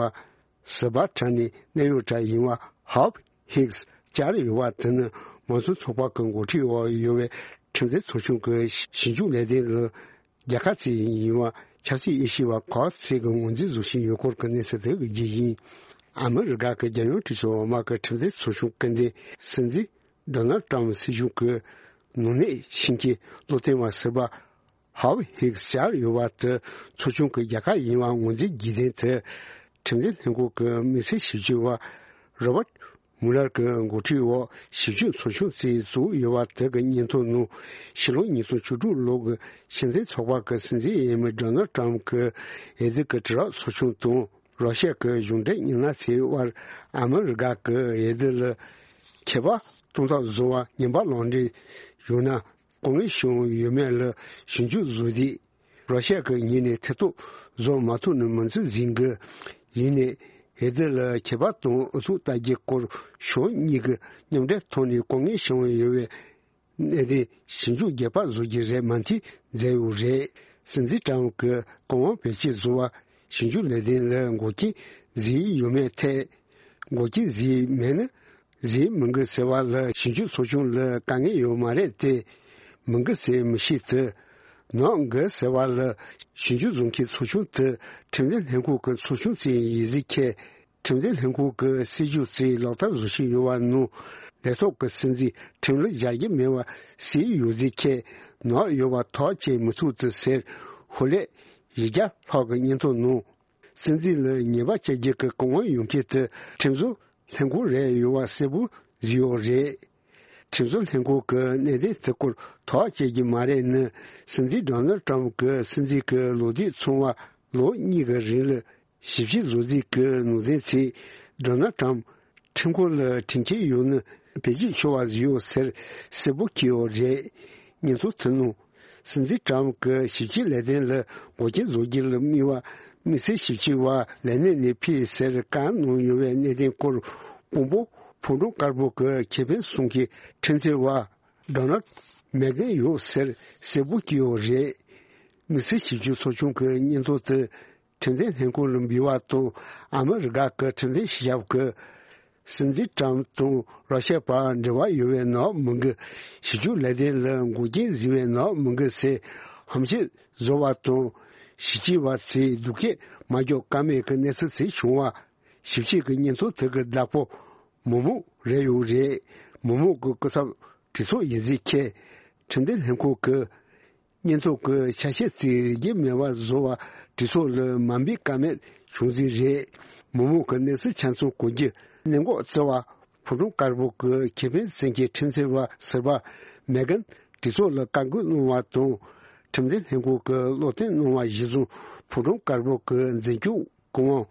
ཟུར་པ་ཁྲ་ནས་གནད་ཡོད་གྲས་ཡིན་པ་ཧོབ་ཧིགས་བཅར་ཡོད་པ་དེ་ནི་མང་གཙོ་ཚོགས་པ་གི་འགོ་ཁྲིད་འོག་ཡོད་པའི་ཁྲིམས་འཛིན་ཚོགས་ཆུང་གི་ཞིབ་འཇུག་ལས་དོན་ལ་རྒྱལ་ཁ་བཙལ་ཡིན་པ་ཆབ་སྲིད་དབྱེ་ཞིབ་པ་ཁོ་ཚེ་གི་ངོས་འཛིན་བཟོ་བཞིན་ཡོད་སྐོར་གྱི་གནས་ཚུལ་དེ་གི་རྒྱུ་ཡིན། ཨ་མི་རི་ཀ་གི་རྒྱལ་ཡོངས་གྲོས་ཚོགས་འོག་མ་གི་ཁྲིམས་འཛིན་ཚོགས་ཆུང་སྐུ་མདུན་སྲིད་འཛིན་ཌོ་ནལ་ཊམ་སྲིད་གཞུང་གི་ནང་གནས་ཤིང་ཆེན་བློ་བསྟེན་པ་ཟུར་པ་ཧོབ་ཧིགས་བཅར་ཡོད་པ་དེ་ཚོགས་ཆུང་གི་རྒྱལ་ཁ་ཡིན་པ་ངོས་འཛིན་རྒྱུ་དོན་དེ་ཁྲིམས་འཛིན་ལྷན་ཁང་གི་དམིགས་བསལ་ཞིབ་དཔྱད་པ་རོ་བརྟ་མུ་ལར་གྱི་འགོ་ཁྲིད་འོག་ཞིབ་དཔྱད་ཚོགས་ཆུང་ཞིག་བཙུགས་ཡོད་པ་དེ་གི་སྙན་ཐོ་ནང་ཕྱི་ལོ་ཉིས་སྟོང་བཅུ་དྲུག་ལོ་གི་སྲིད་འཛིན་ཚོགས་པ་གི་སྲིད་འཛིན་འོས་མི་ཌོ་ནལ་ཊམ་གྱི་འོས་བསྡུ་གི་དྲི་རབས་ཚོགས་ཆུང་དང་། རོ་ཤ་གི་གཞུང་འབྲེལ་མི་སྣ་ཚོའི་དབར་ཨ་མི་རི་ཀ་གི་འོས་བསྡུ་ལ་ཁྱད་པར་གཏོང་ཐབས་བཟོ་བར་ཉེས་པ་ལག་འབྲེལ་བྱུང་ན་དཀའ་ངལ་བྱུང་ཡོད་མེད་ལ་ཞིབ་འཇུག་བཟོ་དུས། རོ་ཤ་གི་ངོས་ནས་ཐེ་གཏོགས་བཟོ་མ་ཐུབ་ནི་མིན་ཚུལ་འཛིན་གི་ཡིན་ནའི་འོས་བསྡུ་ལ་ཁྱད་པར་དང་ཨུ་ཚུགས་ལྟ་རྒྱུའི་སྐོར་ཕྱོགས་གཉིས་ཀྱི་མཉམ་འབྲེལ་ཐོག་ནས་དཀའ་ངལ་བྱུང་ཡོད་པའི་གནད་དོན་ཞིབ་འཇུག་རྒྱག་པ་བཟོ་རྒྱུ་རེད་མ་མཐུན་མཛད་ཡོད་རེད། སྲིད་འཛིན་ཀྲམ་གྱི་བཀའ་དབང་བེད་སྤྱོད་བཟོ་བ་ཞིབ་འཇུག་ལས་དོན་ལ་འགོག་རྐྱེན་བཟོས་ཡོད་མེད་ཐད། འགོག་རྐྱེན་བཟོས་མེད་ན་བཟོས་མི་དགོས་ཟེར་བ་ལ་ཞིབ་འཇུག་ཚོགས་ཆུང་ལ་དཀའ་ངལ་ཡོད་མ་རེད་དེ། མི་དགོས་ཟེར་མི་ཤེས་ཏེ། ནོར་དགོས་ཟེར་བ་ལ་ཞིབ་འཇུག་བཟོ་མཁན་ཚོགས་ཆུང་དེ་ཁྲིམས་འཛིན་ལྷན་ཁང་གི་ཚོགས་ཆུང་ཞིག་ཡིན་ཟེར་ཁྱེད། ཁྲིམས་འཛིན་ལྷན་ཁང་གི་སྲིད་བྱུས་ཚོས་ལག་བསྟར་བཟོ་བཞིན་ཡོད་པ་ནང་ལས་ཐོག་གི་སྲིད་འཛིན་ཁྲིམས་ལུགས་སྦྱར་གྱི་མེད་པ་གསལ་ཡོད་ཟེར་ཁྱེད་ནག་ཡོད་པ་ཐག་བཅད་མི་ཐུབ་ཏུ་ཟེར་ཧུ་ལེ་བཞི་བརྒྱ་ལྷག་གི་སྙན་ཐོ་ནང་སྲིད་འཛིན་ལ་ཉེས་པ་བཅད་རྒྱུ་གི་གང་བ་ཡོང་མཁན་དེ་ཁྲིམས་བཟོ་ལྷན་ཁང་རེད་ཡོད་པ་གསལ་པོ་བཟོས་ཡོད་རེད། ཁྲིམས་བཟོ་ལྷན་ཁང་གི་གནད་དོན་དེ་སྐོར་ཐག་བཅད་རྒྱུ་མ་རེད་ནི་སྲིད་འཛིན་ཌོ་ནལ་ཏྲམ་གྱི་སྲིད་འཛིན་གྱི་ལོ་དུས་ཚང་བ་ལོ་གཉིས་ཀྱི་རིང་ལ། ཞིབ་དཔྱད་བཟོ་རྩིས་ཀྱི་ནང་དོན་ཚོས་ཌོ་ནལ་ཏྲམ་ཁྲིམས་ཁང་ལ་ཁྲིམས་འཁྱེར་ཡོད་ན་བེད་སྤྱོད་ཆོག་པ་བཟོས་ཡོད་ཟེར་གསལ་པོ་འཁོད་ཡོད་རེད། སྙན་ཐོ་དེ་ནང་སྲིད་འཛིན་ཏྲམ་གྱི་ཞིབ་དཔྱད་ལས་དོན་ལ་འགོག་རྐྱེན་བཟོ་རྒྱུ་ལ་དམིགས་པ་དམིགས་བསལ་ཞིབ་དཔྱད་པ་ལས་གནས་ནས་ཕུད་ཟེར་བཀའ་གནང་ཡོད་པའི་གནད་དོན་སྐོར་དཔོན་པོ་ཕོ་བྲང་དཀར་པོ་གི་ཁེ་ཕན་སྲུང་མཁན་ཁྲིམས་རྩོད་པ་ཌོ་ནལ་མེག་གྷན་ཡོད་ཟེར་གསལ་པོ་འཁོད་ཡོད་རེད། དམིགས་བསལ་ཞིབ་དཔྱད་ཚོགས་ཆུང་གི་སྙན་ཐོ་དེ། ཁྲིམས་འཛིན་ལྷན་ཁང་ལ་འབུལ་བ་དང་ཨ་མི་རི་ཀ་གི་ཁྲིམས་འཛིན་སྤྱི་ཁྱབ་ཀྱིས་སྲིད་འཛིན་ཏྲམ་དང་ར་ཤ་བར་འབྲེལ་བ་ཡོད་པའི་ནག་མི་འགུལ་ཞིབ་འཇུག་ལས་དོན་ལ་འགོག་རྐྱེན་བཟོས་པའི་ནག་མི་འགུལ་ཟེར་ཧམ་བཤད་བཟོ་བ་དང་ཞིབ་དཔྱད་པ་ཚོས་སྡུག་སྐད་མ་རྒྱག་ཀ་མེད་ཀྱི་གནས་ཚུལ་ཚོ་བྱུང་བ་ཞིབ་དཔྱད་ཀྱི་སྙན་ཐོ་དེ་གི་བདག་པོ་མི་མང་རེད་ཡོད་རེད། མི་མང་གི་སྐུ་ཚབ་གྲོས་ཚོགས་ཡིན་ཟེར་ཁྱེད་ཁྲིམས་འཛིན་ལྷན་ཁང་གི་སྙན་ཐོ་གི་ཆ་ཤས་ཚིག་རིགས་མེད་པ་བཟོ་བ་གྲོས་ཚོགས་ལ་མ་འབུལ་ཀ་མེད་བྱུང་ཟིན་རེད། མི་མང་གི་གནས་ཚུལ་ཆ་ཚང་གོ་རྒྱུ་གནད་འགག་བརྩི་བ་ཕོ་བྲང་དཀར་པོ་གི་ཁེ་ཕན་བཙན་གྱི་ཁྲིམས་རྩོད་པ་ཟུར་པ་མེ་གན་གྲོས་ཚོགས་ལ་བཀའ་འགུག་གནང་བ་དང་ཁྲིམས་འཛིན་ལྷན་ཁང་གི་བློ་བསྟན་གནང་བ་གཞིར་བཟུང་ཕོ་བྲང་དཀར་པོ་གི་འཛིན་སྐྱོང་ ཀོང་ཝང་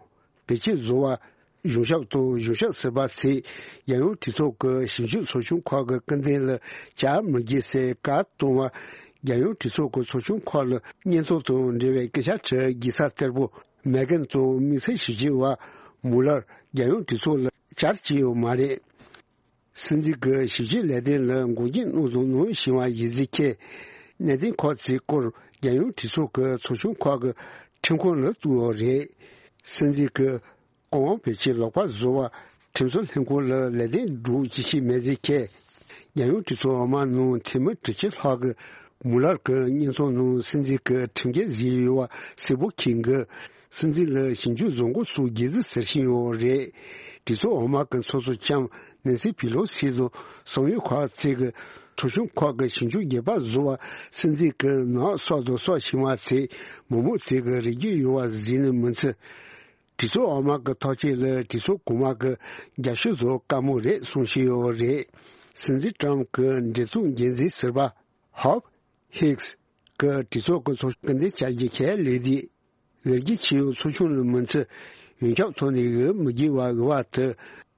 བེད་སྤྱད་བཟོ་བ་གཞུང་ཞབས་དང་གཞུང་ཞབས་ཟུར་པ་ཚོས་རྒྱལ་ཡོངས་གྲོས་ཚོགས་ཀྱི་ཞིབ་འཇུག་ཚོགས་ཆུང་ཁག་གི་སྐུ་མདུན་ལ་བཅར་མི་དགོས་སའི་བཀའ་གཏོང་བ། རྒྱལ་ཡོངས་གྲོས་ཚོགས་ཀྱི་ཚོགས་ཆུང་ཁག་ལ་བརྙན་ཐུང་དང་འབྲེལ་བའི་སྐད་ཆ་དྲི་དགོས་ས་ལྟར་པོ། མེ་གྷན་དང་དམིགས་བསལ་ཞིབ་དཔྱོད་པ་མུ་ལར་རྒྱལ་ཡོངས་གྲོས་ཚོགས་ལ་བཅར་གྱི་ཡོད་མ་རེད། སྲིད་འཛིན་གྱི་ཞིབ་དཔྱོད་ལས་དོན་ལ་འགོག་རྐྱེན་གནང་དང་གནང་བཞིན་པ་ཡིན་ཚུལ་འཁྱེར། གནད་དོན་ཁག་ཅིག་སྐོར་རྒྱལ་ཡོངས་གྲོས་ཚོགས་ཀྱི་ཚོགས་ཆུང་ཁག་གི་ཁྲིམས་ཁང་ལ་གཏུགས་ཡོད་རེད། སྲིད་འཛིན་གྱི་ཀོང་ཝང་བེད་སྤྱད་ལག་པ་བཟོ་བ་ཁྲིམས་བཟོ་ལྷན་ཁང་ལ་ལས་དོན་སྒྲུབ་ཅི་ཤེས་མེད་ཚུལ་འཁྱེར། རྒྱལ་ཡོངས་གྲོས་ཚོགས་འོག་མ་ནང་འཐུས་མི་དྲུག་ཅུ་ལྷག་གིས་མུ་ལར་གྱི་བརྙན་ཐུང་ནང་སྲིད་འཛིན་གྱི་ཁྲིམས་འགལ་བཟོས་ཡོད་པ་གསལ་པོ་འཁྱེར་གྱི། སྲིད་འཛིན་ལ་ཞིབ་འཇུག་བཟོ་འགོ་བཙུགས་དགོས་ཚུལ་ཟེར་བཞིན་ཡོད་རེད། གྲོས་ཚོགས་འོག་མ་གི་ཚོགས་གཙོ་ལྕམ་ནེན་སི་པི་ལོ་སི་དང་གསང་བའི་ཁག་ཅིག་གིས་ཚོགས་ཆུང་ཁག་གི་ཞིབ་འཇུག་རྒྱས་པ་བཟོ་བ་སྲིད་འཛིན་གྱི་ནག་སོག་དང་སོག་ཕྱི་མ་ཚོས་མི་མང་ཚོས་ཀྱི་རེ་སྐུལ་ཡོད་པ་གཟིགས་ནས་མི་ཚེ། གྲོས་ཚོགས་འོག་མ་གི་ཐག་གཅོད་ལ་གྲོས་ཚོགས་གོང་མ་གི་རྒྱབ་སྐྱོར་བཟོ་དཀའ་མོ་རེད་གསུངས་བཞིན་ཡོད་རེད། སྲིད་འཛིན་ཀྲམ་གྱི་འབྲེལ་གཏུག་འགན་འཛིན་ཟུར་པ་ཧོབ་ཧིགས་ཀྱི་གྲོས་ཚོགས་ཀྱི་ཚོགས་སྐུ་མདུན་བཅར་རྒྱུ་ཁས་ལེན་དུས། ལས་འགུལ་ཆེ་ཡོད་ཚོགས་ཆུང་ལ་མི་ཚེ་ཡོངས་ཁྱབ་ཐོག་ནས་འོས་མི་དགོས་པ་འོས་པ་དེ་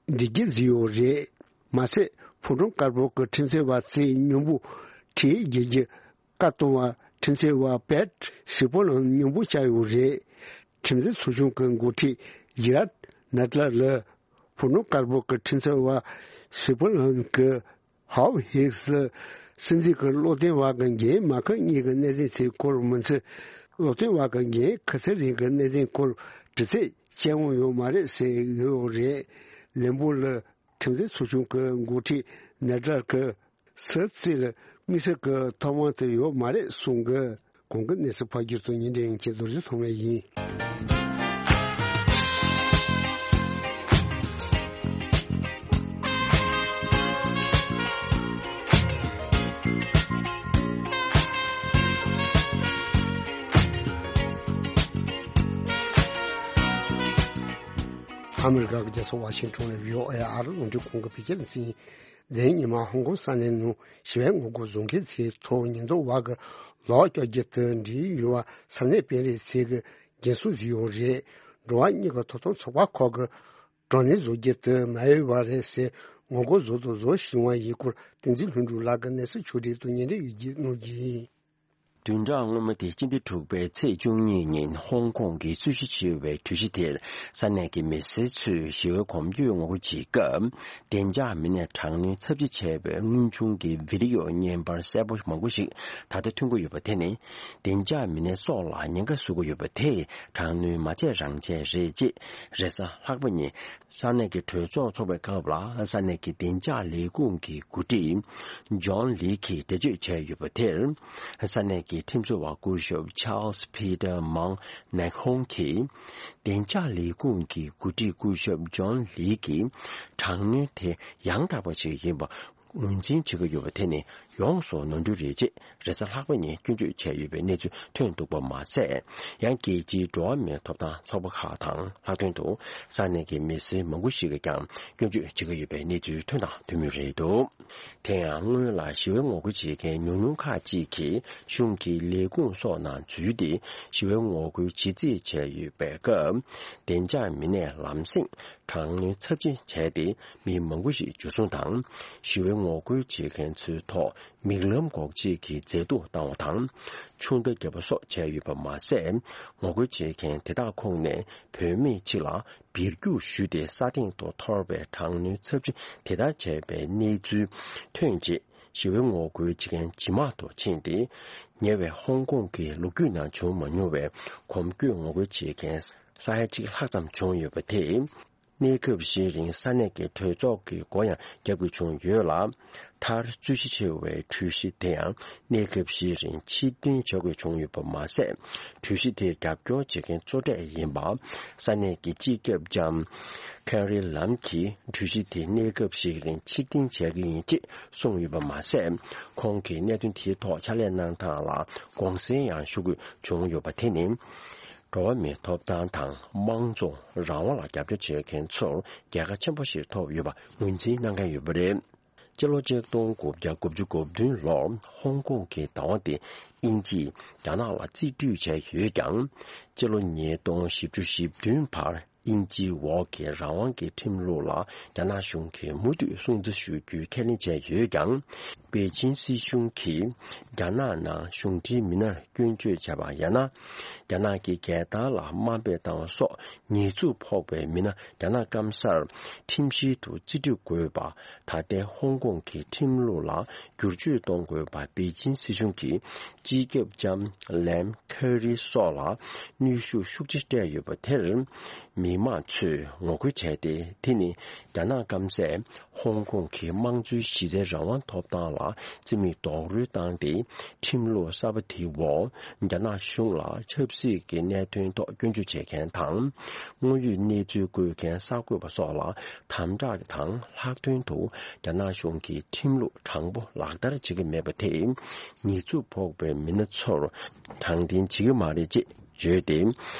འགྲིག་གི་བཟོས་ཡོད་རེད། མ་ཟད་ཕོ་བྲང་དཀར་པོ་གི་ཁྲིམས་རྩོད་པ་ཚོས་མཉམ་པོ་ཁྲིམས་རྒྱལ་གྱི་བཀའ་གཏོང་བ་ཁྲིམས་རྩོད་པ་པེད་སི་པོ་ལང་མཉམ་པོ་བཅར་ཡོད་རེད། ཁྲིམས་རྩོད་ཚོགས་ཆུང་གི་འགོ་ཁྲིད་ཇི་རཱད་ནད་ལར་ལ་ཕོ་བྲང་དཀར་པོ་གི་ཁྲིམས་རྩོད་པ་སི་པོ་ལང་གི་ཧའོ་ཧིགས་ལ་སྲིད་འཛིན་གྱི་བློ་བསྟན་པ་གི་འགན་མ་ཁུར་མཁན་གྱི་གནད་དོན་ཚོའི་སྐོར་མི་ཚེ། བློ་བསྟན་པ་གི་འགན་ཁུར་ཚེ་རིང་གི་གནད་དོན་སྐོར་དྲི་རྩད་བྱེད་འོང་ཡོད་མ་རེད་ཟེར་ཡོད་རེད། ལན་པོ་ལ་ཁྲིམས་རྩོད་ཚོགས་ཆུང་གི་འགོ་ཁྲིད་ནེ་ཌར་གྱི་སི་ཚིག་ལ་དམིགས་བསལ་གྱི་ཐོབ་དབང་དེ་ཡོད་མ་རེད་གསུང་གི། གོང་གི་གནས་ཚུལ་ཕབ་སྒྱུར་དང་ཉིན་འདྲེན་གྱི་རྡོ་རྗེ་ཐོག་མ་ཡིན། ཨ་མི་རི་ཀ་གི་རྒྱལ་ས་ཝ་ཤིང་ཊོན་ནས་བྷི་ཨོ་ཨེ་ཨ་རི་རླུང་འཕྲིན་ཁང་གི་བོད་སྐད་སྡེ་ཚན་ཡིན། དེ་རིང་ཉི་མ་ཧོང་ཀོང་ས་གནས་ནང་ཞི་བའི་ངོ་རྒོལ་བཟོ་མཁན་ཚོའི་ཐོག་ཉེན་རྟོག་པ་གིས་ལག་བཀྱག་རྒྱུ་དང་འབྲེལ་ཡོད་པ་ས་གནས་དཔོན་རིགས་ཚོས་ཀྱིས་འགན་སྲུང་བཟོས་ཡོད་རེད། འགྲོ་བ་མིའི་ཐོབ་ཐང་ཚོགས་པ་ཁག་གིས་དྲག་གནོན་བཟོ་རྒྱུ་དེ་མ་འོས་པ་རེད་ཟེར་ངོ་རྒོལ་བཟོ་དང་བཟོ་བཞིན་པ་ཡིན་སྐོར་བསྟན་འཛིན་ལྷུན་གྲུབ་ལགས་ཀྱིས་གནས་ཚུལ་ཕྱོགས་སྒྲིག་དང་སྙན་སྒྲོན་ཡོད་རྒྱུ་གནང་རྒྱུ་ཡིན། བདུན་ཕྲག་སྔོན་མ་སྟེ་སྤྱི་ཟླ་དྲུག་པའི་ཚེས་བཅུ་གཉིས་ཉིན་ཧོང་ཀོང་གི་རྩོད་གཞི་ཆེ་བའི་གྲོས་གཞི་དེར་ས་གནས་ཀྱི་མི་སེར་ཚོས་ཞི་བའི་གོམ་བགྲོད་ངོ་རྒོལ་བྱེད་སྐབས། བདེ་འཇགས་མི་སྣས་དྲག་གནོན་ཚབས་ཆེ་བྱས་པའི་དངོས་བྱུང་གི་བི་ཌི་ཡོ་བརྙན་པར་གསལ་པོ་མང་པོ་ཞིག་ད་ལྟ་ཐོན་གྱི་ཡོད་པ་དེ་ནི། བདེ་འཇགས་མི་སྣའི་སྲོག་ལ་ཉེན་ཁ་བཟོ་གི་ཡོད་པ་དེས་དྲག་གནོན་མ་བྱས་རང་བྱས་རེད་ཅེས་རེས་གཟའ་ལྷག་པ་ཉིན། ས་གནས་ཀྱི་གྲོས་ཚོགས་འཚོགས་པའི་སྐབས་ལ་ས་གནས་ཀྱི་བདེ་འཇགས་ལས་ཁུངས་ཀྱི་འགོ་ཁྲིད་ཇོན་ལི་གིས་འགྲེལ་བརྗོད་བྱས་ཡོད་པ་དེར། ས་གནས་ཀྱི་ཁྲིམས་བཟོ་བ་སྐུ་ཞབས་ཆཱལ་སི་ཕི་ཏར་མང་ནེག་ཧོང་གིས། བདེ་འཇགས་ལས་ཁུངས་ཀྱི་འགོ་ཁྲིད་སྐུ་ཞབས་ཇོན་ལི་གིས་དྲག་གནོན་དེ་ཡང་དག་པ་ཞིག་ཡིན་པ། ངོས་འཛིན་བྱེད་ཀྱི་ཡོད་པ་དེ་ནི་ཡོངས་སུ་ནོར་འཁྲུལ་རེད་ཅེས་རེས་གཟའ་ལྷག་པ་ཉིན་སྐྱོན་བརྗོད་བྱས་ཡོད་པའི་གནས་ཚུལ་ཐོན་འདུག་པ་མ་ཟད། ཡང་རྒྱལ་སྤྱིའི་འགྲོ་བ་མིའི་ཐོབ་ཐང་ཚོགས་པ་ཁག་དང་ལྷག་དོན་དུ་ས་གནས་ཀྱི་མི་སེར་མང་པོ་ཞིག་གིས་ཀྱང་སྐྱོན་བརྗོད་བྱེད་ཀྱི་ཡོད་པའི་གནས་ཚུལ་ཐོན་དང་ཐོན་མུས་རེད་འདུག་དེ་ཡང་སྔོན་ལ་ཞི་བའི་ངོ་རྒོལ་བྱེད་མཁན་ཉུང་ཉུང་ཁག་ཅིག་གིས་གཞུང་གི་ལས་ཁུངས་སོགས་ནང་འཛུལ་ཏེ་ཞི་བའི་ངོ་རྒོལ་བྱེད་རྩིས་བྱས་ཡོད་པའི་སྐབས། བདེ་འཇགས་མི་སྣས་ལམ་སེང་དྲག་གནོན་ཚབས་ཆེན་བྱས་ཏེ་མི་མང་པོ་ཞིག་འཇུ་བཟུང་དང་། ཞི་བའི་ངོ་རྒོལ་བྱེད་མཁན་ཚོའི་ཐོག་མིག་ལམ་འགོག་བྱེད་ཀྱི་མཛེས་སྡུག་བཏང་བ་དང་། ཆུ་མདའ་བརྒྱབ་པ་སོགས་བྱས་ཡོད་པ་མ་ཟད། ངོ་རྒོལ་བྱེད་མཁན་དེ་དག་ཁོངས་ནས་བུད་མེད་ཅིག་ལ་སྦིར་རྒྱུག་ཞུས་ཏེ་ས་སྟེང་དུ་འཐོར་བའི་དྲག་གནོན་ཚབས་ཆེན་དེ་ལྟར་བྱས་པའི་གནས་ཚུལ་ཐོན་རྗེས། ཞི་བའི་ངོ་རྒོལ་བྱེད་མཁན་ཇེ་མང་དུ་ཕྱིན་ཏེ། ཉེ་བའི་ཧོང་ཀོང་གི་ལོ་རྒྱུས་ནང་བྱུང་མ་མྱོང་བའི་གོམ་བགྲོད་ངོ་རྒོལ་བྱེད་མཁན་ས་ཡ་གཅིག་ལྷག་ཙམ་བྱུང་ཡོད་པ་དེས། གནས་སྐབས་ཤིག་རིང་ས་གནས་ཀྱི་གྲོས་ཚོགས་ཀྱི་སྒོ་ཡང་བརྒྱབ་དགོས་བྱུང་ཡོད་ལ། མཐར་རྩོད་གཞི་ཆེ་བའི་གྲོས་གཞི་དེ་ཡང་གནས་སྐབས་ཤིག་རིང་ཕྱིར་འཐེན་བྱ་དགོས་བྱུང་ཡོད་པ་མ་ཟད། གྲོས་གཞི་དེར་རྒྱབ་སྐྱོར་བྱེད་མཁན་གཙོ་གྲས་ཡིན་པ། ས་གནས་ཀྱི་སྤྱི་ཁྱབ་ལྕམ་ཁེ་རི་ལམ་གྱིས་གྲོས་གཞི་དེ་གནས་སྐབས་ཤིག་རིང་ཕྱིར་འཐེན་བྱ་གི་ཡིན་ཅེས་གསུངས་ཡོད་པ་མ་ཟད། ཁོང་གིས་གནད་དོན་དེའི་ཐོག་ཕྱག་ལས་གནང་སྟངས་ལ་དགོངས་སེལ་ཡང་ཞུ་དགོས་བྱུང་ཡོད་པ་དེ་ནི། འགྲོ་བ་མིའི་ཐོབ་ཐང་དང་དམངས་གཙོ་རང་དབང་ལ་རྒྱབ་སྐྱོར་བྱེད་མཁན་ཚོར་རྒྱལ་ཁ་ཆེན་པོ་ཞིག་ཐོབ་ཡོད་པ་ངོས་འཛིན་གནང་མཁན་ཡོད་པ་རེད། སྤྱི་ལོ་ཆིག་སྟོང་དགུ་བརྒྱ་དགུ་བཅུ་གོ་བདུན་ལོར་ཧོང་ཀོང་གི་བདག་དབང་དེ་དབྱིན་ཇིས་རྒྱ་ནག་ལ་རྩིས་སྤྲོད་བྱས་ཡོད་ཀྱང་། སྤྱི་ལོ་ཉིས་སྟོང་བཞི་བཅུ་ཞེ་བདུན་བར་དབྱིན་ཇིའི་འོག་གི་རང་དབང་གི་ཁྲིམས་ལུགས་ལ་རྒྱ་ནག་གཞུང་གིས་མུ་མཐུད་སྲུང་བརྩི་ཞུ་རྒྱུའི་ཁས་ལེན་བྱས་ཡོད་ཀྱང་། པེ་ཅིན་སྲིད་གཞུང་གིས་རྒྱ་ནག་ནང་གཞུང་འབྲེལ་མི་སྣར་སྐྱོན་བརྗོད་བྱས་པ་ཡང་ན། རྒྱ་ནག་གི་རྒྱལ་དར་ལ་དམའ་འབེབས་བཏང་བ་སོགས་ཉེས་འཛུགས་ཕོག་པའི་མི་སྣ་རྒྱ་ནག་སྐམ་སར་ཁྲིམས་བཤེར་དུ་རྩིས་སྤྲོད་དགོས་པ། ད་ལྟའི་ཧོང་ཀོང་གི་ཁྲིམས་ལུགས་ལ་བསྒྱུར་བཅོས་གཏོང་དགོས་པ་པེ་ཅིན་སྲིད་གཞུང་གིས་སྤྱི་ཁྱབ་ལྕམ་ལེམ་ཁེ་རི་སོགས་ལ་གནོན་ཤུགས་ཤུགས་ཆེ་སྤྲད་ཡོད་པ་དེར། མི་མང་ཚོས་ངོ་རྒོལ་བྱས་ཏེ། དེ་ནི་རྒྱ་ནག་སྐམ་སས་ཧོང་ཀོང་གི་དམངས་གཙོའི་གཞི་རྩའི་རང་དབང་ཐོབ་ཐང་ལ་རྩིས་མེད་རྡོག་རོལ་བཏང་སྟེ། ཁྲིམས་ལུགས་གསར་པ་དེའི་འོག་རྒྱ་ནག་གཞུང་ལ་ཆབ་སྲིད་ཀྱི་གནད་དོན་ཐོག་སྐྱོན་བརྗོད་བྱེད་མཁན་དང་། དངོས་ཡོད་གནས་ཚུལ་འགོད་མཁན་གསར་འགོད་པ་སོགས་ལ་དམ་དྲག་དང་ལྷག་དོན་དུ་རྒྱ་ནག་གཞུང་གི་ཁྲིམས་ལུགས་དྲང་པོ་ལག་བསྟར་བྱེད་ཀྱི་མེད་པ་དེས་ཉེས་འཛུགས་ཕོག་པའི་མི་སྣ་ཚོར་དྲང་བདེན་བྱེད་ཀྱི་མ་རེད་ཅེས་བརྗོད་དེ།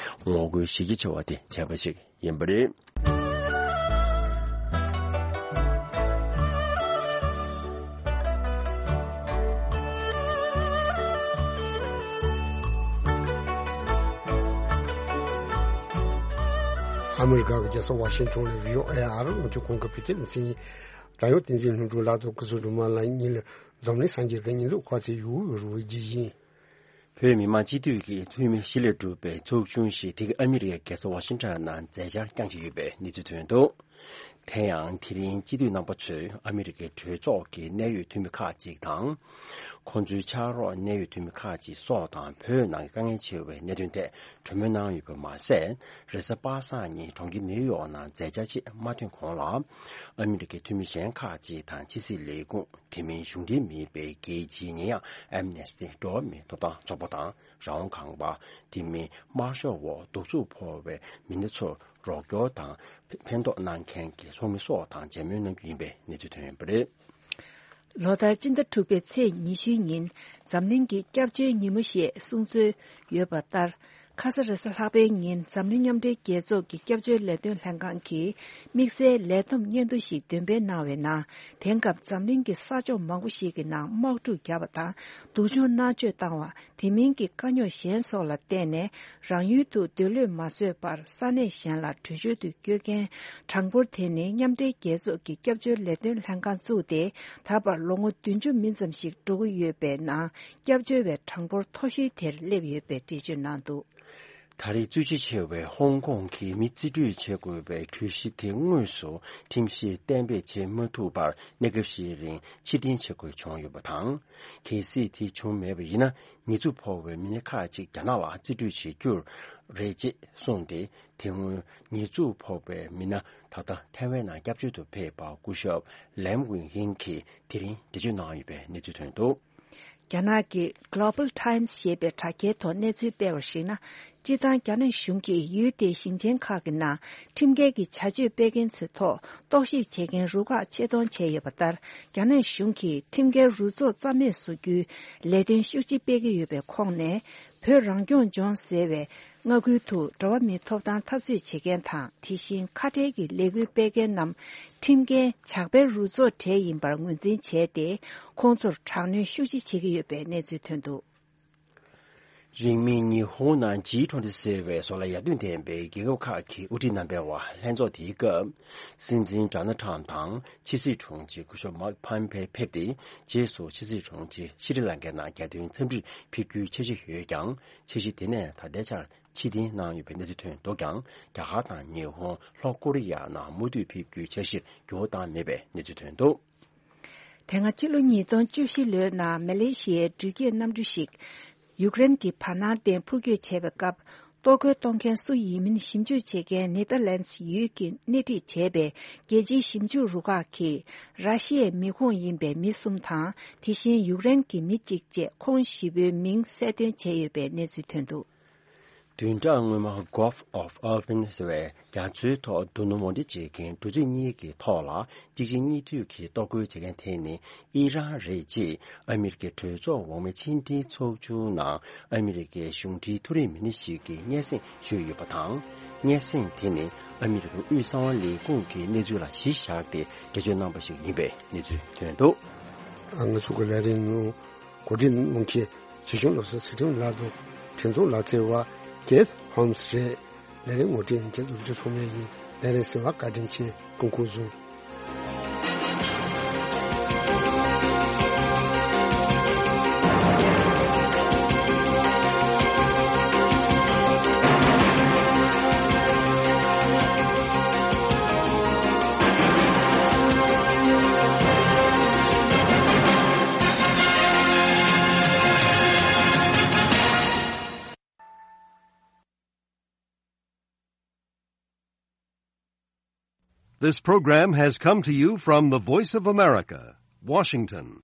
ངོ་རྒོལ་གཞི་རྒྱ་ཆེ་བ་དེ་བྱས་པ་ཞིག་ཡིན་པ་རེད། ཨ་མི་རི་ཀ་གི་རྒྱལ་ས་ཝ་ཤིང་ཊོན་ནས་བྷི་ཨོ་ཨེ་ཨ་རི་རླུང་འཕྲིན་ཁང་གི་བོད་སྐད་སྡེ་ཚན་ཡིན། རྒྱལ་ཡོངས་བསྟན་འཛིན་ལྷུན་གྲུབ་ལགས་དང་སྐུ་གཟུགས་སྒྲོལ་མ་ལགས་གཉིས་ལ་འཛམ་གླིང་སངས་རྒྱས་ཀྱི་ཉིན་ལུགས་གོ་ཚེ་ཡུ་རུ་བའི་རྗེས་ཡིན། བོད་མི་མང་སྤྱི་འཐུས་ཀྱི་འཐུས་མི་བཞི་ལས་གྲུབ་པའི་ཚོགས་ཆུང་ཞིག་དེ་ག་ཨ་མི་རི་ཀའི་རྒྱལ་ས་ཝ་ཤིང་ཊོན་ནང་མཛད་འཆར་བསྐྱངས་བཞིན་ཡོད་པའི་གནས་ཚུལ་ཐོན་འདུག་དེ་ཡང་དེ་རིང་སྤྱི་འཐུས་རྣམ་པ་ཚོས་ཨ་མི་རི་ཀའི་གྲོས་ཚོགས་ཀྱི་གནད་ཡོད་འཐུས་མི་ཁག་ཅིག་དང་། ཁོང་ཚོའི་ཕྱག་རོགས་གནད་ཡོད་འཐུས་མི་ཁག་ཅིག་སོགས་དང་བོད་ནང་གི་དཀའ་ངལ་ཆེ་བའི་གནད་དོན་ཐད་གྲོས་མོལ་གནང་ཡོད་པ་མ་ཟད། རེས་གཟའ་པ་སངས་ཉིན་གྲོང་ཁྱེར་ནིའུ་ཡོག་ནང་མཛད་འཆར་ཆེད་མ་ཐོན་གོང་ལ། ཨ་མི་རི་ཀའི་འཐུས་མི་གཞན་ཁག་ཅིག་དང་ཕྱི་སྲིད་ལས་ཁུངས། དེ་མིན་གཞུང་འབྲེལ་མིན་པའི་རྒྱལ་སྤྱིའི་ཉེ་ཡང་ཨེམ་ནེ་སི་ཊི་འགྲོ་བ་མིའི་ཐོབ་ཐང་ཚོགས་པ་དང་རང་དབང་ཁང་པ། དེ་མིན་དམར་ཤོག་འོག་གདུག་རྩུབ་ཕོག་པའི་མི་སྣ་ཚོར་རོགས་སྐྱོར་དང་ཕན་ཐོགས་གནང་མཁན་གྱི་ཚོགས་མི་སོགས་དང་མཇལ་མོལ་གནང་རྒྱུ་ཡིན་པའི་གནས་ཚུལ་ཐོན་ཡོད་པ་རེད། ལོ་ལྟར་སྤྱི་ཟླ་དྲུག་པའི་ཚེས་ཉི་ཤུའི་ཉིན་འཛམ་གླིང་གི་སྐྱབས་བཅོལ་ཉིན་མོ་ཞེས་གསུང་སྲོལ་ཡོད་པ་ལྟར། ཁ་ས་རེས་གཟའ་ལྷག་པའི་ཉིན་འཛམ་གླིང་མཉམ་འབྲེལ་རྒྱལ་ཚོགས་ཀྱི་སྐྱབས་བཅོལ་ལས་དོན་ལྷན་ཁང་གིས་དམིགས་བསལ་ལས་བསྡོམས་སྙན་ཐོ་ཞིག་འདོན་སྤེལ་གནང་བའི་ནང་། དེང་སྐབས་འཛམ་གླིང་གི་ས་ཕྱོགས་མང་པོ་ཞིག་གི་ནང་དམག་འཁྲུག་བརྒྱབ་པ་དང་། སྡུག་སྦྱོང་མནར་གཅོད་བཏང་བ། དེ་མིན་གྱི་དཀའ་རྙོག་གཞན་སོགས་ལ་བརྟེན་ནས་རང་ཡུལ་དུ་སྡོད་ལྷོད་མ་བཟོད་པར་ས་གནས་གཞན་ལ་བྲོས་བྱོལ་དུ་བསྐྱོད་མཁན་གྲངས་འབོར་དེ་ནི་མཉམ་འབྲེལ་རྒྱལ་ཚོགས་ཀྱི་སྐྱབས་བཅོལ་ལས་དོན་ལྷན་ཁང་བཙུགས་ཏེ་ད་བར་ལོ་ངོ་བདུན་ཅུ་མིན་ཙམ་ཞིག་འགྲོ་གི་ཡོད་པའི་ནང་སྐྱབས་བཅོལ་བའི་གྲངས་འབོར་མཐོ་ཤོས་དེར་སླེབས་ཡོད་པའི་འགྲེལ་བརྗོད་གནང་འདུག་ད་རེས་རྩོད་གཞི་ཆེ་བའི་ཧོང་ཀོང་གི་མི་རྩིས་སྤྲོད་བྱེད་དགོས་པའི་གྲོས་གཞི་དེ་དངོས་སུ་ཁྲིམས་གཞི་གཏན་འབེབས་བྱེད་མ་ཐུབ་པར་གནས་སྐབས་ཤིག་རིང་ཕྱིར་འཐེན་བྱེད་དགོས་བྱུང་ཡོད་པ་དང་། གལ་སྲིད་དེ་བྱུང་མེད་པ་ཡིན་ན། ཉེས་འཛུགས་ཕོག་པའི་མི་སྣ་ཁག་ཅིག་རྒྱ་ནག་ལ་རྩིས་སྤྲོད་བྱེད་རྒྱུར་རེད་ཅེས་གསུངས་ཏེ། དེ་སྔོན་ཉེས་འཛུགས་ཕོག་པའི་མི་སྣ་ད་ལྟ་ཐའེ་ཝན་ནང་སྐྱབས་བཅོལ་དུ་ཕེབས་པ་སྐུ་ཞབས་ལེམ་ཝིང་ཧིང་གིས་དེ་རིང་འགྲེལ་བརྗོད་གནང་ཡོད་པའི་གནས་ཚུལ་ཐོན་འདུག་རྒྱ་ནག་གི་Global Times ཞེས་པའི་དྲ་རྒྱའི་ཐོག་གནས་ཚུལ་སྤེལ་བར་གཞིགས་ན། སྤྱིར་བཏང་རྒྱ་ནག་གཞུང་གིས་ཡུལ་དེའི་ཞིང་ཆེན་ཁག་གི་ནང་ཁྲིམས་འགལ་གྱི་བྱ་སྤྱོད་སྤེལ་མཁན་ཚོའི་ཐོག་རྟོག་ཞིབ་བྱེད་མཁན་རུ་ཁག་ཆེད་གཏོང་བྱས་ཡོད་པ་ལྟར། རྒྱ་ནག་གཞུང་གིས་ཁྲིམས་འགལ་རུ་ཚོགས་རྩ་མེད་བཟོ་རྒྱུའི་ལས་དོན་ཤུགས་ཆེ་སྤེལ་གྱི་ཡོད་པའི་ཁོངས་ནས། བོད་རང་སྐྱོང་ལྗོངས་ཟེར་བའི་མངའ་ཁུལ་དུ་འགྲོ་བ་མིའི་ཐོབ་ཐང་འཐབ་རྩོད་བྱེད་མཁན་དང་། དེ་བཞིན་ཁ་བྲལ་གྱི་ལས་འགུལ་སྤེལ་མཁན་རྣམས་ཁྲིམས་འགལ་ཇག་པའི་རུ་ཚོགས་གྲས་ཡིན་པར་ངོས་འཛིན་བྱས་ཏེ། ཁོང་ཚོར་དྲག་གནོན་ཤུགས་ཆེ་བྱེད་ཀྱི་ཡོད་པའི་གནས་ཚུལ་ཐོན་འདུག་རིང་མིན་ཉི་ཧོང་ནང་ཇི་ཊུ་ཝེན་ཊི་ཟེར་བའི་བཟོ་ལ་ཡར་ཐོན་ལྡན་པའི་རྒྱལ་ཁབ་ཁག་གི་དབུ་ཁྲིད་རྣམ་པའི་བར་ལྷན་ཚོགས་དེའི་སྐབས། སྲིད་འཛིན་ཌོ་ནལ་ཊམ་དང་ཕྱི་སྲིད་དྲུང་ཆེ་སྐུ་ཞབས་མཱིག་ཕམ་པེ་ཕེབས་ཏེ། རྗེས་སུ་ཕྱི་སྲིད་དྲུང་ཆེ་ཤྲི་ལང་ཀའི་ནང་རྒྱལ་དོན་འཚམས་འདྲིར་ཕེབས་རྒྱུའི་འཆར་གཞི་ཡོད་ཀྱང་། འཆར་གཞི་དེ་ནས་ད་ལྟའི་ཆར་ཕྱིར་འཐེན་གནང་ཡོད་པའི་གནས་ཚུལ་ཐོན་འདུག་ཀྱང་། རྒྱ་གར་དང་ཉི་ཧོང་། ལྷོ་ཀོ་རི་ཡ་ནང་མུ་མཐུད་ཕེབས་རྒྱུའི་འཆར་གཞིར་འགྱུར་བ་བཏང་མེད་པའི་གནས་ཚུལ་ཐོན་འདུག་དེ་སྔ་ཕྱི་ལོ་ཉིས་སྟོང་བཅུ་བཞི་ལོའི་ནང་མ་ལེ་ཤི་ཡའི་འགྲུལ་སྐྱེལ་གནམ་གྲུ་ཞིག་ཡུཀ་རེན་གྱི་བར་སྣང་སྟེང་འཕུར་སྐྱོད་བྱས་པའི་སྐབས། གཏོར་རྒོལ་གཏོང་མཁན་སུ་ཡིན་མིན་ཞིབ་འཇུག་བྱེད་མཁན་ནེ་ཐར་ལན་སི་ཡུལ་གྱིས་སྣེ་ཁྲིད་བྱས་པའི་རྒྱལ་སྤྱིའི་ཞིབ་འཇུག་རུ་ཁག་གིས། ར་ཤི་ཡའི་མི་ཁོངས་ཡིན་པའི་མི་གསུམ་དང་། དེ་བཞིན་ཡུཀ་རེན་གྱི་མི་གཅིག་བཅས་ཁོང་བཞི་པོའི་མིང་གསལ་སྟོན་བྱས་ཡོད་པའི་གནས་ཚུལ་ཐོན་འདུག་བདུན་ཕྲག་སྔོན་མ་Gulf of Aqaba ཟེར་བའི་རྒྱ་མཚོའི་ཐོག་རྡོ་སྣུམ་འོར་འདྲེན་བྱེད་མཁན་འབྲུ་མཛོད་གཉིས་ཀྱི་ཐོག་ལ་གཅིག་རྗེས་གཉིས་མཐུད་ཀྱིས་གཏོར་རྒོལ་བྱེད་མཁན་དེ་ནི་ཨི་རན་རེད་ཅེས་ཨ་མི་རི་ཀའི་གྲོས་ཚོགས་འོག་མའི་ཕྱི་འབྲེལ་ཚོགས་ཆུང་ནང་ཨ་མི་རི་ཀའི་གཞུང་འབྲེལ་མཐོ་རིམ་མི་སྣ་ཞིག་གིས་སྙན་སེང་ཞུས་ཡོད་པ་དང་། སྙན་སེང་དེ་ནི་ཨ་མི་རི་ཀའི་དབུས་གསང་བ་ལས་ཁུངས་ཀྱི་གནས་ཚུལ་ལ་གཞི་བཞག་སྟེ་འགྲེལ་བརྗོད་གནང་པ་ཞིག་ཡིན་པའི་གནས་ཚུལ་ཐོན་འདུག། ང་ཚོ་གི་ལས་རིམ་ནང་གོ་སྒྲིག་གནང་མཁན་ཆེ་ཆུང་བློ་བཟང་ཚུལ་ཁྲིམས་ལགས་དང་འཕྲིན་གཏོང་ལག་རྩལ་བ་Keith Holmes རེད། ལས་རིམ་ངོ་སྤྲོད་མཁན་རྡོ་རྗེ་ཐོགས་མེད་ཡིན། ལས་རིམ་གསན་པར་བཀའ་དྲིན་ཆེ། སྐུ་ཁམས་བཟང་། This program has come to you from the Voice of America, Washington.